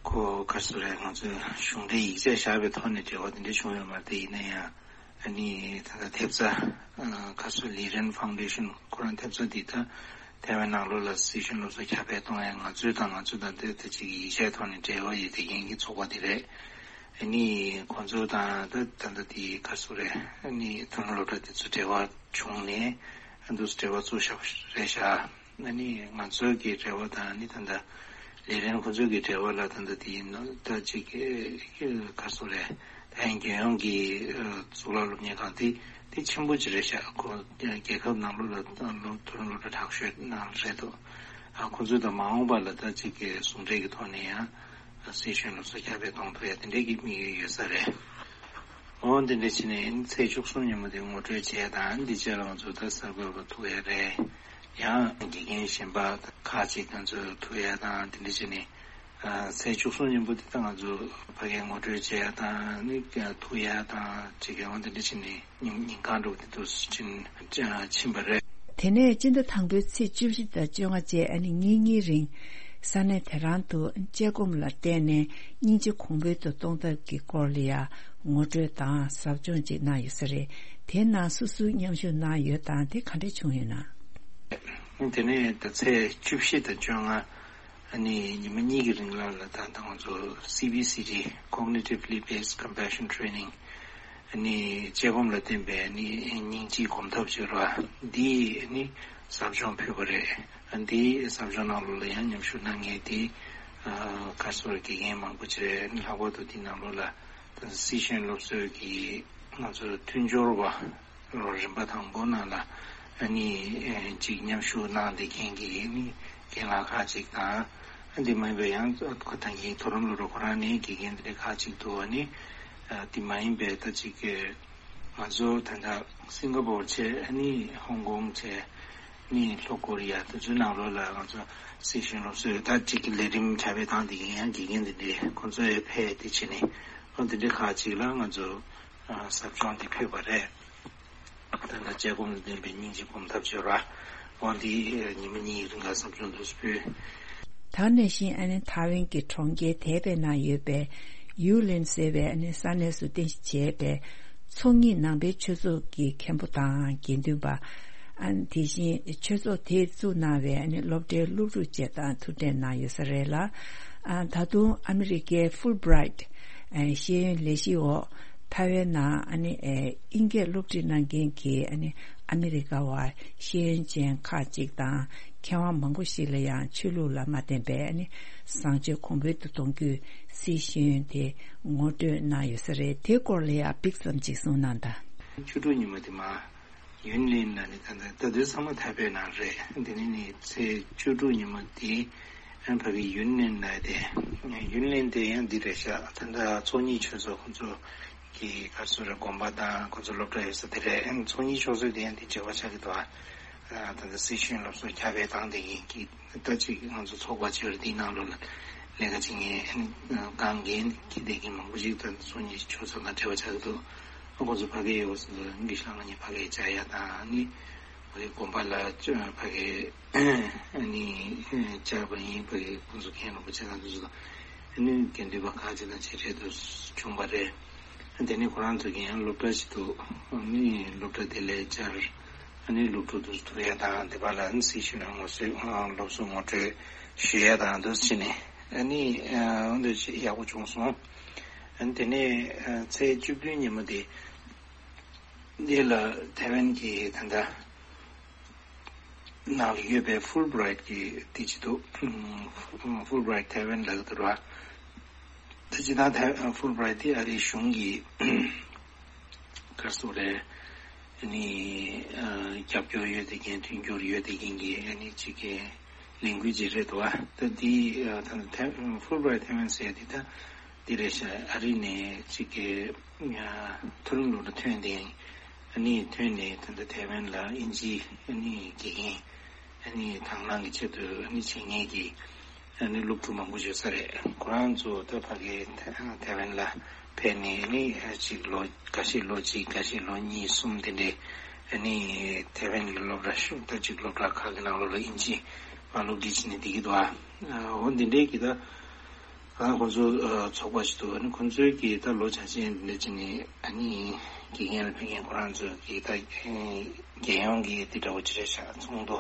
ཁོ་ག་སུ་རེད་ང་ཚོས་གཞུང་འབྲེལ་ཡིག་ཆ་བཞག་པའི་ཐོག་ནས་འབྲེལ་བ་དེ་འདྲ་བྱུང་ཡོད་མ་རེད། དེ་ཡིན་ན་ཡང་ཨ་ནི་ད་ལྟ་ཐེབས་རྩ་ཁ་སོ་Liren Foundation ཁོ་རང་ཐེབས་རྩ་འདི་ད་ཐའེ་ཝན་ནང་ལོགས་ལ་སི་ཤེས་ཡོན་སློབ་གསོ་ཁྱབ་སྤེལ་གཏོང་ཡ་ང་ཚོའི་དང་ང་ཚོ་དང་དེ་དེ་གཅིག་གི་ཡིག་ཆའི་ཐོག་ནས་འབྲེལ་བ་ཡོད་བསྡད་མཁན་གྱི་ཚོགས་པ་དེ་རེད། ཨ་ནི་ཁོང་ཚོ་དང་ད་ད་ལྟ་དེ་ག་སུ་རེད། ཨ་ནི་ཐོན་སློབ་གྲྭ་དེ་ཚོ་འབྲེལ་བ་བྱུང་ནས་ཨ་འདུག་འབྲེལ་བ་བཙུགས་བཞག་པ་རེད་ཤག་ཨ་ནི་ང་ཚོའི་གི་འབྲེལ་བ་དང་ནི་ད་ལྟ་ལས་རན་ཁོ་ཚོའི་གི་འབྲེལ་བ་ལ་ད་ལྟ་དེ་ཡིན་ནོ་ད་ཅིག་ག་སོ་རེད། ད་ཡིན་རྒྱལ་ཡོངས་ཀྱི་གཙུག་ལག་སློབ་གཉེར་ཁང་དེ་དེ་ཆེན་པོ་ཅིག་རེད་ཤག་ཁོ་རྒྱལ་ཁབ་ནང་ལོགས་ལ་སློབ་མཐོ་རིམ་སློབ་གྲྭ་མང་ཤོས་ནང་རེད་འདུག་ཨ་ཁོ་ཚོ་དང་མ་འོངས་པ་ལ་ད་ཅིག་གི་ཟུང་འབྲེལ་གྱི་ཐོག་ནས་ཡང་སི་ཤེས་ཡོན་སློབ་གསོ་ཁྱབ་སྤེལ་གཏོང་ཐུབ་ཡ་དེ་འདྲའི་གི་དམིགས་ཡུལ་ཡོད་ས་རེད། འོ་འདི་འདྲ་བྱས་ནས་ཚེས་བཅུ་གསུམ་ཉིན་མོ་དེ་ངོ་སྤྲོད་བྱས་དང་འདི་རྗེས་ལ་ང་ཚོ་ད་གསར་འགོད་པ་ཐུག་ཡ་རེད། ཡང་དགེ་རྒན་གཞན་པ་ཁག་ཅིག་ང་ཚོ་ཐུག་ཡ་དང་འདི་འདྲ་བྱས་ནས་ཚེས་བཅུ་གསུམ་ཉིན་མོ་དེ་ད་ང་ཚོ་ཕ་གིར་ངོ་སྤྲོད་བྱས་ཡ་དང་ནི་ཐུག་ཡ་དང་ཅིག་ཡང་འདི་འདྲ་བྱས་ནས་ཉིན་ཉིན་གང་འགྲོ་དེ་དུས་ཕྱིན་ཕྱིན་པ་རེད། དེ་ནས་སྤྱི་ཟླ་དང་པོའི་ཚེས་བཅུ་བཞི་དང་བཅོ་ལྔ་བཅས་ཨ་ནི་ཉིན་གཉིས་རིང་ས་གནས་དེ་རང་དུ་བཅད་སྒོམ་ལ་བརྟེན་ནས་སྙིང་རྗེ་གོང་འཕེལ་དུ་གཏོང་ཐབས་ཀྱི་སྐོར་ལ་ཡང་ངོ་སྤྲོད་དང་ཟབ་སྦྱོང་ཅིག་གནང་ཡོད་ས་རེད། དེའི་ནང་སུ་སུ་མཉམ་ཞུགས་གནང་ཡོད་དང་དེ་ག་འདྲ་བྱུང་ཡོད་ན། དེ་ནས་ད་ཚེས་བཅུ་བཞི་དང་བཅོ་ལྔ་ཨ་ནི་ཉི་མ་གཉིས་ཀྱི་རིང་ལ་ལ་ད་ད་ང་ཚོ་སི་བི་སི་ཊི་Cognitively Based Compassion Training ཨ་ནི་དཔྱད་སྒོམ་ལ་བརྟེན་པའི་ཨ་ནི་སྙིང་རྗེའི་སྒོམ་ཐབས་བྱེད་ར་འདི་ཨ་ནི་ཟབ་སྦྱོང་ཕུལ་བ་རེད། ཨ་འདི་ཟབ་སྦྱོང་ནང་ལོགས་ལ་ཡང་མཉམ་ཞུགས་གནང་མཁན་དེ་ཨ་ག་སོ་ར་དགེ་རྒན་མང་པོ་ཅིག་རེད། ཨ་ནི་ལྷག་པར་དུ་འདི་ནང་ལོགས་ལ་ད་སི་ཤེས་ཡོན་སློབ་གསོའི་གི་ང་ཚོ་མཐུན་སྦྱོར་བ། ལོ་རིམ་པ་དང་པོ་ནང་ལ་ཨ་ནི་ཅིག་མཉམ་ཞུགས་གནང་བསྡད་མཁན་གྱི་ཨ་ནི་རྒན་ལགས་ཁག་ཅིག་དང་། ཨ་འདི་མ་ཡིན་པའི་ཡང་ཁོ་ད་གིན་མཐོ་རིམ་སློབ་གྲྭ་ཁོ་རང་ནས་དགེ་རྒན་དེ་འདྲ་ཁག་ཅིག་འདུག་ཨ་ནི་འདི་མ་ཡིན་པའི་ད་ཅིག་ང་ཚོ་ད་ལྟ་སིང་ག་པོར་བྱས་ཨ་ནི་ཧོང་ཀོང་བྱས་ཨ་ནི་ལྷོ་ཀོ་རི་ཡ་དེ་ཚོའི་ནང་ལོགས་ལ་ང་ཚོ་སི་ཤེས་ཡོན་སློབ་གསོའི་ད་ཅིག་ལས་རིམ་ཁྱབ་སྤེལ་བཏང་བསྡད་མཁན་ཡང་དགེ་རྒན་དེ་འདྲ་ཁོ་ཚོ་ཡང་ཕེབས་དེ་བྱས་ནས་ཨ་དེ་འདྲ་ཁག་ཅིག་ལ་ང་ཚོ་ཟབ་སྦྱོང་དེ་ཕུལ་བ་རེད། ད་ལྟ་དཔྱད་སྒོམ་ལ་བརྟེན་པའི་སྙིང་རྗེ་སྒོམ་ཐབས་བྱེད་ར། འོ་འདི་ཉི་མ་གཉིས་རིང་ལ་ཟབ་སྦྱོང་དུ་ཕུལ། ད་ནས་བཞིན་ཨ་ནི་ཐའེ་ཝན་གྱི་གྲོང་ཁྱེར་དེ་པའི་ནང་ཡོད་པའི་ཡུའུ་ལིན་ཟེར་བའི་ཨ་ནི་ས་གནས་སུ་རྟེན་གཞི་བྱས་པའི་ཚོགས་གཉིས་ནང་པའི་ཆོས་ཚོགས་ཀྱི་མཁན་པོ་དང་དགེ་འདུན་པ། ཨ་ནི་དེ་བཞིན་ཆོས་ཚོགས་དེས་བཙུགས་གནང་བའི་ཨ་ནི་སློབ་གྲྭའི་སློབ་ཕྲུག་བཅས་དང་ཐུག་འཕྲད་གནང་ཡོད་ས་རེད་ལ། ཨ་ད་དུང་ཨ་མི་རི་ཀའི་ཧྥུལ་བྷི་རའིཊ་ཨ་ཤེས་ཡོན་ལས་གཞིའི་འོག་ཐའེ་ཝན་ནང་ཨ་ནི་ཨེ་དབྱིན་སྐད་སློབ་ཁྲིད་གནང་མཁན་གྱི་ཨ་ནི་ཨ་མི་རི་ཀ་བ་ཤེས་ཡོན་ཅན་ཁག་ཅིག་དང་མཁས་དབང་མང་པོ་ཞིག་ལ་ཡང་ཆོས་ལུགས་ལ་མ་བརྟེན་པའི་ཨ་ནི་བཟང་སྤྱོད་གོང་འཕེལ་དུ་གཏོང་རྒྱུའི་སྲིད་ཤེས་ཡོན་དེ་ངོ་སྤྲོད་གནང་ཡོད་ས་རེད། དེའི་སྐོར་ལ་ཡང་ཕྱོགས་ཙམ་ཅིག་གསུངས་གནང་དང་། བཅུ་དྲུག་ཉིན་མོ་དེ་མ། ཡུན་ལིན་ལ་ནི་ད་ལྟ་ད་དུང་ཚང་མ་ཐའེ་པེ་ནང་རེད། དེ་ནི་ནི་ཚེས་བཅུ་དྲུག་ཉིན་མོ་དེ་ཨན་ཕ་གི་ཡུན་ལིན་ལ་དེ་ཡུན་ལིན་དེ་ཡང་འདི་རེད་ཤག་ད་ལྟ་ཚོགས་གཉིས་ཆོས་ཚོགས་ཁོ་ཚོ་གི་ག་རེ་ཟེར་དགོན་པ་དང་ཁོ་ཚོ་སློབ་གྲྭ་ཡོད་ས་དེ་རེད། ཨན་ཚོགས་གཉིས་ཆོས་ཚོགས་དེ་ཡང་དེ་འབྲེལ་བ་ཆགས་ཀྱི་འདུག་ཨ་ད་ལྟ་སི་ཤེས་ཡོན་སློབ་གསོ་ཁྱབ་སྤེལ་བཏང་བསྡད་མཁན་གྱི་ད་ཅིག་ང་ཚོ་ཚོགས་པ་ཅིག་རེད། དེའི་ནང་ལོགས་ལ་ལས་ཀ་བྱེད་མཁན་ཨན་དཀའ་ངལ་འཁྱེར་བསྡད་མཁན་མང་པོ་ཞིག་ད་ཚོགས་གཉིས་ཆོས་ཚོགས་དང་འབྲེལ་བ་ཆགས་ཀྱི་འདུག་ཁོང་ཚོ་ཕ་གི་ཡོད་ཟེར་ལ་གི་ཤང་ལ་ནི་ཕ་གི་བཅར་ཡ་དང་ནི་ཕ་གི་དགོན་པ་ལ་ཕ་གི་ནི་བཅར་བ་ཡིན། ཕ་གི་ཁོང་ཚོ་མཁན་རིན་པོ་ཆེ་དང་དེ་ཚོ་དང་ནི་དགེ་འདུན་པ་ཁག་ཅིག་དང་ཕྱི་འབྲེལ་དུ་བྱུང་བ་རེད། དེ་ནི་ཁོ་རང་ཚོ་གི་ཡང་སློབ་གྲྭ་ཞིག་ཏུ་ནི་སློབ་གྲྭ་དེ་ལས་བཅར་ནི་སློབ་ཕྲུག་དུ་ཐུག་ཡ་དང་དེ་པ་ལ་ནི་སི་ཤུ་ནང་ངོ་སོ་སློབ་གསོ་ངོ་སྤྲོད་ཞུ་ཡ་དང་དུ་ཕྱིན་ནས་ནི་འོན་ཏེ་ཡག་པོ་བྱུང་སོང་། དེ་ནས་ཚེས་བཅུ་བདུན་ཉིན་མོ་དེ། འདི་ལ་ཐའེ་ཝན་གྱི་ད་ལྟ་ནང་ལ་ཡོད་པའི་ཧྥུལ་བྷི་རའིཊ་གྱི་དེ་ཅི་འདུག་ཧྥུལ་བྷི་རའིཊ་ཐའེ་ཝན་ལ་ད་ར། ད་ཅི་ད་ཧྥུལ་བྷི་རའིཊ་དེ་ཨ་རིའི་གཞུང་གི་ག་རེ་ཟེར་རེད། ནི་རྒྱབ་སྐྱོར་ཡོད་དེ་མཁན་མཐུན་འགྱུར་ཡོད་དེ་མཁན་གྱི་ནི་གཅིག་གི་ལས་འགུལ་ཅིག་རེད་འདུག་ད་འདི་ཧྥུལ་བྷི་རའིཊ་ཐའེ་ཝན་ཟེར་དེ་ད། འདི་རེད་ཤག་ཨ་རི་ནས་གཅིག་གི་མཐོ་རིམ་སློབ་གྲྭ་ཐོན་ཏེ་ཨ་ནི་ཐོན་ནས་ད་ལྟ་ཐའེ་ཝན་ལ་ཨིན་ཇི་ཨ་ནི་དགེ་རྒན་ཨ་ནི་དང་བླངས་ཀྱི་ཆེད་དུ་ཨ་ནི་བྱེད་མཁན་གྱི་ཨ་ནི་སློབ་ཕྲུག་མང་པོ་ཡོད་ས་རེད། ཁོ་རང་ཚོ་ད་ཕ་གི་ཐའེ་ཝན་ལ་ཕེབས་ནས་ཨ་ནི་གཅིག་ལོ་འགའ་ཤས་ལོ་གཅིག་འགའ་ཤས་ལོ་གཉིས་གསུམ་དེ་འདྲའི་ཨ་ནི་ཐའེ་ཝན་གྱི་སློབ་གྲྭ་ཤོག་ད་གཅིག་སློབ་གྲྭ་ཁག་གི་ནང་ལོགས་ལ་ཨིན་ཇི་མ་སློབ་ཁྲིད་བྱས་ནས་བསྡད་ཀྱི་འདུག་ཨ་འོ་འདི་འདྲའི་གི་ད། ཨ་ཁོང་ཚོ་ཨ་ཚོགས་པ་ཞིག་འདུག་ཨ་ནི་ཁོང་ཚོའི་གི་ད་ལོ་བྱ་ཆེན་འདི་འདྲ་བྱས་ནས་ཨ་ནི་དགེ་རྒན་ལ་ཕེབས་མཁན་ཁོ་རང་ཚོའི་གི་ད་རྒྱལ་ཡོངས་ཀྱི་འདི་འདྲ་བོ་ཅི་རེད་ཤག་ཚོགས་འདུ་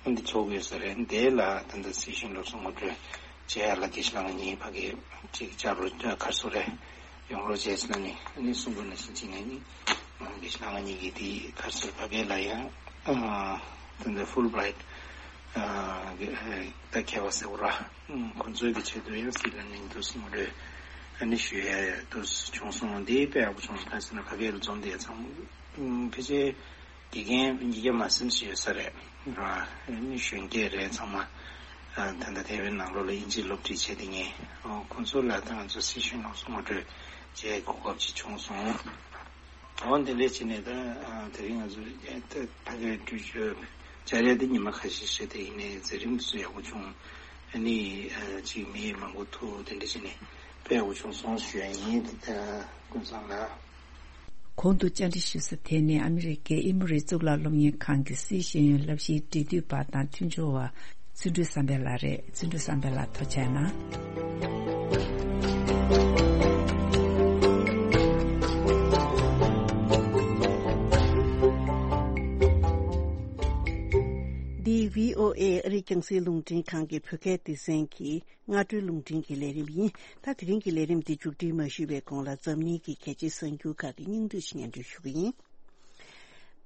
ཨ་འདི་ཚོགས་ཡོད་ས་རེད། འདི་ལ་ད་ལྟ་སྲིད་གཞུང་སློབ་གསོ་ངོ་སྤྲོད་བྱེད་ཡ་ལ་དགེ་བཤེས་ལྷ་དབང་གཉིས་ཕ་གི་ཅིག་བཅར་རོགས་ཁ་སོ་རེད། ཡོང་རོགས་བྱས་ཟེར་ན་ནི་ཨ་ནི་གསུང་དགོས་ན་ཕྱིན་ཅི་ནས་ནི་དགེ་བཤེས་ལྷ་དབང་གཉིས་ཀྱི་དེ་ག་རེ་ཟེར་ཕ་གི་ལ་ཡང་ཨ་ད་ལྟ་ཧྥུལ་བྷི་རའིཊ་ཨ་ད་མཁས་པ་ཟེར་བ་ར། ཁོང་ཚོའི་གི་ཆེད་དུ་ཡང་སྲིད་ལ་ནིང་དུ་སྲུང་རེ་ཨ་ནི་ཞུ་ཡ་དུ་བྱུང་སོང་། འདི་དཔེ་ཡག་པོ་བྱུང་སོང་། ག་ཟེར་ན་ཕ་གིར་འཛོམས་དེ་ཚང་ཕལ་ཆེར་དགེ་རྒན་ཉིས་བརྒྱ་མ་ཟིན་ཞིག་ཡོད་ས་རེད་ར། ཨ་ནི་གཞོན་སྐྱེས་རེད་ཚང་མ། ད་ལྟ་ཐའེ་ཝན་ནང་ལོགས་ལ་དབྱིན་ཇི་སློབ་ཁྲིད་བྱེད་དེ་ངས་ཁོང་ཚོ་ལ་ད་ང་ཚོ་སྲིད་གཞུང་ནང་སྲུང་རེ་བྱེད་གོ་སྐབས་ཅིག་བྱུང་སོང་། འོ་འདི་འདྲས་བྱས་ནས་ད་དེ་རིང་ང་ཚོ་ད་ཕ་གིར་འགྲུལ་བཞུད་བཅར་ཡ་དེ་ཉི་མ་ཁ་ཤས་ཤིག་དེ་ཡིན་ནའི་མཛད་རིམ་སུ་ཡག་པོ་བྱུང་། ཨ་ནི་ཅིག་མི་མང་པོ་ཐུག་དེ་འདྲས་བྱས་ནས་དཔེ་ཡག་པོ་བྱུང་སོང་ཞུ་ཡ་ཡིན། དེ་ད་ཀུན་བཟང་ལགས། གོང་དུ་བཅར་འདྲི་ཞུ་ས་དེ་ནི་ཨ་མི་རི་ཀའི་ཨེ་མོ་རི་གཙུག་ལག་སློབ་གཉེར་ཁང་གི་སྲིད་ཤེས་ཡོན་བསླབ་གཞིའི་འབྲེལ་མཐུད་པ་དང་མཐུན་སྦྱོར་བ་བརྩོན་འགྲུས་བསམ་འཕེལ་ལགས་རེད། བརྩོན་འགྲུས་བསམ་འཕེལ་ལགས་ཐུགས་རྗེ་གནང་། འདི་བྷི་ཨོ་ཨེ་ཨ་རིའི་རྒྱང་སྲིང་རླུང་འཕྲིན་ཁང་གི་བོད་སྐད་སྡེ་ཚན་གྱི་སྔ་དྲོའི་རླུང་འཕྲིན་གྱི་ལས་རིམ་ཡིན། ད་དེ་རིང་གི་ལས་རིམ་འདི་མཇུག་སྒྲིལ་མ་ཞུས་པའི་གོང་ལ་འཛམ་གླིང་གི་གལ་ཆེའི་གསར་འགྱུར་ཁག་གི་སྙིང་བསྡུས་ཤིག་སྙན་སྒྲོན་ཞུ་གི་ཡིན།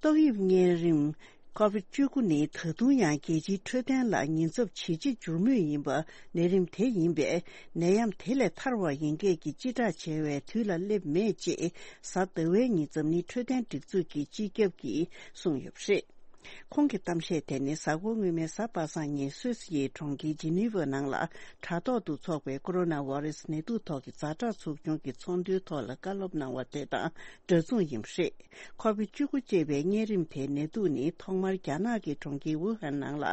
ཏོག་དབྱིབས་གཉན་རིམས་ཁོ་བིད་བཅུ་དགུ་ནི་ད་དུང་ཡང་རྒྱལ་སྤྱིའི་འཕྲོད་བསྟེན་ལ་ཉེན་ཚབས་ཇེ་ཆེ་འགྱུར་མུས་ཡིན་པ་ནད་རིམས་དེ་ཡིན་པས་ནད་ཡམས་དེ་ལས་ཐར་བ་ཡིན་སྐད་ཀྱི་སྤྱི་བསྒྲགས་བྱ་བའི་དུས་ལ་སླེབས་མེད་ཅེས་གཟའ་ཟླ་བའི་ཉིན་འཛམ་གླིང་འཕྲོད་བསྟེན་སྒྲིག་འཛུགས་ཀྱི་སྤྱི་ཁྱབ་ཀྱིས་གསུངས་ཡོད་པ་རེད། ཁོང་གི་གཏམ་བཤད་དེ་ནི་གཟའ་འཁོར་སྔོན་མའི་གཟའ་པ་སངས་ཉིན་སུད་སི་ཡི་གྲོང་ཁྱེར་ཇི་ནི་ཝ་ནང་ལ་དྲ་ཐོག་ཏུ་འཚོགས་པའི་ཀོ་རོ་ན་བྷ་རེ་སི་ནད་དུག་ཐོག་གི་ཛ་དྲག་ཚོགས་ཆུང་གི་ཚོགས་འདུའི་ཐོག་ལ་བཀའ་སློབ་གནང་བ་དེ་དང་འདྲ་མཚུངས་ཡིན་པ་རེད། ཁོ་བིད་བཅུ་དགུ་ཅེས་པའི་གཉན་རིམས་དེའི་ནད་དུག་ནི་ཐོག་མར་རྒྱ་ནག་གི་གྲོང་ཁྱེར་ཝུ་ཧན་ནང་ལ་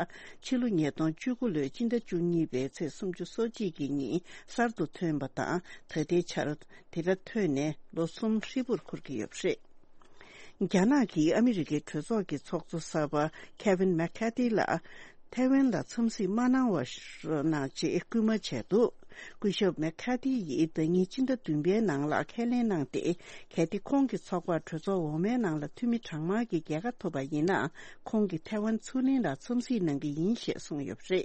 ཕྱི་ལོ་ཉིས་སྟོང་བཅུ་དགུ་ལོའི་སྤྱི་ཟླ་བཅུ་གཉིས་པའི་ཚེས་སུམ་ཅུ་སོ་གཅིག་གི་ཉིན་གསར་དུ་ཐོན་པ་དང་ད་ལྟའི་ཆར་དེ་འདྲ་ཐོན་ནས་ལོ་གསུམ་ཧྲིལ་པོར་འཁོར་གྱི་ཡོད་པ་རེད། རྒྱ་ནག་གིས་ཨ་མི་རི་ཀའི་གྲོས་ཚོགས་ཀྱི་ཚོགས་གཙོ་གསར་པ་ཁེ་ཝིན་མེག་ཁ་ཏི་ལ་ཐའེ་ཝན་ལ་འཚམས་གཟིགས་མ་གནང་བ་གནང་ཅེས་སྐུལ་མ་བྱས་འདུག་སྐུ་ཞབས་མེག་ཁ་ཏི་ཡིས་ཟླ་ཉིན་སྤྱི་ཟླ་བདུན་པའི་ནང་ལ་ཁས་ལེན་གནང་སྟེ། གལ་ཏེ་ཁོང་གི་ཚོགས་པར་གྲོས་ཚོགས་འོག་མའི་ནང་ལ་འཐུས་མི་གྲངས་མང་གི་རྒྱལ་ཁ་ཐོབ་པ་ཡིན་ན། ཁོང་གིས་ཐའེ་ཝན་མཚོ་གླིང་ལ་འཚམས་གཟིགས་གནང་གི་ཡིན་ཞེས་གསུངས་ཡོད་པ་རེད།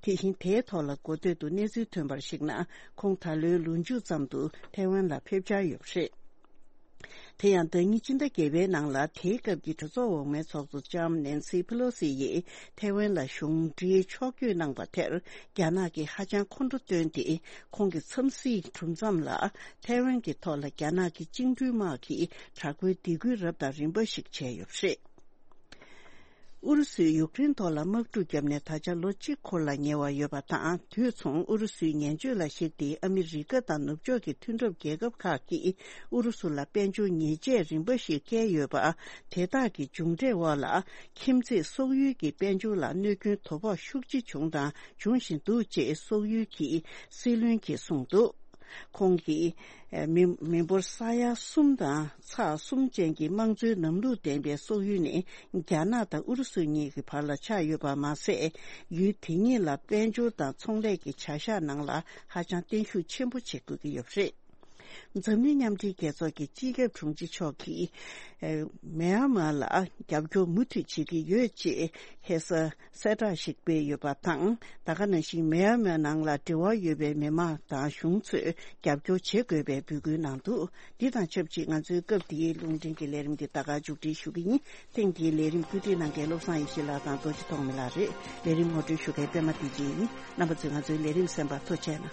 དེ་བཞིན་དེའི་ཐོག་ལ་འགོ་སྟོད་དུ་གནས་ཚུལ་ཐོན་པར་གཞིགས་ན། ཁོང་ད་ལོའི་ལོ་མཇུག་ཙམ་དུ་ཐའེ་ཝན་ལ་ཕེབས་འཆར་ཡོད་པ་རེད། དེ་ཡང་ཟླ་ཉིན་སྤྱི་ཟླ་བརྒྱད་པའི་ནང་ལ་དེའི་སྐབས་ཀྱི་གྲོས་ཚོགས་འོག་མའི་ཚོགས་གཙོ་ལྕམ་ནེན་སི་ཕེ་ལོ་སི་ཡིས་ཐའེ་ཝན་ལ་གཞུང་འབྲེལ་ཕྱོགས་བསྐྱོད་གནང་བ་དེར་རྒྱ་ནག་གིས་ཧ་ཅང་ཁོང་ཁྲོ་བཏོན་ཏེ། ཁོང་གི་འཚམས་གཟིགས་གྲུབ་མཚམས་ལ་ཐའེ་ཝན་གྱི་ཐོག་ལ་རྒྱ་ནག་གི་བཅིངས་འགྲོལ་དམག་གིས་དྲག་པོའི་སྡིགས་སྐུལ་རབ་དང་རིམ་པ་ཞིག་བྱས་ཡོད་པ་རེད། ཨུ་རུ་སུས་ཡུཀ་རེན་ཐོག་ལ་དམག་འཁྲུག་བརྒྱབ་ནས་ད་ཆ་ལོ་གཅིག་འཁོར་ལ་ཉེ་བ་ཡོད་པ་དང་། དུས་མཚུངས་ཨུ་རུ་སུའི་ངན་བྱུས་ལ་གཞིགས་ཏེ་ཨ་མི་རི་ཀ་དང་ནུབ་ཕྱོགས་ཀྱི་མཐུན་གྲོགས་རྒྱལ་ཁབ་ཁག་གིས་ཨུ་རུ་སུ་ལ་དཔལ་འབྱོར་ཉེས་ཆད་རིམ་པ་ཞིག་བཀལ་ཡོད་པ། དེ་དག་གི་མཇུག་འབྲས་འོག་ལ་ཁྱིམ་མཚེས་སོག་ཡུལ་གྱི་དཔལ་འབྱོར་ལ་གནོད་སྐྱོན་དོ་ཕོག་ཤུགས་ཆེ་བྱུང་དང་འབྱུང་བཞིན་འདུག་ཅེས་སོག་ཡུལ་གྱི་སྲིད་བློན་གྱིས་གསུངས་འདུག་ཁོང་གིས་མི་མི་འབོར་ས་ཡ་གསུམ་དང་ཚེག་གསུམ་ཅན་གྱི་དམངས་གཙོའི་ལམ་ལུགས་ལྡན་པའི་སོག་ཡུལ་ནི་རྒྱ་ནག་དང་ཨུ་རུ་སུ་གཉིས་ཀྱི་བར་ལ་ཆགས་ཡོད་པ་མ་ཟད། ཡུལ་དེ་གཉིས་ལ་དཔལ་འབྱོར་དང་ཚོང་ལས་ཀྱི་བྱ་གཞག་ནང་ལ་ཧ་ཅང་བརྟན་ཤུགས་ཆེན་པོ་བྱེད་དགོས་ཀྱི་ཡོད་པ་རེད། འཛམ་གླིང་མཉམ་འབྲེལ་རྒྱལ་ཚོགས་ཀྱི་སྤྱི་ཁྱབ་དྲུང་ཆེ་མཆོག་གིས། ཨེ། མེན་མར་ལ་རྒྱབ་སྐྱོར་མུ་མཐུད་བྱེད་ཀྱི་ཡོད་ཅེས་ཧེ་ས་གསལ་བསྒྲགས་ཤིག་སྤེལ་ཡོད་པ་དང་། ད་ག་ནང་བཞིན་མེན་མར་ནང་ལ་འབྲེལ་བ་ཡོད་པའི་མི་མང་དང་གཞུང་ཚོས་རྒྱབ་སྐྱོར་བྱེད་དགོས་པའི་འབོད་སྐུལ་གནང་འདུག་འདི་དང་ཆབས་ཅིག་ང་ཚོའི་སྐབས་འདིའི་རླུང་འཕྲིན་གྱི་ལས་རིམ་འདི་ད་ག་མཇུག་སྒྲིལ་ཞུ་གི་ཡིན། ཐེངས་འདིའི་ལས་རིམ་བཀོད་སྒྲིག་གནང་མཁན་བློ་བཟང་ཡེ་ཤེས་ལགས་དང་རྡོ་རྗེ་ཐོགས་མེད་ལགས་རེད། ལས་རིམ་ངོ་སྤྲོད་ཞུ་མཁན་པད་མ་བདེ་ཆེན་ཡིན། རྣམ་པ་ཚོས་ང་ཚོའི་ལས་རིམ་གསན་པར་ཐུགས་རྗེ་གནང་།